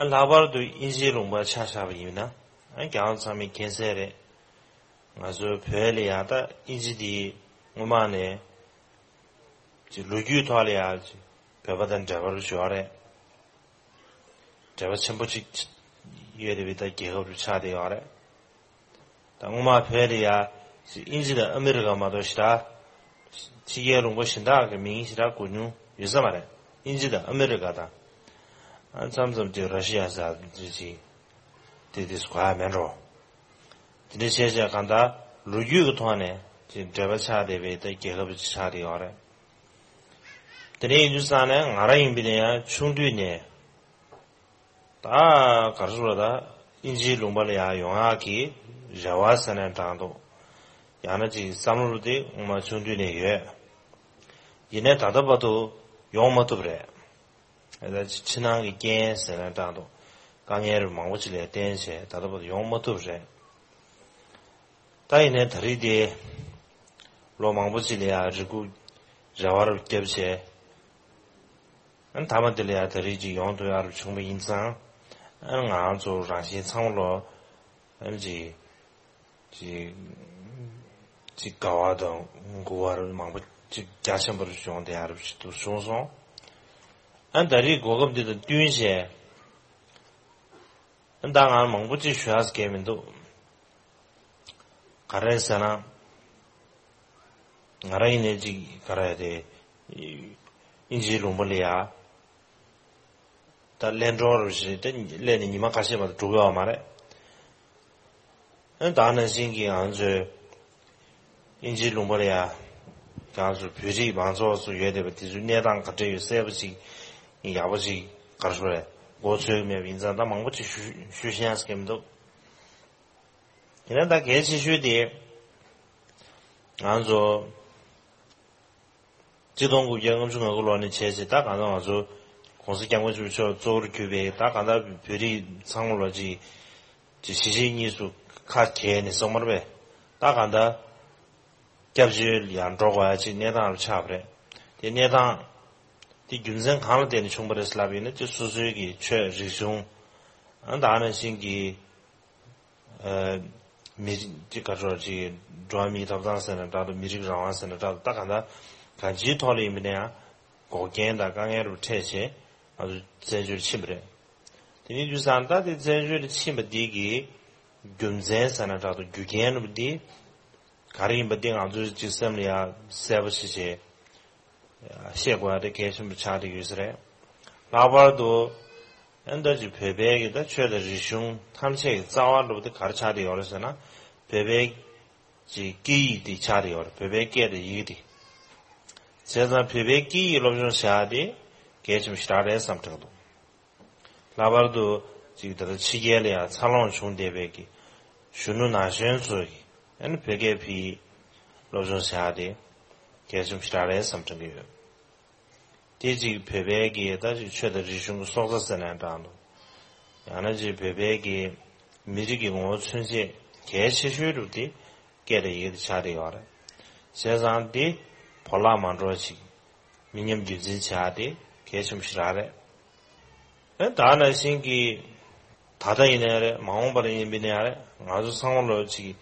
ཨ་ལྷག་པར་དུ་དབྱིན་ཇིའི་ལུང་པར་ཆ་བཞག་པ་ཡིན་ན། ཨ་རྒྱལ་བ་ཚང་མས་མཁྱེན་གསལ་རེད། ང་ཚོའི་བོད་ལ་ཡང་ད་དབྱིན་ཇི་འདི་སྔོན་མ་ནས་ཅིག་ལོ་རྒྱུས་ཐོག་ལ་ཡང་ཅིག་བོད་པ་དང་འབྲེལ་བ་རུ་ཡོད་རེད། འབྲེལ་བ་ཆེན་པོ་ཅིག་ཡོད་པའི་ད་རྒྱལ་ཁབ་རུ་ཆགས་བསྡད་ཡོད་རེད། ད་ ད་སྔོན་མ་བོད་ལ་ཡ་ཅིག་དབྱིན་ཇི་དང་ཨ་མི་རི་ཀ་མ་གཏོགས་ཞེ་དྲག་ཕྱི་རྒྱལ་ལུང་པ་གཞན་དག་གི་མིང་ཞེ་དྲག་གོ་མྱོང་ཡོད་ས་མ་རེད། དབྱིན་ཇི་དང་ཨ་མི་རི་ཀ་དང་། ཨ་མཚམས་མཚམས་ཅིག་ར་ཤི་ཡ་ཟེར་ཅིག་དེ་དེ་གོ་ཡ་མེད་འགྲོ། དེ་འདྲ་བྱས་བྱས་གང་ལྟར་ལོ་རྒྱུས་ཀྱི་ཐོག་ནས་ཅིག་འབྲེལ་བ་ཆགས་བསྡད་པའི་ད་རྒྱལ་ཁབ་ཅིག་ཆགས་བསྡད་ཡོད་རེད། དེ་འདྲ་ཡིན་དུས་ཙང་ནས་ང་རང་ཡིན་པ་ཡིན་ན་ཡང་ཆུང་དུས་ནས། ད་ག་རེ་ཟེར་ད། དབྱིན་ཇིའི་ལུང་པ་ལ་ཡར་ཡོང་ཡག་གི་རེ་བ་ཟེར་ན་འདྲ་འདུག། ཡང་ན་ཅིག་བསམ་བློ་དེ་སྔོན་མ་ཆུང་དུས་ནས་ཡོད། ཡིན་ནའི་ད་ལྟ་བར་དུ་ཡོང་མ་ཐུབ་རེད། ད་ཕྱི་ནང་གི་རྐྱེན་ཟེར་ན་འདྲ་འདུག། དཀའ་ངལ་མང་པོ་ཅིག་ལ་བརྟེན་བྱས་ད་ལྟ་བར་དུ་ཡོང་མ་ཐུབ་རེད། ད་ཡིན་ནའི་ད་རེས་དེ་ལོ་མང་པོ་ཅིག་ལ་ཡར་རེ་སྒུག་རེ་བ་རུ་བརྒྱབ་བྱས། ཨ་ནི་མཐའ་མ་དེ་ལ་ཡང་ད་རེས་ཅིག་ཡོང་ཐུབ་ཡག་རུ་བྱུང་བ་ཡིན་ཙང་། ཨ་ནི་ང་རང་ཚོ་རང་བཞིན་ཚང་མ་ལོ། ཨ་ནི་ཅིག་ཅིག་ཅིག་དགའ་བ་དང་མགུ་བ་རུ་མང་པོ་ཅིག་རྒྱ་ཆེན་པོ་རུ་བྱུང་བསྡད་ཡག་རུ་ཞིག་ཏུ་བྱུང་སོང་། ཨ་ནི་ད་རེས་གོ་སྐབས་འདི་དང་བསྟུན་བྱས། ཨ་ནི་ད་ང་མང་པོ་ཅིག་ཞུ་ཡག་གང་ཡང་མི་འདུག། ག་རེ་ཟེར་ན། ང་རང་ཡིན་ནའི་ཅིག་ག་རེ་དེ། དབྱིན་ཇིའི་ལུང་པ་ལ་ཡ། ད་གླེང་གྲོགས་རུ་ཞིག་དེ་སླེབས་ནས་ཉི་མ་ཁ་ཤས་མ་གཏོགས་འགྲོ་གི་ཡོད་མ་རེད། ཨ་ནི་ད་ག་ནང་བཞིན་གྱི་ང་ཚོའི་དབྱིན་ཇིའི་ལུང་པ་ལ་ཡ། ང་ཚོ་བོད་རིགས་མང་ཚོགས་ཚོ་ཡོད་བསྡད་པ་དེ་ཚོའི་གནས་སྟངས་ག་འདྲ་ཡོད་གསལ་པོ་ཅིག་ཡག་པོ་ཅིག་ག་རེ་ཞུ་དགོས་རེད། མགོ་ཚོས་ཀྱི་མེད་པ་ཡིན་ཙང་ད་མང་པོ་ཅིག་ཞུ་ཞུ་ཤེས་ཡག་གང་ཡང་མི་འདུག། ཡིན་ན་ད་གལ་ཆེ་ཤོས་དེ། ང་ཚོ་གཅིག་སྟོང་དགུ་བརྒྱ་ལྔ་བཅུ་ང་དགུ་ལོ་ནས་བྱས་ཏེ་ད་གང་ལྟར་ང་ཚོ་༸གོང་ས་༸སྐྱབས་མགོན་ཆེན་པོ་མཆོག་གཙོ་བོར་གྱུར་པའི་ད་གང་ལྟར་བོད་རིགས་ཚང་མ་ལོ་གཅིག་གཅིག་གཞིས་བྱེས་གཉིས་སུ་ཁ་གྱེས་ནས་སོང་མ་རེད་པས། ད་གང་ལྟར་སྐྱབས་བཅོལ་ཡར་འགྲོ་དགོས་ཡ་ཅིག་གནས་སྟངས་རུ་ཆགས་པ་རེད། དེ་གནས་སྟངས་དེ་རྒྱུ་མཚན་གང་ལ་བརྟེན་ནས་བྱུང་བ་རེད་ལབ་ཡིན་ན་ཅིག་སོ་སོའི་གི་ཆོས་རིག་གཞུང་། ཨ་ནི་ད་ག་ནང་བཞིན་གྱི། ཨ། མི་རིགས་ཀྱི་ག་ཚོད་ཅིག་འགྲོ་བ་མིའི་ཐོབ་ཐང་ཟེར་ན་འདྲ་འདུག། མི་རིགས་རང་དབང་ཟེར་ན་འདྲ་འདུག། ད་གང་ལྟར་གང་ཅིའི་ཐོག་ལ་ཡིན་པ་ན་ཡང་འགོག་རྐྱེན་དང་དཀའ་ངལ་རུ་འཕྲད་བྱས་ང་ཚོ་བཙན་བྱོལ་ཕྱིན་པ་རེད། དེ་ནས་དུས་སང་ད་དེ་བཙན་བྱོལ་ཕྱིན་པ་འདི་གི་རྒྱུ་མཚན་ཟེར་ན་འདྲ་འདུག། རྒྱུ་རྐྱེན་རུ་འདི་ག་རེ་ཡིན་པ་འདི་ང་ཚོས་ཅིག་སེམས་ལ་ཡང་གསལ་པོ་ཞིག་བྱས། ཤེས་དགོས་པ་དེ་གལ་ཆེན་པོ་ཆགས་བསྡད་ཡོད་ས་རེད། ལྷག་པར་དུ་ཨ་ནི་ད་ཅིག་བོད་པའི་གི་ད་ཆོས་དང་རིག་གཞུང་ཐམས་ཅད་ཀྱི་རྩ་བ་འདྲ་པོ་དེ་ག་རེ་ཆགས་བསྡད་ཡོད་རེད་ཟེར་ན། བོད་པའི་ཅིག་སྐད་ཡིག་དེ་ཆགས་བསྡད་ཡོད་རེད། བོད་པའི་སྐད་དང་ཡི་གེ་དེ། བྱས་ཙང་བོད་པའི་སྐད་ཡིག་སློབ་སྦྱོང་བྱ་ཡག་དེ་གལ་ཆེན་པོ་ཞེ་དྲག་རེད་བསམ་དྲན་འདུག། ལྷག་པར་དུ་ཅིག་ད་ལྟ་ཕྱི་རྒྱལ་ལ་ཡང་འཚར་ལོངས་བྱུང་བསྡད་པའི་གི་གཞོན་ནུ་ན་གཞོན་ཚོ་གིས་ཨ་ནི་བོད་སྐད་བོད་ཡིག་སློབ་སྦྱོང་བྱ་ཡག་དེ་གལ་ཆེན་པོ་ཞེ་དྲག་རེད་བསམ་དྲན་གྱི་ཡོད། དེ་ཅིག་བོད་པའི་གི་ད་ཅིག་ཆོས་དང་རིག་གཞུང་གི་སྲོག་རྩ་ཟེར་ན་འདྲ་འདུག། ཡང་ན་ཅིག་བོད་པའི་གི་མི་རིགས་ཀྱི་ངོ་བོ་མཚོན་བྱེད་གལ་ཆེ་ཤོས་རུ་དེ་སྐད་དང་ཡི་གེ་དེ་ཆགས་བསྡད་ཡོད་རེད། བྱས་ཙང་དེ་བོར་བརླག་མ་འགྲོ་བ་ཅིག་མི་ཉམས་རྒྱུན་འཛིན་བྱ་ཡག་དེ་གལ་ཆེན་པོ་ཞིག་རང་རེད། ཨེ་ད་ནང་བཞིན་གྱི་ད་ལྟ་ཡིན་ནའི་རེད། མ་འོངས་པར་ཡིན་པ་ཡིན་ནའི་རེད། ང་ཚོ་ཚང་མ་ལོ་ཅིག་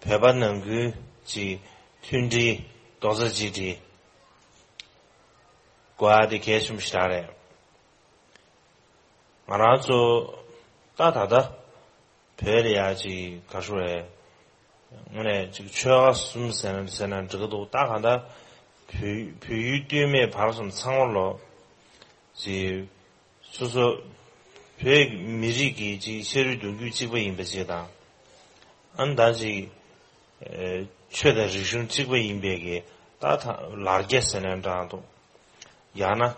བོད་པ་ནང་ཁུལ་ཅིག་མཐུན་སྒྲིལ་རྡོག་རྩ་གཅིག་སྒྲིལ་དགོས་ཡག་དེ་གལ་ཆེན་པོ་ཞིག་རང་རེད། ང་རང་ཚོ་ད་ད་ལྟ་བོད་ལ་ཡ་ཅིག་ག་རེ་ཞུ་དགོས་རེད། དངོས་གནས་ཅིག་ཆོལ་ཁ་གསུམ་ཟེར་ན་ཟེར་ན་འགྲིག་གི་འདུག། ད་གང་ལྟར་བོད་བོད་ཡུལ་སྟོད་སྨད་བར་གསུམ་ཚང་མ་ལོ་ཅིག་སོ་སོ་བོད་མི་རིགས་ཀྱི་ཅིག་ཤ་རུས་གདུང་རྒྱུད་གཅིག་པ་ཡིན་པ་ཅིག་དང་། ཨ་ནི་ད་ཅིག་ཨེ་ཆོས་དང་རིག་གཞུང་གཅིག་པ་ཡིན་པའི་གི་ད་ད་ལར་རྒྱ་ཟེར་ན་འདྲ་འདུག། ཡང་ན་ཨ།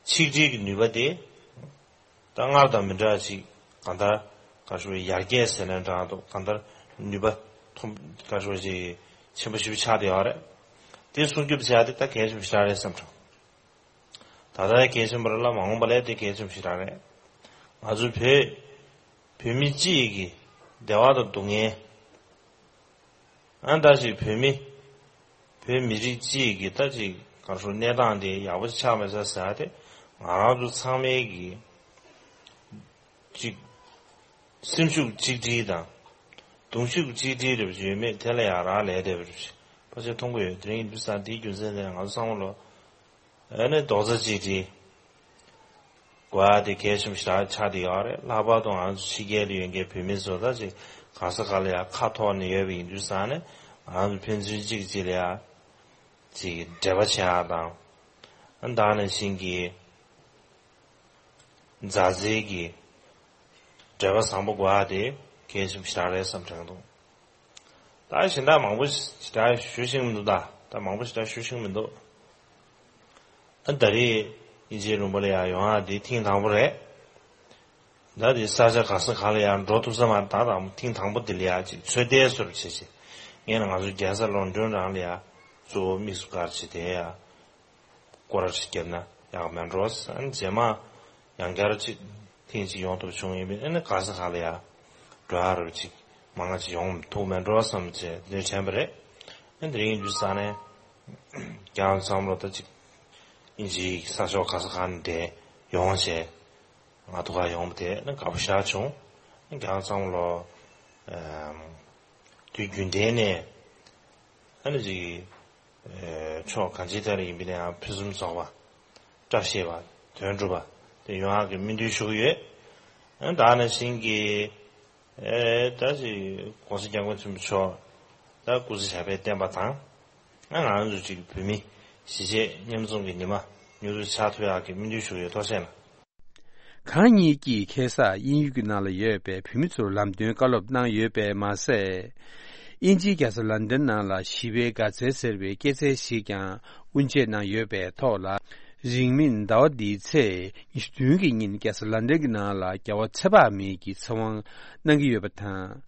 ཆིག་སྒྲིལ་གྱི་ནུས་པ་དེ་ད་སྔར་དང་མི་འདྲ་ཅིག་གང་ལྟར་ག་རེ་ཞུ་དགོས་རེད། ཡར་རྒྱས་ཟེར་ན་འདྲ་འདུག། གང་ལྟར་ནུས་པ་ཐོན་ག་རེ་ཞུ་དགོས་རེད། ཆེན་པོ་ཞེ་པོ་ཆགས་བསྡད་ཡོད་རེད། དེ་སྲུང་སྐྱོབ་བྱ་ཡག་དེ་ད་གལ་ཆེན་པོ་ཞེ་དྲག་རེད་བསམ་བྱུང་། ད་ལྟ་གལ་ཆེན་པོ་རེད་ལ་མ་འོངས་པ་ལ་དེ་གལ་ཆེན་པོ་ཞེ་དྲག་རེད། ང་ཚོ་བོད་བོད་མི་སྤྱི་ཡི་གི་བདེ་བ་དང་སྡུག་བསྔལ། ཨ་ནི་ད་ཅིག་བོད་མི་བོད་མི་རིགས་སྤྱི་ཡི་གི་ད་ཅིག་ག་རེ་ཞུ་གནས་སྟངས་དེ་ཡག་པོ་ཆགས་མེད་ས་ཟེར་ཡག་དེ་ང་རང་ཚོ་ཚང་མའི་གི་ཅིག་སེམས་ཤུགས་གཅིག་སྒྲིལ་དང་གདུང་ཤུགས་གཅིག་སྒྲིལ་རེ་ཡོད་མེད་དེ་ལ་ཡ་རག་ལས་བསྡད་པ་རེད། ཕལ་ཆེར་མཐོང་གི་ཡོད། དེ་རིང་ཡིན་དུས་ཙང་དེའི་རྒྱུ་མཚན་དེ་ང་ཚོ་ཚང་མ་ལོ་ཨ་ནི་རྡོག་རྩ་གཅིག་སྒྲིལ། དགོས་ཡ་དེ་གལ་ཆེན་པོ་ཞེ་དྲག་ཆགས་བསྡད་ཡོད་རེད། ལྷག་པར་དུ་ང་ཚོ་ཕྱི་རྒྱལ་ལ་ཡོད་མཁན་བོད་མི་ཚོ་ད་ཅིག་ག་ས་ག་ལ་ཡ་ཁ་ཐོར་ནས་ཡོད་པ་ཡིན་དུས་ཙང་ནས་ང་ཚོ་ཕན་ཚུན་གཅིག་གཅིག་ལ་ཡ་ཅིག་འབྲེལ་བ་བྱེད་ཡ་དང་། ཨ་ད་ནང་བཞིན་གྱི་མཛའ་བརྩེ་གི་འབྲེལ་བ་བཟང་པོ་དགོས་ཡ་དེ་གལ་ཆེན་པོ་ཞེ་དྲག་རེད་བསམ་དྲན་འདུག་ད་གཞན་དག་མང་པོ་ཞེ་དྲག་ཞུ་ཤེས་མི་འདུག་ད་ད་མང་པོ་ཞེ་དྲག་ཞུ་ཤེས་མི་འདུག་ཨ་ད་རེས་དབྱིན་ཇིའི་ལུང་པ་ལ་ཡ་ཡོང་ཡ་དེ་ཐེངས་དང་པོ་རེད། ད་དེ་ས་ཆ་ག་ས་ག་ལ་ཡ་འགྲོ་ཐུབ་ས་མ་རེད། ད་དང་ཐེངས་དང་པོ་དེ་ལ་ཡ་ཅིག་ཚོད་ལྟའི་བཟོ་འདྲ་བྱས་བྱས། ངས་ན་ང་ཚོ་རྒྱལ་ས་ལོན་ཌོན་རང་ལ་ཡ་གཙོ་བོ་དམིགས་སུ་བཀར་བྱས་དེ་ཡ་སྐོར་ར་ཞིག་བརྒྱབ་ན་ཡག་མེད་འགྲོ་ཟེར། ཨ་ནི་རྗེས་མ་ཡང་བསྐྱར་ཅིག་ཐེངས་ཅིག་ཡོང་ཐུབ་བྱུང་ཡིན་པས། ཨ་ནི་ག་ས་ག་ལ་ཡ་འགྲོ་ཡ་རོགས་ཅིག་མང་ང་ཅིག་ཡོང་ཐུབ་མེད་འགྲོ་བསམ་བྱས་དེ་དྲན་པ་རེད། ཨ་ནི་དེ་རིང་དུས་ས་ནས་ཀྱང་བསམ་བློ་ད་ཅིག་དབྱིན་ཇིའི་ས་ཕྱོགས་ག་ས་ག་ནས་དེ་ཡོང་བྱས། ང་ཐུག་ག་ཡོང་བ་དེ་ནི་དགའ་པོ་ཞེ་དྲག་བྱུང་། ཀྱང་བསམ་བློ་ཨམ་དུས་རྒྱུན་ལྡན་ནས་ཨ་ནི་ཅིག་ཨེ་ཕྱོགས་གང་ཅིའི་ཐད་ལ་ཡིན་པ་ནའང་ཕུན་སུམ་ཚོགས་པ། བཀྲ་ཤིས་པ། དོན་འགྲུབ་པ་དེ་ཡོང་ཡག་གི་སྨོན་འདུན་ཞུ་གི་ཡོད། ཨ་ནི་ད་ནང་བཞིན་གྱི་ཨེ་ད་ཅིག་༸གོང་ས་༸སྐྱབས་མགོན་ཆེན་པོ་མཆོག་ད་སྐུ་ཚེ་ཞབས་པད་བརྟན་པ་དང་། ཨ་ང་རང་ཚོ་ཅིག་བོད་མི་གཞིས་བྱེས་མཉམ་འཛོམས་ཀྱི་ཉི་མ་མྱུར་དུ་འཆར་ཐུབ་ཡག་གི་སྨོན་འདུན་ཞུ་གི་ཡོད། ཐུགས་རྗེ་གནང་། གང་ཉིད་ཀྱིས་ཁ་སང་དབྱིན་ཡུལ་གྱི་ནང་ལ་ཡོད་པའི་བོད་མི་ཚོར་ལམ་སྟོན་བཀའ་སློབ་གནང་ཡོད་པས་མ་ཟད། དབྱིན་ཇིའི་རྒྱལ་ས་ལན་ཌན་ནང་ལ་ཞི་བའི་དགའ་ཚལ་ཟེར་བའི་སྐྱེད་ཚལ་ཞིག་ཀྱང་དབུ་འབྱེད་གནང་ཡོད་པའི་ཐོག་ལ། རིང་མིན་ཟླ་བ་འདིའི་ཚེས་ཉི་ཤུ་བདུན་གྱི་ཉིན་རྒྱལ་ས་ལན་ཌན་གྱི་ནང་ལ་རྒྱལ་བ་ཚེ་དཔག་མེད་ཀྱི་ཚེ་དབང་གནང་གི་ཡོད་པ་དང་།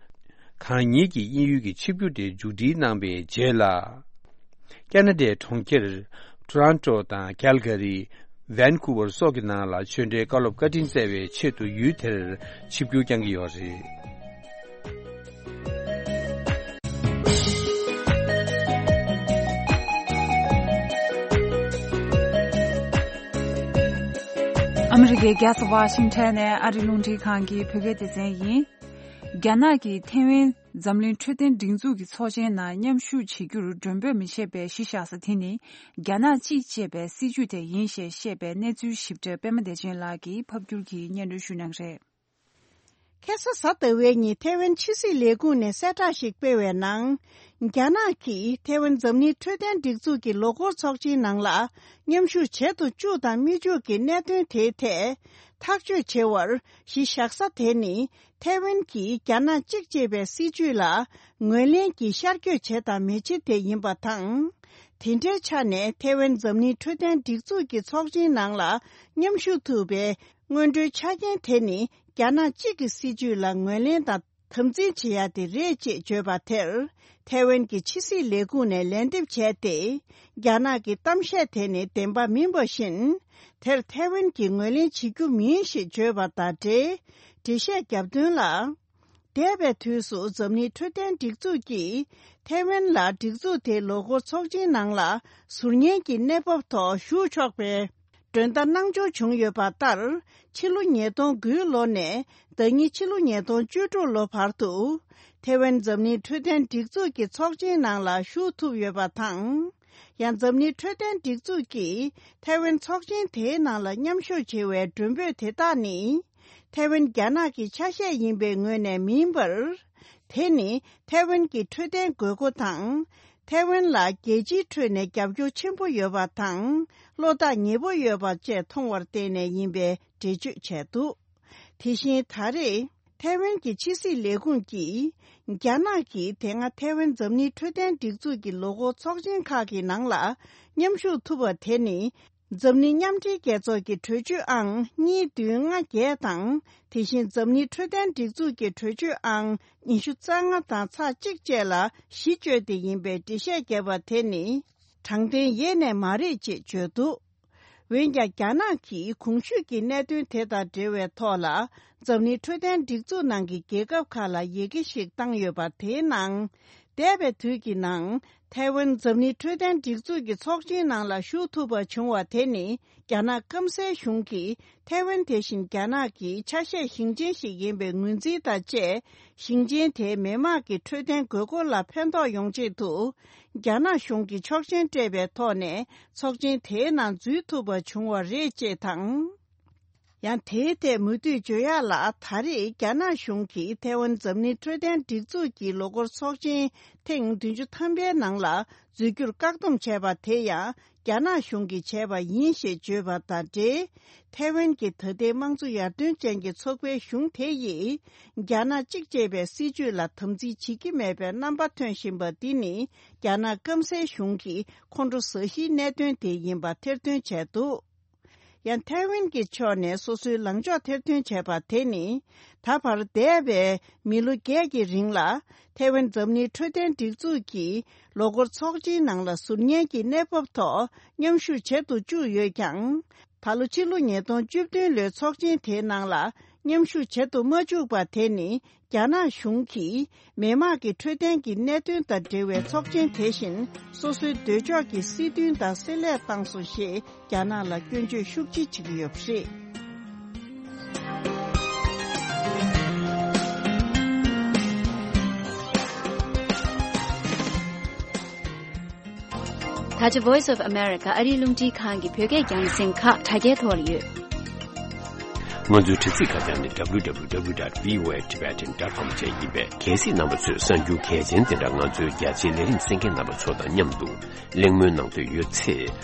གང་ཉིད་ཀྱིས་དབྱིན་ཡུལ་གྱི་ཆིབས་བསྒྱུར་དེ་མཇུག་སྒྲིལ་གནང་པའི་རྗེས་ལ། ཁེ་ན་ཌའི་གྲོང་ཁྱེར་ཊོ་རོན་ཊོ་དང་ཀལ་ག་རི། ཝན་ཀུ་ཝར་སོགས་ཀྱི་ནང་ལ་ཆོས་འབྲེལ་བཀའ་སློབ་བཀའ་དྲིན་སྩལ་བའི་ཆེད་དུ་ཡུལ་དེར་ཆིབས་བསྒྱུར་བསྐྱངས་ཀྱི་ཡོད་རེད། ཨ་མི་རི་ཀའི་རྒྱལ་ས་ཝ་ཤིང་ཊོན་ནས་ཨ་རི་རླུང་འཕྲིན་ཁང་གི་བོད་སྐད་སྡེ་ཚན་ཡིན། རྒྱ་ནག་གིས་ཐེ་ཝན་འཛམ་གླིང་འཕྲོད་བསྟེན་སྒྲིག་འཛུགས་ཀྱི་ཚོགས་ཆེན་ནང་མཉམ་ཞུགས་བྱེད་རྒྱུར་མགྲོན་འབོད་མི་བྱེད་པའི་གཞི་བཞག་ས་དེ་ནི་རྒྱ་ནག་གཅིག་ཅེས་པའི་སྲིད་ཇུས་དེ་ཡིན་ཞེས་བཤད་པའི་གནས་ཚུལ་ཞིབ་ཕྲ་པད་མ་བདེ་ཆེན་ལགས་ཀྱིས་ཕབ་བསྒྱུར་གྱིས་སྙན་སྒྲོན་ཞུ་གནང་གི་རེད། ཁ་སང་གཟའ་ཟླ་བའི་ཉིན་ཐེ་ཝན་ཕྱི་སྲིད་ལས་ཁུངས་ནས་གསལ་བསྒྲགས་ཤིག་སྤེལ་བའི་ནང་། རྒྱ་ནག་གིས་ཐེ་ཝན་འཛམ་གླིང་འཕྲོད་བསྟེན་སྒྲིག་འཛུགས་ཀྱི་ལོ་འཁོར་ཚོགས་ཆེན་ནང་ལ་མཉམ་ཞུགས་བྱེད་དུ་བཅུག་དང་མི་བཅུག་གི་གནད་དོན་དེའི་ཐད་ཐག་གཅོད་བྱེད་པར་གཞི་བཞག་ས་དེ་ནི། ཐེ་ཝན་གྱིས་རྒྱ་ནག་གཅིག་ཅེས་པའི་སྲིད་ཇུས་ལ་ངོས་ལེན་གྱིས་ཤར་བསྐྱོད་བྱེད་དང་མི་བྱེད་དེ་ཡིན་པ་དང་། དེ་འདྲའི་ཆ་ནས་ཐེ་ཝན་འཛམ་གླིང་འཕྲོད་བསྟེན་སྒྲིག་འཛུགས་ཀྱི་ཚོགས་ཆེན་ནང་ལ་མཉམ་ཞུགས་ཐུབ་པའི་སྔོན་འགྲོའི་ཆ་རྐྱེན་དེ་ནི་རྒྱ་ནག་གཅིག་གི་སྲིད་ཇུས་ལ་ངོས་ལེན་དང་དམ་འཛིན་བྱེད་ཡ་དེ་རེད་ཅེས་བརྗོད་པ་དེར། ཐེ་ཝན་གྱི་ཕྱི་སྲིད་ལས་ཁུངས་ནས་ལན་འདེབས་བྱས་ཏེ། རྒྱ་ནག་གི་གཏམ་བཤད་དེ་ནི་བདེན་པ་མིན་པ་བཞིན། དེར་ཐེ་ཝན་གྱིས་ངོས་ལེན་བྱེད་རྒྱུ་མིན་ཞེས་བརྗོད་པ་དང་འབྲེལ། འགྲེལ་བཤད་བརྒྱབ་དོན་ལ། འདས་པའི་དུས་སུ་འཛམ་གླིང་འཕྲོད་བསྟེན་སྒྲིག་འཛུགས་ཀྱིས་ཐེ་ཝན་ལ་སྒྲིག་འཛུགས་དེའི་ལོ་འཁོར་ཚོགས་ཆེན་ནང་ལ་ཟུར་ཉན་གྱི་གནས་བབ་ཐོག་ཞུགས་ཆོག་པའི་མགྲོན་བརྡ་གནང་འབྱོར་བྱུང་ཡོད་པ་ལྟར། ཕྱི་ལོ་ཉིས་སྟོང་དགུའི་ལོ་ནས་ཟླ་ཉིན་ཕྱི་ལོ་ཉིས་སྟོང་བཅུ་དྲུག་ལོ་བར་དུ་ཐེ་ཝན་འཛམ་གླིང་འཕྲོད་བསྟེན་སྒྲིག་འཛུགས་ཀྱི་ཚོགས་ཆེན་ནང་ལ་ཞུགས་ཐུབ་ཡོད་པ་དང་། ཡང་འཛམ་གླིང་འཕྲོད་བསྟེན་སྒྲིག་འཛུགས་ཀྱིས་ཐེ་ཝན་ཚོགས་ཆེན་དེའི་ནང་ལ་མཉམ་ཞུགས་བྱེད་པའི་མགྲོན་འབོད་དེ་དག་ནི། ཐེ་ཝན་རྒྱ་ནག་གི་ཆ་ཤས་ཡིན་པའི་ངོས་ནས་མིན་པར། དེ་ནི་ཐེ་ཝན་གྱི་འཕྲོད་བསྟེན་དགོས་མཁོ་དང་། ཐེ་ཝན་ལ་རྒྱལ་སྤྱིའི་ཁྲོད་ནས་རྒྱབ་སྐྱོར་ཆེན་པོ་ཡོད་པ་དང་། བློ་ཐག་ཉེ་པོ་ཡོད་པ་བཅས་མཐོང་བར་བརྟེན་ནས་ཡིན་པའི་འགྲེལ་བརྗོད་བྱས་འདུག་དེ་བཞིན་ད་རེས་ཐེ་ཝན་གྱི་ཕྱི་སྲིད་ལས་ཁུངས་ཀྱིས། རྒྱ་ནག་གིས་དེ་སྔ་ཐེ་ཝན་འཛམ་གླིང་འཕྲོད་བསྟེན་སྒྲིག་འཛུགས་ཀྱི་ལོ་འཁོར་ཚོགས་ཆེན་ཁག་གི་ནང་ལ་མཉམ་ཞུགས་ཐུབ་པ་དེ་ནི། འཛམ་གླིང་མཉམ་འབྲེལ་རྒྱལ་ཚོགས་ཀྱི་གྲོས་ཆོད་ཨང་གཉིས་བདུན་ལྔ་བརྒྱད་དང་། དེ་བཞིན་འཛམ་གླིང་འཕྲོད་བསྟེན་སྒྲིག་འཛུགས་ཀྱི་གྲོས་ཆོད་ཨང་ཉི་ཤུ་རྩ་ལྔ་དང་ཚེག་གཅིག་བཅས་ལ་གཞི་བཅོལ་ཏེ་ཡིན་པའི་འགྲེལ་བཤད་བརྒྱབ་པ་དེ་ནི་དྲང་བདེན་ཡེ་ནས་མ་རེད་ཅེས་བརྗོད་འདུག་འོན་ཀྱང་རྒྱ་ནག་གིས་གོང་ཞུས་ཀྱི་གནད་དོན་དེ་དང་འབྲེལ་བའི་ཐོག་ལ་འཛམ་གླིང་འཕྲོད་བསྟེན་སྒྲིག་འཛུགས་ནང་གི་རྒྱལ་ཁབ་ཁག་ལ་ཡི་གེ་ཞིག་བཏང་ཡོད་པ་དེའི་ནང་། འདས་པའི་དུས་ཀྱི་ནང་། ཐའེ་ཝན་འཛམ་གླིང་འཕྲོད་བསྟེན་སྒྲིག་འཛུགས་ཀྱི་ཚོགས་ཆེན་ནང་ལ་ཞུགས་ཐུབ་པ་བྱུང་བ་དེ་ནི། རྒྱ་ནག་སྐམ་སའི་གཞུང་གིས་ཐའེ་ཝན་དེ་བཞིན་རྒྱ་ནག་གི་ཆ་ཤས་ཞིང་ཆེན་ཞིག་ཡིན་པའི་ངོས་འཛིན་དང་བཅས། ཞིང་ཆེན་དེའི་མི་དམངས་ཀྱི་འཕྲོད་བསྟེན་དགོས་མཁོ་ལ་ཕན་ཐོགས་ཡོང་ཆེད་དུ། རྒྱ་ནག་གཞུང་གིས་ཆོག་མཆན་སྤྲད་པའི་ཐོག་ནས་ཚོགས་ཆེན་དེའི་ནང་འཛུལ་ཐུབ་པ་བྱུང་བ་རེད་ཅེས་དང་། ཡང་དེའི་ཐད་མུ་མཐུད་བརྗོད་ཡག་ལ། ད་རེས་རྒྱ་ནག་གཞུང་གིས་ཐའེ་ཝན་འཛམ་གླིང་འཕྲོད་བསྟེན་སྒྲིག་འཛུགས་ཀྱི་ལོ་འཁོར་ཚོགས་ཆེན་ཐེངས་བདུན་ཅུ་ཐམ་པའི་ནང་ལ་འཛུལ་རྒྱུར་བཀག་སྡོམ་བྱས་པ་དེ་ཡང་རྒྱ་ནག་གཞུང་གིས་བྱས་པ་ཡིན་ཞེས་བརྗོད་པ་དང་འབྲེལ། ཐའེ་ཝན་གྱི་ད་ལྟའི་དམངས་གཙོ་ཡར་ཐོན་ཅན་གྱི་ཚོགས་པའི་གཞུང་དེ་ཡིས་རྒྱ་ནག་གཅིག་ཅེས་པའི་སྲིད་བྱུས་ལ་དམ་འཛིན་བྱེད་ཀྱི་མེད་པའི་རྣམ་པ་ཐོན་བཞིན་པ་འདི་ནི་རྒྱ་ནག་སྐམ་སའི་གཞུང་གིས་ཁོང་ཁྲོ་ཟ་གཞིའི་གནད་དོན་དེ་ཡིན་པ་ཐེར་འདོན་བྱས་འདུག་ཡང་ཐའེ་ཝན་གྱི་ཕྱོགས་ནས་སོ་སོའི་ལངས་ཕྱོགས་ཐེར་འདོན་བྱས་པ་དེ་ནི། ད་བར་འདས་པའི་མི་ལོ་བརྒྱད་ཀྱི་རིང་ལ་ཐའེ་ཝན་འཛམ་གླིང་འཕྲོད་བསྟེན་སྒྲིག་འཛུགས་ཀྱི་ལོ་འཁོར་ཚོགས་ཆེན་ནང་ལ་ཟུར་ཉན་གྱི་གནས་བབ་ཐོག་མཉམ་ཞུགས་བྱེད་དུ་བཅུག་ཡོད་ཀྱང་། ད་ལོ་ཕྱི་ལོ་ཉིས་སྟོང་བཅུ་བདུན་ལོའི་ཚོགས་ཆེན་དེའི་ནང་ལ་མཉམ་ཞུགས་བྱེད་དུ་མ་བཅུག་པ་དེ་ནི། རྒྱ་ནག་གཞུང་གིས་མི་དམངས་ཀྱི་འཕྲོད་བསྟེན་གྱི་གནད་དོན་དང་འབྲེལ་བའི་ཚོགས་ཆེན་དེ་བཞིན་སོ་སོའི་འདོད་ཕྱོགས་ཀྱི་སྲིད་དོན་དང་བསྲེ་ལྷད་བཏང་སོང་ཞེས་རྒྱ་ནག་ལ་སྐྱོན་བརྗོད་ཤུགས་ཆེ་བྱེད་ཀྱི་ཡོད་པ་རེད། ད་ཆ་Voice of America ཨ་རིའི་རླུང་འཕྲིན་ཁང་གི་བོད་སྐད་རྒྱང་སྲིང་ཁག་དྲ་རྒྱའི་ཐོག་ལ་ཡོད། ང་ཚོའི་དྲ་ཚིགས་ཁ་བྱང་ནི་W W W dot V O A Tibetan dot com བཅས་ཡིན་པས། གལ་སྲིད་རྣམ་པ་ཚོས་གསར་འགྱུར་གལ་ཆེན་དེ་འདྲ་ང་ཚོའི་རྒྱ་ཆེའི་ལས་རིམ་གསན་མཁན་རྣམ་པ་ཚོ་དང་མཉམ་དུ་གླེང་མོལ་གནང་འདོད་ཡོད་ཚེ།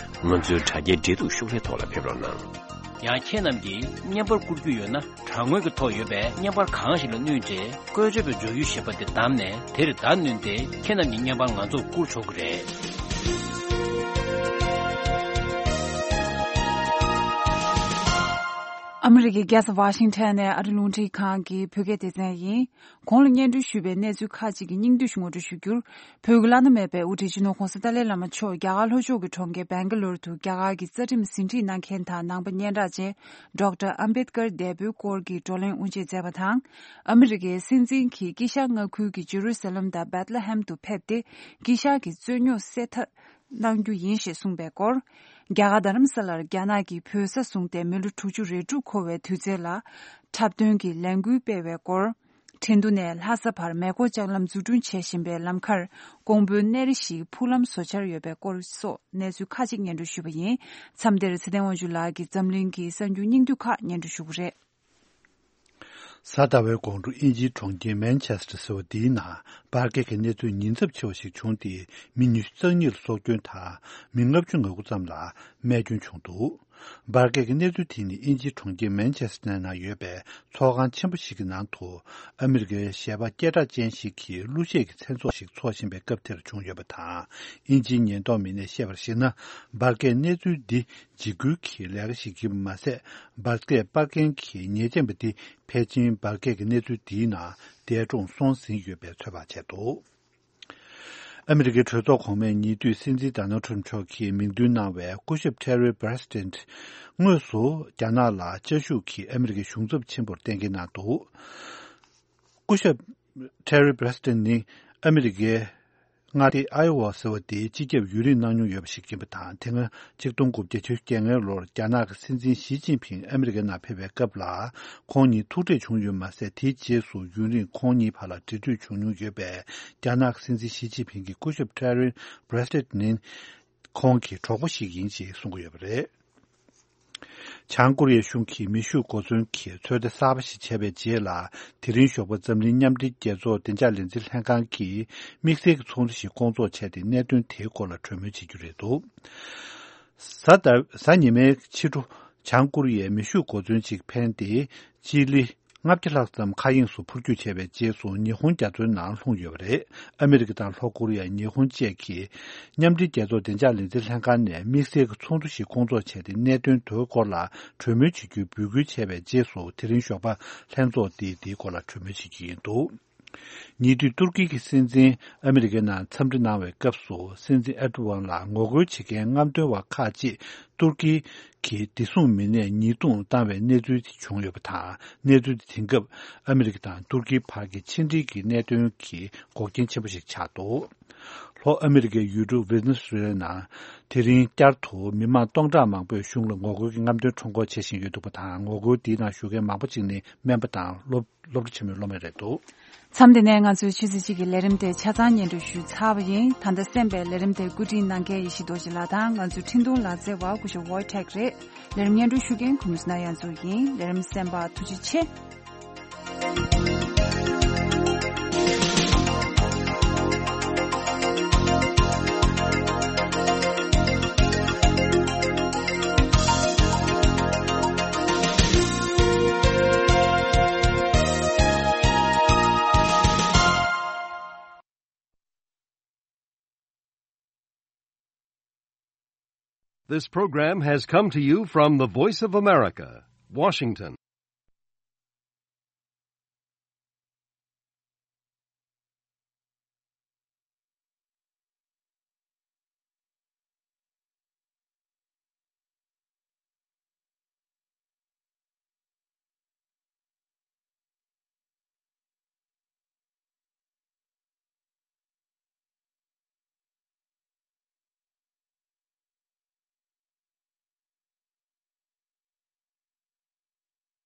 ང་ཚོའི་དྲ་རྒྱའི་འབྲེལ་གཏུག་ཤོག་ལྷེ་ཐོག་ལ་ཕེབས་རོགས་གནང་། ཡང་ཁྱེད་རྣམས་ཀྱིས་བརྙན་པར་བསྐུར་རྒྱུ་ཡོད་ན། དྲ་ངོས་ཀྱི་ཐོག་ཡོད་པའི་བརྙན་པར་གང་ཞིག་ལ་བསྣུན་རྗེས། བཀོལ་སྤྱོད་པའི་སྦྱོར་ཡུལ་ཞེས་པ་དེ་བདམས་ནས། དེར་བརྡ་བསྣུན་ཏེ། ཁྱེད་རྣམས་ཀྱི་བརྙན་པར་ང་ཚོར་བསྐུར་ཆོག་གི་རེད། ཨ་མི་རི་ཀའི་རྒྱལ་ས་ཝ་ཤིང་ཊོན་ནས་ཨ་རི་རླུང་འཕྲིན་ཁང་གི་བོད་སྐད་སྡེ་ཚན་ཡིན། གོང་ལ་སྙན་སྒྲོན་ཞུས་པའི་གནས་ཚུལ་ཁག་ཅིག་གི་སྙིང་བསྡུས་ཤིག་ངོ་སྤྲོད་ཞུ་རྒྱུར། བོད་ཀྱི་བླ་ན་མེད་པའི་དབུ་ཁྲིད་སྤྱི་ནོར་༧གོང་ས་ཏཱ་ལའི་བླ་མ་མཆོག་རྒྱ་གར་ལྷོ་ཕྱོགས་ཀྱི་གྲོང་ཁྱེར་བེང་ག་ལོར་དུ་རྒྱ་གར་གྱི་རྩ་ཁྲིམས་ཟིན་བྲིས་གནང་མཁན་དང་ནང་པ་སྙན་གྲགས་ཅན་ཌོག་ཊར་ཨམ་བེད་ཀར་འདས་པོའི་སྐོར་གྱི་བགྲོ་གླེང་དབུ་འབྱེད་མཛད་པ་དང་། ཨ་མི་རི་ཀའི་སྲིད་འཛིན་གྱིས་དཀྱིལ་ཤར་མངའ་ཁུལ་གྱི་ཇེ་རུ་ས་ལེམ་དང་བེད་ལེ་ཧེམ་དུ་ཕེབས་ཏེ། དཀྱིལ་ཤར་གྱི་རྩོད་རྙོག་སེལ་ཐབས་གནང་རྒྱུ་ཡིན་ཞེས་གསུངས་པའི་སྐོར། རྒྱ་གར་རྡ་རམ་ས་ལར་རྒྱ་ནག་གིས་བོད་ས་བཟུང་སྟེ་མི་ལོ་དྲུག་ཅུ་རེ་དྲུག་འཁོར་བའི་དུས་ཚོད་ལ། འཁྲབ་སྟོན་གྱི་ལས་འགུལ་སྤེལ་བའི་སྐོར། ཁྲིན་ཏུ་ནས་ལྷ་ས་བར་མེ་འཁོར་ལྕགས་ལམ་འཛུགས་སྐྲུན་བྱེད་བཞིན་པའི་ལམ་ཁར་ཀོང་པོའི་གནས་རི་ཞིག་འཕུར་ལམ་བཟོ་འཆར་ཡོད་པའི་སྐོར་སོགས་གནས་ཚུལ་ཁག་ཅིག་སྙན་སྒྲོན་ཞུས་པ་ཡིན། མཚམས་འདིར་ཚེ་བརྟན་དབང་ཕྱུག་ལགས་ཀྱིས་འཛམ་གླིང་གི་གསར་འགྱུར་སྙིང་བསྡུས་ཁག་སྙན་སྒྲོན་ཞུ་གི་རེད། གཟའ་ཟླ་བའི་དགོང་དྲོ་དབྱིན་ཇིའི་གྲོང་ཁྱེར་མན་ཆེ་སྟར་ཟེར་བ་འདིའི་ནང་འབར་གས་ཀྱི་གནས་ཚུལ་ཉེན་ཚབས་ཆེ་བ་ཞིག་བྱུང་སྟེ། མི་ཉི་ཤུ་རྩ་གཉིས་ལ་སྲོག་སྐྱོན་དང་། མི་ལྔ་བཅུ་ང་དགུ་ཙམ་ལ་རྨས་སྐྱོན་བྱུང་འདུག་འབར་གས་ཀྱི་གནས་ཚུལ་དེ་ནི་དབྱིན་ཇིའི་གྲོང་ཁྱེར་མན་ཆེ་སྟར་ནང་ཡོད་པའི་ཚོགས་ཁང་ཆེན་པོ་ཞིག་གི་ནང་དུ། ཨ་མི་རི་ཀའི་གཞས་པ་སྐད་གྲགས་ཅན་ཞིག་གིས་གླུ་གཞས་ཀྱི་མཚན་ཚོགས་ཤིག་འཚོགས་བཞིན་པའི་སྐབས་དེར་བྱུང་ཡོད་པ་དང་། དབྱིན་ཇིའི་ཉེན་རྟོག་མི་སྣས་བཤད་པར་གཞིགས་ན། འབར་གས་གནས་ཚུལ་འདི་འཇིགས་སྐུལ་གྱི་ལས་ཀ་ཞིག་ཡིན་པ་མ་ཟད། འབར་གས་སྤར་མཁན་གྱི་ཉེས་ཅན་པ་འདི་ཕལ་ཆེར་འབར་གས་ཀྱི་གནས་ཚུལ་འདིའི་ནང་འདས་གྲོངས་སོང་ཟིན་ཡོད་པའི་ཚོད་དཔག་བྱས་འདུག་ཨ་མི་རི་ཀའི་གྲོས་ཚོགས་གོང་མའི་ཉེ་དུས་སྲིད་འཛིན་ཌོ་ནལ་ཊམ་མཆོག་གིས་མིང་འདོན་གནང་བའི་སྐུ་ཞབས་ཊེ་རི་བྷི་རེ་སི་ཌེན་ཊི་དངོས་སུ་རྒྱ་ནག་ལ་བཅའ་བཞུགས་ཀྱིས་ཨ་མི་རི་ཀའི་གཞུང་ཚབ་ཆེན་པོར་གཏན་འཁེལ་གནང་འདུག་སྐུ་ཞབས་ཊེ་རི་བྷི་རེ་སི་ཌེན་ཊི་ནི་ཨ་མི་རི་ཀའི་མངའ་སྡེ་ཨའི་ཝ་ཟེར་བ་དེའི་སྤྱི་ཁྱབ་ཡུན་རིང་གནང་མྱོང་ཡོད་པ་ཞིག་ཡིན་པ་དང་། དེ་སྔ་ཆིག་སྟོང་དགུ་བརྒྱ་བརྒྱད་ཅུ་གྱ་ལྔ་ལོར་རྒྱ་ནག་གི་སྲིད་འཛིན་ཞི་ཅིན་ཕིང་ཨ་མི་རི་ཀའི་ནང་ཕེབས་པའི་སྐབས་ལ་ཁོང་གཉིས་ཐུག་འཕྲད་བྱུང་ཡོད་མ་ཟད། དེའི་རྗེས་སུ་ཡུན་རིང་ཁོང་གཉིས་བར་ལ་འབྲེལ་མཐུད་བྱུང་མྱོང་ཡོད་པས། རྒྱ་ནག་གི་སྲིད་འཛིན་ཞི་ཅིན་ཕིང་གིས་སྐུ་ཞབས་ཊེ་རི་བྷི་རེ་སི་ཌེན་ཊི་ནི་ཁོང་གི་གྲོགས་པོ་ཞིག་ཡིན་ཞེས་གསུང་གི་ཡོད་པ་རེད། བྱང་ཀོ་རི་ཡའི་གཞུང་གིས་མེ་ཤུགས་གོ་མཚོན་གྱི་ཚོད་ལྟ་གསར་པ་ཞིག་བྱས་པའི་རྗེས་ལ། དེ་རིང་ཞོགས་པ་འཛམ་གླིང་མཉམ་འབྲེལ་རྒྱལ་ཚོགས་བདེ་འཇགས་ལས་འཛིན་ལྷན་ཁང་གིས་དམིགས་བསལ་གྱི་ཚོགས་འདུ་ཞིག་སྐོང་ཚོགས་བྱས་ཏེ། གནད་དོན་དེའི་སྐོར་ལ་གྲོས་མོལ་བྱེད་རྒྱུ་རེད་འདུག་གཟའ་ཟླ་གཟའ་ཉི་མའི་ཕྱི་དྲོ། བྱང་ཀོ་རི་ཡས་མེ་ཤུགས་གོ་མཚོན་ཅིག་འཕེན་ཏེ། སྤྱི་ལེ་ལྔ་བརྒྱ་ལྷག་ཙམ་མཁའ་དབྱིངས་སུ་འཕུར་སྐྱོད་བྱས་པའི་རྗེས་སུ། ཉི་ཧོང་རྒྱ་མཚོའི་ནང་ལྷུང་ཡོད་པ་རེད། ཨ་མི་རི་ཀ་དང་ལྷོ་ཀོ་རི་ཡ། ཉི་ཧོང་བཅས་ཀྱིས་མཉམ་འབྲེལ་རྒྱལ་ཚོགས་བདེ་འཇགས་ལས་འཛིན་ལྷན་ཁང་ནས་དམིགས་བསལ་གྱི་ཚོགས་འདུ་ཞིག་སྐོང་ཚོགས་བྱས་ཏེ། གནད་དོན་དེའི་སྐོར་ལ་གྲོས་མོལ་བྱེད་རྒྱུའི་འབོད་སྐུལ་བྱས་པའི་རྗེས་སུ། དེ་རིང་ཞོགས་པ་ལྷན་ཚོགས་དེས་དེའི་སྐོར་ལ་གྲོས་མོལ་བྱེད་རྒྱུ་ཡིན་འདུག་ཉེ་དུས་ཏུར་ཀི་གི་སྲིད་འཛིན་ཨ་མི་རི་ཀའི་ནང་འཚམས་འདྲི་གནང་བའི་སྐབས་སུ། སྲིད་འཛིན་ཨེར་ཏོ་ཝན་ལ་ངོ་རྒོལ་བྱེད་མཁན་རྔམ་སྟོན་པ་ཁག་ཅིག་ཏུར་ཀི་གི་བདེ་སྲུང་མི་སྣས་ཉེས་རྡུང་བཏང་བའི་གནས་ཚུལ་བྱུང་ཡོད་པ་དང་། གནས་ཚུལ་དེ་དེང་སྐབས་ཨ་མི་རི་ཀ་དང་ཏུར་ཀིའི་བར་གྱི་ཕྱི་འབྲེལ་གྱི་གནད་དོན་གྱི་འགོག་རྐྱེན་ཆེན་པོ་ཞིག་ཆགས་འདུག་ལྷོ་ཨ་མི་རི་ཀའི་ཡུལ་གྲུ་ཝེ་ནེ་ཛུ་ཝེ་ལ་ནང་དེ་རིང་བསྐྱར་དུ་མི་མང་སྟོང་ཕྲག་མང་པོས་གཞུང་ལ་ངོ་རྒོལ་གྱི་རྔམ་སྟོན་ཁྲོམ་སྐོར་བྱེད་བཞིན་ཡོད་འདུག་པ་དང་། ངོ་རྒོལ་འདིའི་ནང་ཞུགས་མཁན་མང་པོ་ཅིག་ནི་སྨན་པ་དང་སློབ་སློབ་གྲྭ་ཆེན་མོའི་སློབ་མ་རེད་འདུག་མཚམས་འདི་ནས་ང་ཚོའི་ཆུ་ཚོད་གཅིག་གི་ལས་རིམ་དེ་ཆ་ཚང་སྙན་སྒྲོན་ཞུས་ཚར་བ་ཡིན། ད་ལྟ་གསན་པའི་ལས་རིམ་དེ་བཀོད་སྒྲིག་གནང་མཁན་ཡེ་ཤེས་རྡོ་རྗེ་ལགས་དང་ང་ཚོའི་འཕྲིན་གཏོང་ལག་རྩལ་བ་སྐུ་ཞབས་ཝོའི་ཊེག་རེད། ལས་རིམ་སྙན་སྒྲོན་ཞུ་མཁན་ཁུ་ནུ་སི་ན་ཡ་མཚོ་ཡིན། ལས་རིམ་གསན་པར་ཐུགས་རྗེ་ཆེ། This program has come to you from the Voice of America, Washington.